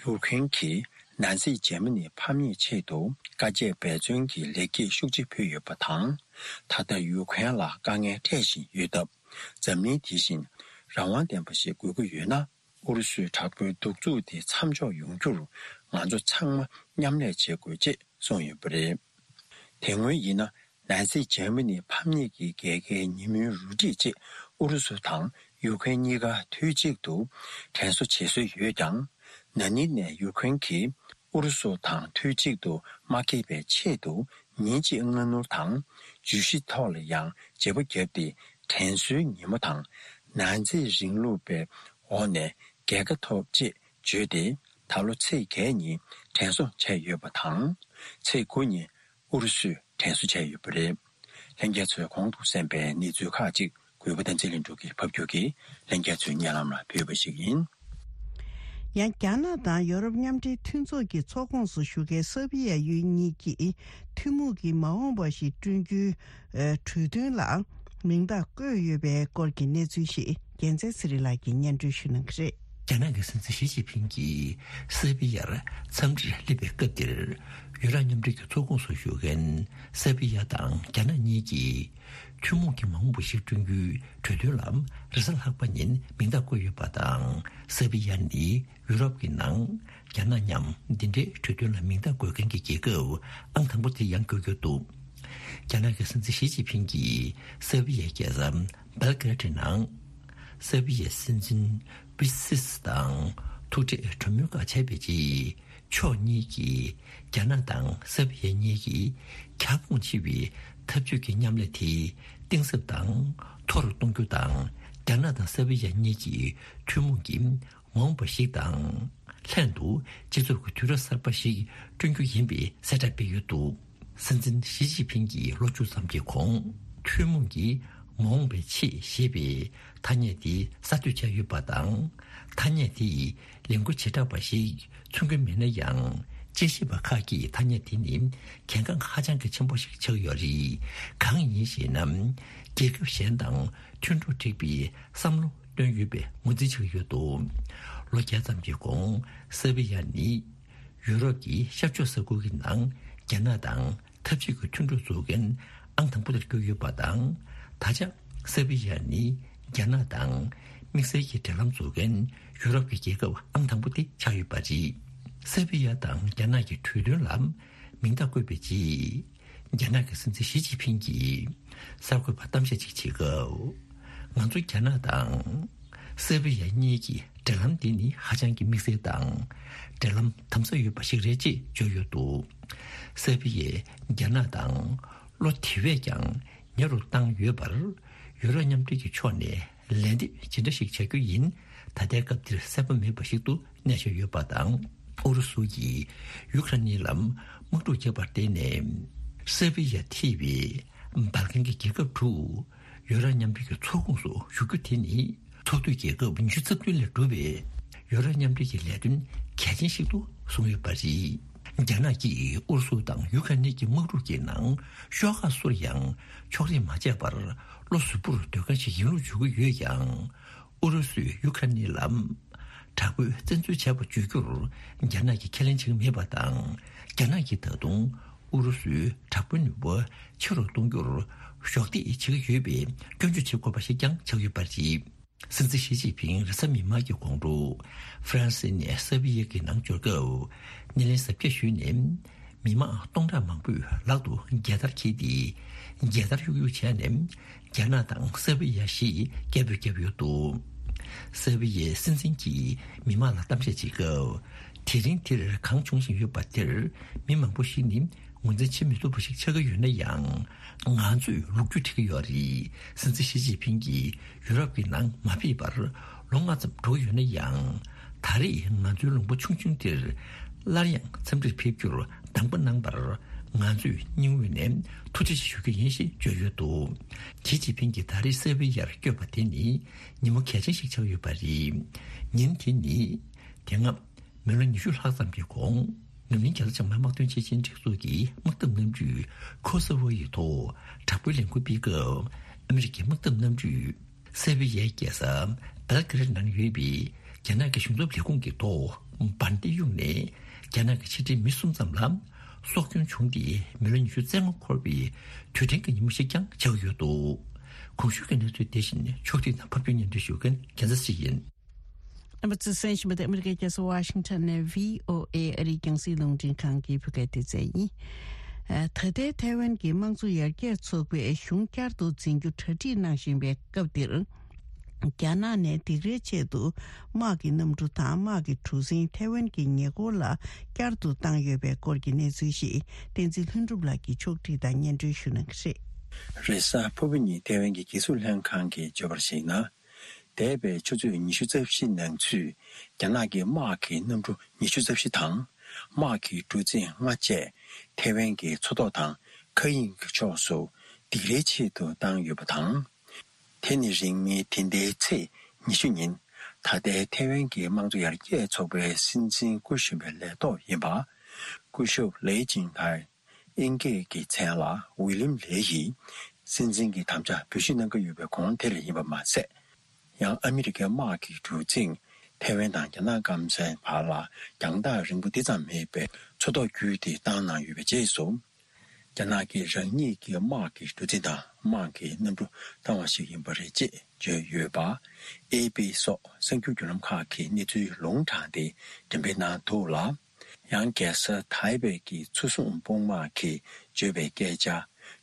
ཡུ་ཀེ་རེན་གྱིས་ནང་སྲིད་འཇར་མ་ནི་ཕམ་ཉེས་ཆེད་དུ་དཀའ་སྤྱད་འབད་བརྩོན་གྱི་ལེགས་སྐྱེས་ཤུགས་ཆེ་ཕུལ་ཡོད་པ་དང་། ད་ལྟ་ཡུ་ཀེ་རེན་ལ་དཀའ་ངལ་འཕྲད་བཞིན་ཡོད་སྟབས། འཛམ་གླིང་དེ་བཞིན་རང་དབང་ལྡན་པ་ཞིག་དགོས་ཀྱི་ཡོད་ན། ཨུ་རུ་སུའི་དྲག་པོའི་གདུག་རྩུབ་དེ་མཚམས་འཇོག་ཡོང་རྒྱུར། ང་ཚོ་ཚང་མ་མཉམ་ལས་བྱེད་དགོས་ཅེས་གསུངས་ཡོད་པ་རེད། དེ་སྔོན་ཡིན་ན། ནང་སྲིད་འཇར་མ་ནི་ཕམ་ཉེས་ཀྱི་རྒྱལ་ཁའི་ཉིན་མོའི་རུ་སྒྲིག་ཅེས་ཨུ་རུ་སུ་དང་ཡུ་ཀེ་རེན་གཉིས་ཀ་དུས་གཅིག་ཏུ་དྲན་གསོ་བྱེད་སྲོལ་ཡོད་ཀྱང་། ན་ནིང་ནས་ཡུ་ཀེ་རེན་གྱིས་ཨུ་རུ་སུ་དང་དུས་གཅིག་ཏུ་མ་འགྲིག་པའི་ཆེད་དུ། ཉིན་གཅིག་སྔ་སྣུར་དང་། བརྗོད་གཞི་ཐོག་ལ་ཡང་བརྗེ་པོ་བརྒྱབ་སྟེ། དྲན་གསོའི་ཉིན་མོ་དང་། ནང་འཛིང་རིང་ལུགས་པའི་འོག་ནས་རྒྱལ་ཁ་ཐོབ་ཅེས་བརྗོད་དེ། ད་ལོ་ཚེས་བརྒྱད་ཉིན་དྲན་གསོ་བྱས་ཡོད་པ་དང་། ཚེས་དགུ་ཉིན་ཨུ་རུ་སུས་དྲན་གསོ་བྱས་ཡོད་པ་རེད། ལྷན་རྒྱས་ཚོས་གོང་དུ་གསན་པའི་གནས་ཚུལ་ཁག་ཅིག་གུས་པ་བསྟན་འཛིན་ལྷུན་གྲུབ་ཀྱིས་ཕབ་སྒྱུར་གྱིས་ལྷན་རྒྱས་ཚོའི་སྙན་ལམ་ལ་ཕུལ་བ་ཞིག་ཡིན། ཡང་རྒྱ་ནག་དང་ཡོ་རོབ་མཉམ་འབྲེལ་མཐུན་ཚོགས་ཀྱི་ཚོགས་ཁོངས་སུ་ཞུགས་མཁན་སར་བྷི་ཡ་ཡུལ་གཉིས་ཀྱིས་ཐུན་མོང་གི་མ་འོངས་པ་ཞིག་བསྐྲུན་རྒྱུའི་གྲོས་མཐུན་ལ་མིང་རྟགས་བཀོད་ཡོད་པའི་སྐོར་གྱི་གནས་ཚུལ་ཞིག་རྒྱལ་མཚན་ཚེ་རིང་ལགས་ཀྱིས་སྙན་སྒྲོན་ཞུ་གནང་གི་རེད། རྒྱ་ནག་གི་སྲིད་འཛིན་ཞི་ཅིན་ཕིང་གིས་སར་བྷི་ཡར་འཚམས་འདྲིར་སླེབས་པའི་སྐབས་དེར། ཡུ་རོབ་མཉམ་འབྲེལ་གྱི་ཚོགས་ཁོངས་སུ་ཞུགས་མཁན་སར་བྷི་ཡ་དང་རྒྱ་ནག་གཉིས་ཀྱིས། ཐུན་མོང་གི་མ་འོངས་པ་ཞིག་བསྐྲུན་རྒྱུའི་གྲོས་མཐུན་ལ་རེས་གཟའ་ལྷག་པ་ཉིན་མིང་རྟགས་བཀོད་ཡོད་པ་དང་། སར་བྷི་ཡ་ནི་ཡུ་རོབ་ཀྱི་ནང་རྒྱ་ནག་མཉམ་འདི་འདྲའི་གྲོས་མཐུན་ལ་མིང་རྟགས་འགོད་མཁན་གྱི་རྒྱལ་ཁབ་ཨང་དང་པོ་དེ་ཡང་འགྱུར་རྒྱུ་འདུག་རྒྱ་ནག་གི་སྲིད་འཛིན་ཞི་ཅིན་ཕིང་གིས་སར་བྷི་ཡའི་རྒྱལ་ས་སྦེལ་ཀེ་རེད་ནང་། སར་བྷི་ཡའི་སྲིད་འཛིན་བྷི་སིས་དང་ཐུག་འཕྲད་གྲོས་མོལ་ཁག་བྱས་པའི་རྗེས། ཕྱོགས་གཉིས་ཀྱིས་རྒྱ་ནག་དང་སར་བྷི་ཡ་གཉིས་ཀྱི་ཁྱབ་ཁོངས་ཆེ་བའི་འཐབ་ཇུས་ཀྱི་མཉམ་ལས་དེ་གཏིང་ཟབ་དང་མཐོ་རུ་གཏོང་རྒྱུ་དང་། རྒྱ་ནག་དང་སར་བྷི་ཡ་གཉིས་ཀྱི་ཐུན་མོང་གི་མ་འོངས་པ་ཞིག་དང་། ལྷན་དུ་སྤྱི་ཚོགས་ཀྱི་དུས་རབས་གསར་པ་ཞིག་བསྐྲུན་རྒྱུ་ཡིན་པའི་གསལ་བསྒྲགས་སྤེལ་ཡོད་འདུག་སྲིད་འཛིན་ཞི་ཅིན་ཕིང་གིས་ལོ་བཅུ་ཙམ་གྱི་གོང་ཐུན་མོང་གི་མ་འོངས་པའི་ཆེད་ཞེས་པའི་ཐ་སྙད་དེ་གསར་གཏོད་བྱས་ཡོད་པ་དང་། ཐ་སྙད་དེ་ཡི་ལས་འགུལ་བྱེ་བྲག་པ་ཞིག་མཚོན་གྱི་མེད་ན་ཡང་། དཔྱད་ཞིབ་པ་ཁག་གིས་ཐ་སྙད་དེ་ནི་གལ་འགངས་ཧ་ཅང་གི་ཆེན་པོ་ཞིག་ཆགས་ཡོད་རེད། གང་ཡིན་ཞེ་ན། རྒྱལ་ཁབ་གཞན་དང་མཐུན་གྲོགས་བསྒྲིགས་པའི་བསམ་བློ་ བཏོན་ཡོད་པའི་ངོས་འཛིན་བྱེད་ཀྱི་ཡོད་འདུག་ལོ་བརྒྱ་ཙམ་གྱི་གོང་སེར་བི་ཡ་ནི་ཡུ་རོབ་ཀྱི་ཤར་ཕྱོགས་ས་ཁུལ་གྱི་ནང་རྒྱ་ནག་དང་འཐབ་ཇུས་ཀྱི་མཐུན་གྲོགས་བཟོ་མཁན་ཨང་དང་པོ་དེར་གྱུར་ཡོད་པ་དང་། ད་ཆ་སེར་བི་ཡ་ནི་རྒྱ་ནག་དང་དམིགས་བསལ་གྱི་འབྲེལ་ལམ་བཟོ་མཁན་ཡུ་རོབ་ཀྱི་རྒྱལ་ཁབ་ཨང་དང་པོ་དེ་ཆགས་ཡོད་པ་རེད། སེར་བི་ཡ་དང་རྒྱ་ནག་གི་གྲོས་མཐུན་ལ་མིང་རྟགས་བཀོད་པའི་རྗེས། རྒྱ་ནག་གི་སྲིད་འཛིན་ཞི་ཅིན་ཕིང་གིས་གསར་འགོད་པར་གཏམ་བཤད་ཅིག་བྱེད་སྐབས། ང་ཚོ་རྒྱ་ནག་དང་སེར་བི་ཡ་གཉིས་ཀྱི་འབྲེལ་ལམ་འདི་ནི་ཧ་ཅང་གི་དམིགས་བསལ་དང་། འབྲེལ་ལམ་དམ་ཟབ་ཡོད་པ་ཞིག་རེད་ཅེས་བརྗོད་ཡོད་འདུག་སེར་བི་ཡས་རྒྱ་ནག་དང་བློ་དེ་བས་ཀྱང་ཉེ་རུ་བཏང་ཡོད་པར། ཡུ་རོབ་མཉམ་འབྲེལ་གྱི་ཕྱོགས་ནས་ལན་འདེབས་ཇི་འདྲ་ཞིག་བྱ་རྒྱུ་ཡིན། ད་ལྟའི་སྐབས་འདིར་གསལ་པོ་མེད་པ་ཞིག་ཏུ་གནས་བཞག་ཡོད་པ་དང་། ཨུ་རུ་སུ་ཡིས་ཡུ་ཁ་རེན་ལ་དམག་འཁྲུག་བརྒྱབ་པར་བརྟེན་ནས། སེར་བི་ཡ་ཐེ་བའི་སྦལ་ཀན་གྱི་རྒྱལ་ཁབ་དྲུག་ཡུ་རོབ་མཉམ་འབྲེལ་གྱི་ཚོགས་ཁོངས་སུ་ཞུགས་རྒྱུ་དེ་ནི། ཚོགས་འཐུས་རྒྱལ་ཁབ་ཉི་ཤུ་རྩ་བདུན་ལས་གྲུབ་པའི་ཡུ་རོབ་མཉམ་འབྲེལ་གྱི་ལས་དོན་གལ་ཆེན་ཞིག་ཏུ་བཟུང་ཡོད་པ་རེད། རྒྱ་ནག་གིས་ཨུ་རུ་སུ་དང་ཡུ་ཁ་རེན་གྱི་དམག་འཁྲུག་གི་ནང་ཤོག་ཁག་སུ་ལ་ཡང་ཕྱོགས་རིས་མ་བྱས་པར་བློ་གཟུ་བོར་སྡོད་མཁན་ཞིག་ཡིན་ལུགས་བརྗོད་ཀྱི་ཡོད་ཀྱང་། ཨུ་རུ་སུས་ཡུ་ཁ་རེན་ལ་དྲག་པོའི་བཙན་འཛུལ་བྱས་པ་བརྗོད་རྒྱུར་རྒྱ་ནག་གིས་ཁས་ལེན་བྱེད་ཀྱི་མེད་པ་དང་། རྒྱ་ནག་གིས་ད་དུང་ཨུ་རུ་སུའི་དྲག་པོའི་ནུས་པ་ཆེ་རུ་གཏོང་རྒྱུར་གཞོགས་འདེགས་བྱེད་ཀྱི་ཡོད་པའི་སྐྱོན་བརྗོད་བྱེད་དགོས་པ་ཞིག་ཀྱང་ཆགས་ཡོད་པ་རེད། སྲིད་འཛིན་ཞི་ཅིན་ཕིང་རེས་གཟའ་མིག་དམར་གྱི་དགོང་དྲོ་ཧྥ་རན་སི་ནས་སེར་བི་ཡ་གི་ནང་འབྱོར་སྐབས། སྣེ་ལེན་གཟབ་རྒྱས་ཞུས་ནས། མི་མང་སྟོང་ཕྲག་མང་པོས་ལག་ཏུ་རྒྱལ་དར་འཁྱེར་ཏེ། རྒྱལ་དར་གཡུག་གཡུག་བྱས་ནས། རྒྱ་ནག་དང་སེར་བི་ཡ་ཞེས་སྐད་འབོད་བརྒྱབ་ཡོད་འདུག་སེར་བི་ཡའི་སྲིད་འཛིན་གྱིས་མི་མང་ལ་གཏམ་བཤད་བྱེད་སྐབས། དེ་རིང་འདིར་གང་བྱུང་བཞིན་ཡོད་པ་དེར་མི་མང་པོ་ཞིག་ནི། ངོས་འཛིན་བྱེད་མི་ཐུབ་པ་ཞིག་ཆགས་ཀྱི་ཡོད་ན་ཡང་། ང་ཚོས་ལོ་རྒྱུས་འབྲི་གི་ཡོད་རེད། སྲིད་འཛིན་ཞི་ཅིན་ཕིང་གིས་ཡུ་རོབ་ཀྱི་ནང་མ་ཕེབས་པར་ལོ་ལྔ་ཙམ་འགྲོ་གི་ཡོད་ན་ཡང་། ད་རེས་ང་ཚོའི་ལུང་པ་ཆུང་ཆུང་འདིར་སླར་ཡང་འཚམས་འདྲིར་ཕེབས་རྒྱུར་གདམས་པ་གནང་བར་ང་ཚོས་སྙིང་དབུས་ནས་ཐུགས་རྗེ་ཆེ་ཞུ་རྒྱུ་ཡིན་ཞེས་བརྗོད་ཡོད་འདུག་ཞི་ཅིན་ཕིང་གིས་ད་རེས་སེར་བི་ཡར་བསྐྱོད་པ་དེ་ནི་ཉིན་མོ་གལ་ཆེན་ཞིག་ཆགས་ཡོད་པ་རེད། ཉིན་དེ་ནི་དེ་སྔ། མི་ལོ་ཉི་ཤུ་ལྷག་ཙམ་གྱི་གོང་། འཛམ་གླིང་རྒྱལ་ས་ཆེན་མོའི་དམག་དོན་ཆེད་ཆེན་སྒྲིག་འཛུགས་ཀྱི་དམག་འཐབ་གནམ་གྲུས་ཁོ་སོ་ཝོ་ཡི་ཐོག་དྲག་པོའི་ལས་འགུལ་སྤེལ་སྐབས། ཨ་མི་རི་ཀའི་དམག་འཐབ་གནམ་གྲུས་སེར་བི་ཡའི་རྒྱལ་ས་བེལ་ཀེ་རེད་ནང་ཡོད་པའི་རྒྱ་ནག་གི་གཞུང་ཚབ་ལས་ཁུངས་ཀྱི་ཐོག་འབར་མདེལ་གཡུགས་ནས། རྒྱ་ནག་གི་ཕྱི་འབྲེལ་མི་གསུམ་ཙམ་ལ་སྲོག་སྐྱོན་བྱུང་སྟེ། མི་ལོ་ཉི་ཤུ་རྩ་ལྔ་འཁོར་བའི་དུས་དྲན་གྱི་ཉིན་མོ་ཞིག་ཀྱང་ཆགས་ཡོད་འདུག་གོང་ཞུས་ཀྱི་གནས་ཚུལ་དེ་བཞིན་ཕྱོགས་སྒྲིག་དང་ཕབ་སྒྱུར་སྙན་སྒྲོན་ཞུ་མཁན་རྒྱལ་མཚན་ཞིག་ཡིན། ཨ་མ་ཙི་སན་ཞིམ་པ་དེ་ཨ་མི་རི་ཀའི་རྒྱལ་ས་ཝ་ཤིང་ཊོན་ནས་བྷི་ཨོ་ཨེ་ཨ་རིའི་རྒྱང་སྲིང་རླུང་འཕྲིན་ཁང་གི་བོད་སྐད་སྡེ་ཚན་ཡིན། ཨ། ད་ལྟའི་ཐའེ་ཝན་གྱི་དམངས་གཙོ་ཡར་རྒྱས་ཚོགས་པས་གཞུང་བསྐྱར་དུ་འཛིན་རྒྱུ་གྲ་སྒྲིག་གནང་བཞིན་པའི་སྐབས་འདིར། རྒྱ་ནག་ནས་སྡིགས་རའི་ཆེད་དུ་དམག་གི་གནམ་གྲུ་དང་དམག་གི་གྲུ་གཟིངས་ཐའེ་ཝན་གྱི་ཉེ་འཁོར་ལ་བསྐྱར་དུ་བཏང་ཡོད་པའི་སྐོར་གྱི་གནས་ཚུལ་ཞིག་བསྟན་འཛིན་ལྷུན་གྲུབ་ལགས་ཀྱིས་ཕྱོགས་སྒྲིག་དང་སྙན་སྒྲོན་ཞུ་གནང་གི་རེད། རེས་གཟའ་ཕུར་བུ་ཉིན་ཐའེ་ཝན་གྱི་རྒྱལ་སྲུང་ལྷན་ཁང་གིས་བརྗོད་པར་གཞིགས་ན། འདས་པའི་ཆུ་ཚོད་ཉི་ཤུ་རྩ་བཞི་ནང་ཚུད་རྒྱ་ནག་གི་དམག་གི་གནམ་གྲུ་ཉི་ཤུ་རྩ་བཞི་དང་། དམག་གི་གྲུ་གཟིངས་ལྔ་བཅས་ཐའེ་ཝན་གྱི་མཚོ་ཐོག་དང་མཁའ་དབྱིངས་ཀྱི་ཕྱོགས་སུ་སྡིགས་རའི་ཆེད་དུ་བཏང་ཡོད་པ་དང་། དེ་ནི་རིང་མིན་འདི་ཟླའི་ཚེས་ཉི་ཤུ་ཉིན། ད་ལྟའི་ཐའེ་ཝན་གྱི་དམངས་གཙོ་ཡར་རྒྱས་ཚོགས་པའི་སྲིད་འཛིན་སྐུ་གཞོན་པའི་ལས་ཐོག་ཡིན་པ། སྐུ་ཞབས་ལེ་ཅིང་ཐའེ། དབྱིན་སྐད་ཀྱི་མཚན་ལ་ཝི་ལིམ་ལེ་ཡིས་སྲིད་འཛིན་གྱི་དམ་བཅའ་འབུལ་ཞུས་གནང་གི་ཡོད་པའི་གོང་དེར་ཡིན་པ་མ་ཟད། ཡང་ཨ་མི་རི་ཀའི་དམག་གི་གྲུ་གཟིངས་ཐའེ་ཝན་དང་རྒྱ་ནག་སྐམ་སའི་བར་ལ་རྒྱང་ཐག་རིང་པོ་འདི་ཙམ་མེད་པའི་མཚོ་ཐོག་བརྒྱུད་དེ་བཏང་གནང་ཡོད་པའི་རྗེས་སུ། རྒྱ་ནག་གིས་རང་ཉིད་ཀྱི་དམག་གི་གྲུ་གཟིངས་དང་དམག་གི་གནམ་གྲུ་བཏང་བ་ཞིག་ཡིན་པ་རེད་ཅེས་བརྗོད་ཡོད་པ། ཨེ་པི་སོགས་གསར་འགྱུར་བརྒྱུད་ལམ་ཁག་གིས་གནས་ཚུལ་ལུང་དྲངས་ཏེ་འགྲེམས་སྤེལ་གནང་འདུག་ལ། ཡང་རྒྱལ་ས་ཐའེ་པེ་གི་མཚོ་སྲུང་དཔུང་དམག་གིས་བརྗོད་པའི་སྐད་ཆ་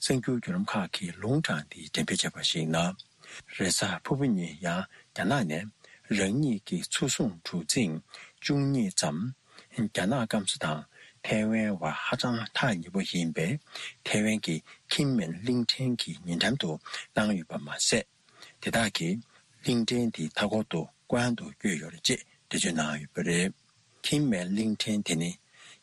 གསར་འགྱུར་བརྒྱུད་ལམ་ཁག་གིས་ལུང་དྲངས་ཏེ་འགྲེམས་སྤེལ་བྱས་པར་གཞིགས་ན། རེས་གཟའ་ཕུར་བུ་ཉིན་ཡང་རྒྱ་ནག་ནས་རང་ཉིད་ཀྱི་མཚོ་སྲུང་གྲུ་གཟིངས་བཅུ་གཉིས་ཙམ་རྒྱ་ནག་སྐམ་ས་དང་ཐའེ་ཝན་བར་ཧ་ཅང་ཐག་ཉེ་པོ་ཡིན་པའི་ཐའེ་ཝན་གྱི་ཁིན་མེན་གླིང་ཕྲན་གྱི་ཉེ་འགྲམ་དུ་བཏང་ཡོད་པ་མ་ཟད། དེ་དག་གིས་གླིང་ཕྲན་དེའི་མཐའ་འཁོར་དུ་བཀོད་དབྱང་དུ་བསྐྱོད་ཡོད་རེད་ཅེས་འགྲེལ་བརྗོད་གནང་ཡོད་པ་རེད། ཁིན་མེན་གླིང་ཕྲན་དེ་ནི་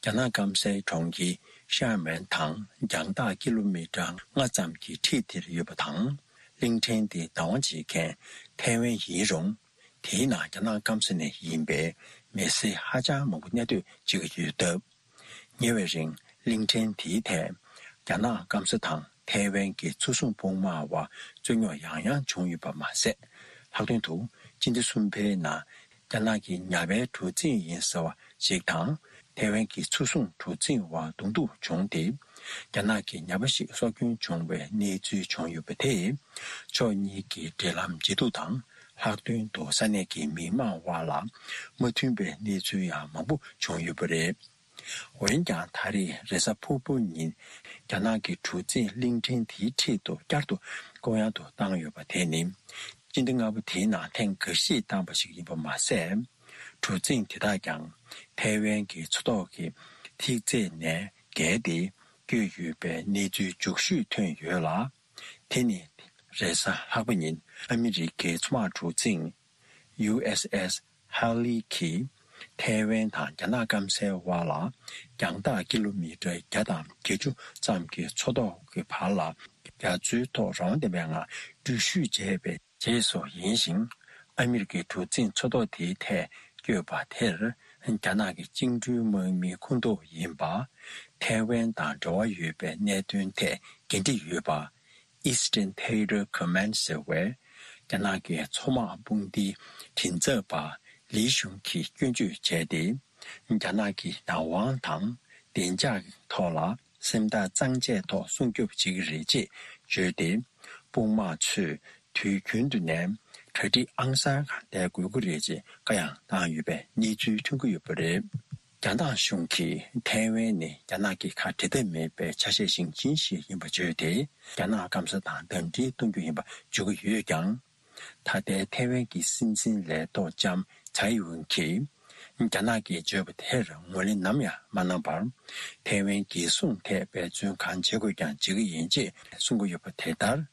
རྒྱ་ནག་སྐམ་སའི་གྲོང་ཁྱེར་ཤར་མན་དང་རྒྱང་ཐག་ཀི་ལོ་མི་ཊར་ལྔ་ཙམ་གྱི་འཁྲིས་དེར་ཡོད་པ་དང་། གླིང་ཕྲན་དེ་བདག་དབང་བྱེད་མཁན་ཐའེ་ཝན་ཡིན་རུང་། དེའི་ནང་རྒྱ་ནག་སྐམ་ས་ནས་ཡིན་པའི་མི་སེར་ཧ་ཅང་མང་པོ་གནས་སྡོད་བྱེད་ཀྱི་ཡོད་སྟབས། ཉེ་བའི་རིང་གླིང་ཕྲན་དེའི་ཐད་རྒྱ་ནག་སྐམ་ས་དང་ཐའེ་ཝན་གྱི་མཚོ་སྲུང་དཔུང་དམག་བར་རྩོད་རྙོག་ཡང་ཡང་བྱུང་ཡོད་པ་མ་ཟད། ལྷག་དོན་དུ་ སྤྱི་ཟླ་གསུམ་པའི་ནང་རྒྱ་ནག་གི་ཉ་པའི་གྲུ་གཟིངས་ཡིན་ཟེར་བ་ཞིག་དང་། ཐའེ་ཝན་གྱི་མཚོ་སྲུང་གྲུ་གཟིངས་དབར་གདོང་ཐུག་བྱུང་སྟེ། རྒྱ་ནག་གི་ཉ་པ་ཞིག་སྲོག་སྐྱོན་བྱུང་བའི་གནས་ཚུལ་བྱུང་ཡོད་པ་དེས། ཕྱོགས་གཉིས་ཀྱི་འབྲེལ་ལམ་ཇེ་སྡུག་དང་། ལྷག་དོན་དུ་ས་གནས་ཀྱི་མི་མང་དབར་ལ་མ་མཐུན་པའི་གནས་ཚུལ་ཡང་མང་པོ་བྱུང་ཡོད་པ་རེད། འོན་ཀྱང་། ད་རེས་རེས་གཟའ་ཕུར་བུ་ཉིན་རྒྱ་ནག་གི་གྲུ་གཟིངས་གླིང་ཕྲན་དེའི་འཁྲིས་སུ་བསྐྱར་དུ་བསྐོར་གཡང་དུ་བཏང་ཡོད་པ་དེ་ནི། སྤྱི་ཟླ་ལྔ་པ་དེའི་ནང་ཐེངས་འགའ་ཤས་བཏང་བ་ཞིག་ཡིན་པ་མ་ཟད། གྲུ་གཟིངས་དེ་དག་ཀྱང་ཐའེ་ཝན་གྱི་མཚོ་ཐོག་གི་ཐིག་ཚད་ནས་བརྒལ་ཏེ་བསྐྱོད་ཡོད་པའི་གནས་ཚུལ་མཇུག་ཤོས་ཐོན་ཡོད་ལ། དེ་ནི་རེས་གཟའ་ལྷག་པ་ཉིན་ཨ་མི་རི་ཀའི་མཚོ་དམག་གྲུ་གཟིངས་ཡུ་ཨེས་ཨེས་ཧ་ལི་གིས་ཐའེ་ཝན་དང་རྒྱ་ནག་སྐམ་སའི་དབར་ལ་རྒྱང་ཐག་ཀི་ལོ་མི་ཊར་བརྒྱ་དང་བརྒྱད་ཅུ་ཙམ་གྱི་མཚོ་ཐོག་གི་བར་ལ་རྒྱ་མཚོའི་ཐོག་རང་དབང་ལྡན་པའི་ངང་འགྲུལ་བཞུད་བྱས་པའི་རྗེས་སུ་ཡིན་ཞིང་། ཨ་མི་རི་ཀའི་གྲུ་གཟིངས་མཚོ་ཐོག་དེའི་ཐད་བསྐྱོད་པ་དེར་རྒྱ་ནག་གི་བཅིངས་འགྲོལ་དམག་མིའི་ཁོངས་གཏོགས་ཡིན་པ། ཐའེ་ཝན་དང་འབྲེལ་བ་ཡོད་པའི་གནད་དོན་ཐད་འགན་འཁྲི་ཡོད་པ། Eastern Theater Command ཟེར་བའི་རྒྱ་ནག་གི་མཚོ་དམག་དཔུང་སྡེའི་མགྲིན་ཚབ་པ་ལི་ཞུང་གིས་སྐྱོན་བརྗོད་བྱས་ཏེ། རྒྱ་ནག་གི་བདག་དབང་དང་བདེ་འཇགས་ཐོག་ལ་སེམས་ཐག་གཙང་བཅད་ཐོག་སྲུང་སྐྱོབ་བྱེད་ཀྱི་རེད་ཅེས་བརྗོད་དེ། དཔུང་དམག་ཚོས་དུས་རྒྱུན་དུ་ནས་གྲ་སྒྲིག་ཨང་གསར་ལྡན་དགོས་ཀྱི་རེད་ཅེས་བཀའ་ཡང་བཏང་ཡོད་པའི་གནས་ཚུལ་ཐོན་གྱི་ཡོད་པ་རེད། རྒྱ་ནག་གཞུང་གིས་ཐའེ་ཝན་ནི་རྒྱ་ནག་གི་ཁ་འབྲལ་ཐབས་མེད་པའི་ཆ་ཤས་ཤིག་ཅན་ཞིག་ཡིན་པ་བརྗོད་དེ། རྒྱ་ནག་སྐམ་ས་དང་འདམ་འབྲེལ་གཏོང་རྒྱུ་ཡིན་པ་བརྗོད་ཀྱི་ཡོད་ཀྱང་། ད་ལྟའི་ཐའེ་ཝན་གྱི་སྲིད་འཛིན་ལས་ཐོག་ལྕམ་ཚའེ་ཝུན་གྱིས། རྒྱ་ནག་གིས་བརྗོད་པ་དེར་ངོས་ལེན་ནམ་ཡང་མ་གནང་བར། ཐའེ་ཝན་རྒྱལ་སྲུང་ཐད་འབད་བརྩོན་གང་བྱེད་དགོས་ཀྱང་བྱེད་ཀྱི་ཡིན་ཅེས་གསུང་གི་ཡོད་པ་དེ་ལྟར།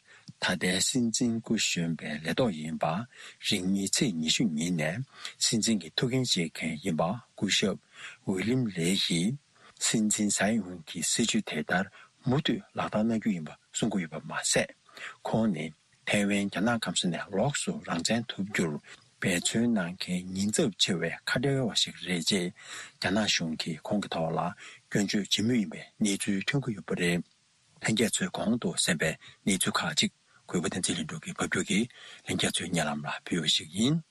ད་ལྟའི་སྲིད་འཛིན་སྐུ་གཞོན་པའི་ལས་ཐོག་ཡིན་པ། རིང་མིན་ཚེས་ཉི་ཤུ་ཉིན་ནས་སྲིད་འཛིན་གྱི་ཐུགས་འགན་བཞེས་མཁན་ཡིན་པ། སྐུ་ཞབས་ཝི་ལིམ་ལེ་ཡིས་སྲིད་འཛིན་ཚའེ་ཝུན་གྱི་སྲིད་བྱུས་དེ་ལྟར་མུ་མཐུད་ལག་བསྟར་གནང་རྒྱུ་ཡིན་པ་གསུང་གི་ཡོད་པ་མ་ཟད། ཁོང་ནི་ཐའེ་ཝན་རྒྱ་ནག་སྐམ་ས་ནས་ལོགས་སུ་རང་བཙན་ཐོབ་རྒྱུར་འབད་བརྩོན་གནང་མཁན་ཉེན་ཚབས་ཆེ་བའི་ཁ་བྲལ་བ་ཞིག་རེད་ཅེས་རྒྱ་ནག་གཞུང་གིས་ཁོང་གི་ཐོག་ལ་སྐྱོན་བརྗོད་བྱེད་མུས་ཡིན་པའི་གནས་ཚུལ་ཐོན་གྱི་ཡོད་པ་རེད། ལྷན་རྒྱས་ཚོས་གོང་དུ་གསན་པའི་གནས་ཚུལ་ཁག་ཅིག་གུས་པ་བསྟན་འཛིན་ལྷུན་གྲུབ་ཀྱིས་ཕབ་སྒྱུར་གྱིས་ལྷན་རྒྱས་ཚོའི་སྙན་ལམ་ལ་ཕུལ་བ་ཞིག་ཡིན།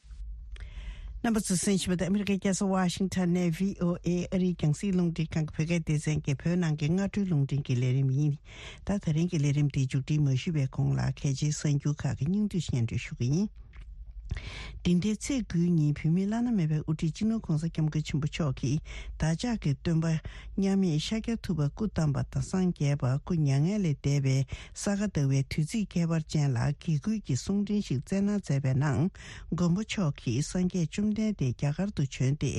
རྣམ་པ་ཚོས་གསན་བཞིན་པ་དེ་ཨ་མི་རི་ཀའི་རྒྱལ་ས་ཝ་ཤིང་ཊོན་ནས་བྷི་ཨོ་ཨེ་ཨ་རིའི་རྒྱང་སྲིང་རླུང་འཕྲིན་ཁང་གི་བོད་སྐད་སྡེ་ཚན་གྱི་བོད་ནང་གི་སྔ་དྲོའི་རླུང་འཕྲིན་གྱི་ལས་རིམ་ཡིན། ད་ད་རིང་གི་ལས་རིམ་འདི་མཇུག་སྒྲིལ་མ་ཞུས་པའི་གོང་ལ་གལ་ཆེའི་གསར་འགྱུར་ཁག་གི་སྙིང་བསྡུས་སྙན་སྒྲོན་ཞུ་གི་ཡིན། འདི་ཟླའི་ཚེས་དགུའི་ཉིན་བོད་མིའི་བླ་ན་མེད་པའི་དབུ་ཁྲིད་སྤྱི་ནོར་༸གོང་ས་༸སྐྱབས་མགོན་ཆེན་པོ་མཆོག་གིས་བདག་ཅག་གི་སྟོན་པ་མཉམ་མེད་ཤཱཀྱ་ཐུབ་པ་སྐུ་བལྟམས་པ་དང་སངས་རྒྱས་པ་སྐུ་མྱ་ངན་ལས་འདས་པའི་ས་ག་ཟླ་བའི་དུས་ཚིགས་ཁྱད་པར་ཅན་ལ་དགེ་སྐུལ་གྱི་གསུང་འཕྲིན་ཞིག་སྩལ་གནང་མཛད་པའི་ནང་། མགོན་པོ་མཆོག་གིས་སངས་རྒྱས་བཅོམ་ལྡན་འདས་རྒྱ་གར་དུ་བྱོན་ཏེ་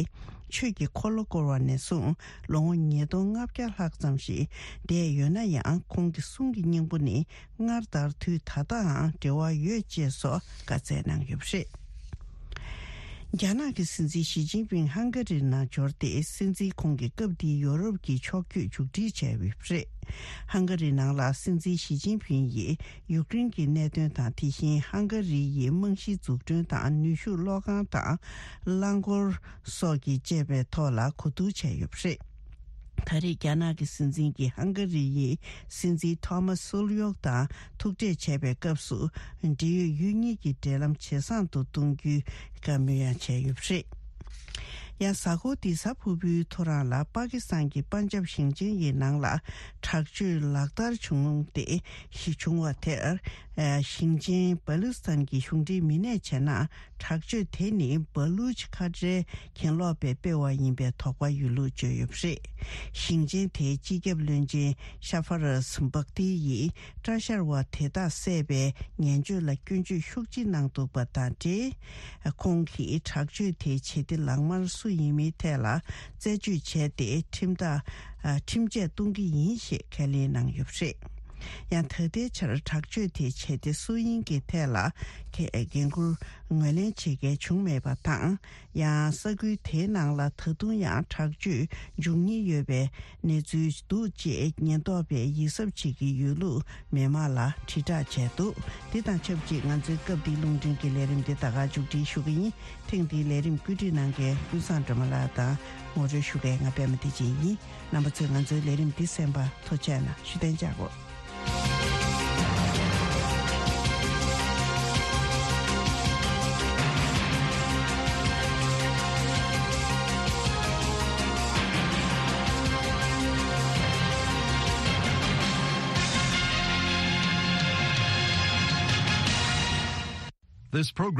ཆོས་ཀྱི་འཁོར་ལོ་བསྐོར་བ་ནས་བཟུང་ལོ་ངོ་ཉིས་སྟོང་ལྔ་བརྒྱ་ལྷག་ཙམ་ཞིག་འདས་ཡོད་ན་ཡང་། ཁོང་གི་གསུང་གི་སྙིང་པོ་ནི་སྔར་ལྟར་དུས་ད་ལྟའང་འབྲེལ་བ་ཡོད་ཅེས་སོགས་བཀའ་སྩལ་གནང་ཡོད་པ་རེད། རྒྱ་ནག་གི་སྲིད་འཛིན་ཞི་ཅིན་ཕིང་ཧང་ག་རིར་ནང་འབྱོར་ཏེ། སྲིད་འཛིན་ཁོང་གིས་སྐབས་འདིའི་ཡོ་རོབ་ཀྱི་ཕྱོགས་བསྐྱོད་མཇུག་སྒྲིལ་བྱས་ཡོད་པ་རེད། ཧང་ག་རི་ནང་ལ་སྲིད་འཛིན་ཞི་ཅིན་ཕིང་ཡིས་ཡུཀ་རེན་གྱི་གནད་དོན་དང་། དེ་བཞིན་ཧང་ག་རི་ཡི་རྨང་གཞི་འཛུགས་སྐྲུན་དང་། ནུས་ཤུགས་གློག་ཁང་དང་རླངས་འཁོར་སོགས་ཀྱི་བཅས་པའི་ཐོག་ལ་གོ་བསྡུར་བྱས་ཡོད་པ་རེད། ད་རེས་རྒྱ་ནག་གི་སྲིད་འཛིན་གྱིས་ཧང་ག་རི་ཡི་སྲིད་འཛིན་ཐོ་མཱ་སུལ་ཡོག་དང་ཐུག་འཕྲད་བྱས་པའི་སྐབས་སུ། འབྲེལ་ཡོད་ཡུལ་གཉིས་ཀྱི་འབྲེལ་ལམ་ཇེ་བཟང་དུ་གཏོང་རྒྱུའི་བཀའ་མོལ་ཡང་བྱས་ཡོད་པ་རེད། ཡང་། གཟའ་འཁོར་འདིའི་གཟའ་ཕུར་བུའི་ཐོ་རངས་ལ་པ་ཀི་སི་ཐན་གྱི་པན་ཇབ་ཞིང་ཆེན་ཡི་ནང་ལ་དྲག་སྤྱོད་ལག་བསྟར་བྱུང་སྟེ། བྱུང་བ་དེར། ཞིང་ཆེན་བ་ལུ་སི་ཐན་གྱི་གཞུང་འབྲེལ་མི་སྣས་བྱས་ན། དྲག་སྤྱོད་དེ་ནི་བ་ལུ་ཆི་ཁ་བྲལ་གྱེན་ལོག་པས་སྤེལ་བ་ཡིན་པའི་དོགས་པ་ཡོད་ལུགས་བརྗོད་ཡོད་པ་རེད། ཞིང་ཆེན་དེའི་སྤྱི་ཁྱབ་བློན་ཆེན་ཤ་ཧྥ་ར་སི་བག་ཏི་ཡིས་སྐྲ་བཞར་བ་དེ་དག་བསད་པའི་ངན་བྱུས་ལ་སྐྱོན་བརྗོད་ཤུགས་ཆེ་གནང་འདུག་པ་དང་འབྲེལ། ཁོང་གིས་དྲག་སྤྱོད་དེའི་བྱེད་གཏེ་ལག་དམར་སུ་ཡིན་མིན་ཐད་ལ་རྩད་གཅོད་བྱས་ཏེ། ཁྲིམས་ཐག་ཁྲིམས་ཆད་གཏོང་གི་ཡིན་ཞེས་ཁས་ལེན་གནང་ཡོད་པ་རེད། ཡང་། ད་ལྟའི་ཆར་དྲག་སྤྱོད་དེའི་བྱེད་གཏེ་སུ་ཡིན་གྱི་ཐད་ལ་འགན་འཁུར་ངོས་ལེན་བྱེད་མཁན་བྱུང་མེད་པ་དང་། ཡང་། ས་ཁུལ་དེའི་ནང་ལ་ད་དུང་ཡང་དྲག་སྤྱོད་འབྱུང་ཉེན་ཡོད་པའི་གནས་ཚུལ་འདུག་ཅེས་ཉེན་རྟོག་པས་ཡིད་གཟབ་བྱེད་ཀྱི་ཡོད་ལུགས་མི་མང་ལ་དྲིལ་བསྒྲགས་བྱས་འདུག་དེ་དང་ཆབས་ཅིག་ང་ཚོའི་སྐབས་འདིའི་རླུང་འཕྲིན་གྱི་ལས་རིམ་འདི་ད་ག་མཇུག་སྒྲིལ་ཞུ་གི་ཡིན། ཐེངས་འདིའི་ལས་རིམ་བཀོད་སྒྲིག་གནང་མཁན་ཀུན་བཟང་སྒྲོལ་མ་ལགས་དང་ངོ་སྤྲོད་ཞུ་མཁན་ང་པད་མ་བདེ་ཆེན་ཡིན། རྣམ་པ་ཚོས་ང་ཚོའི་ལས་རིམ་འདི་གསན་པར་ཐུགས་རྗེ་གནང་། བཞུགས་གདན་འཇགས་དགོས། This program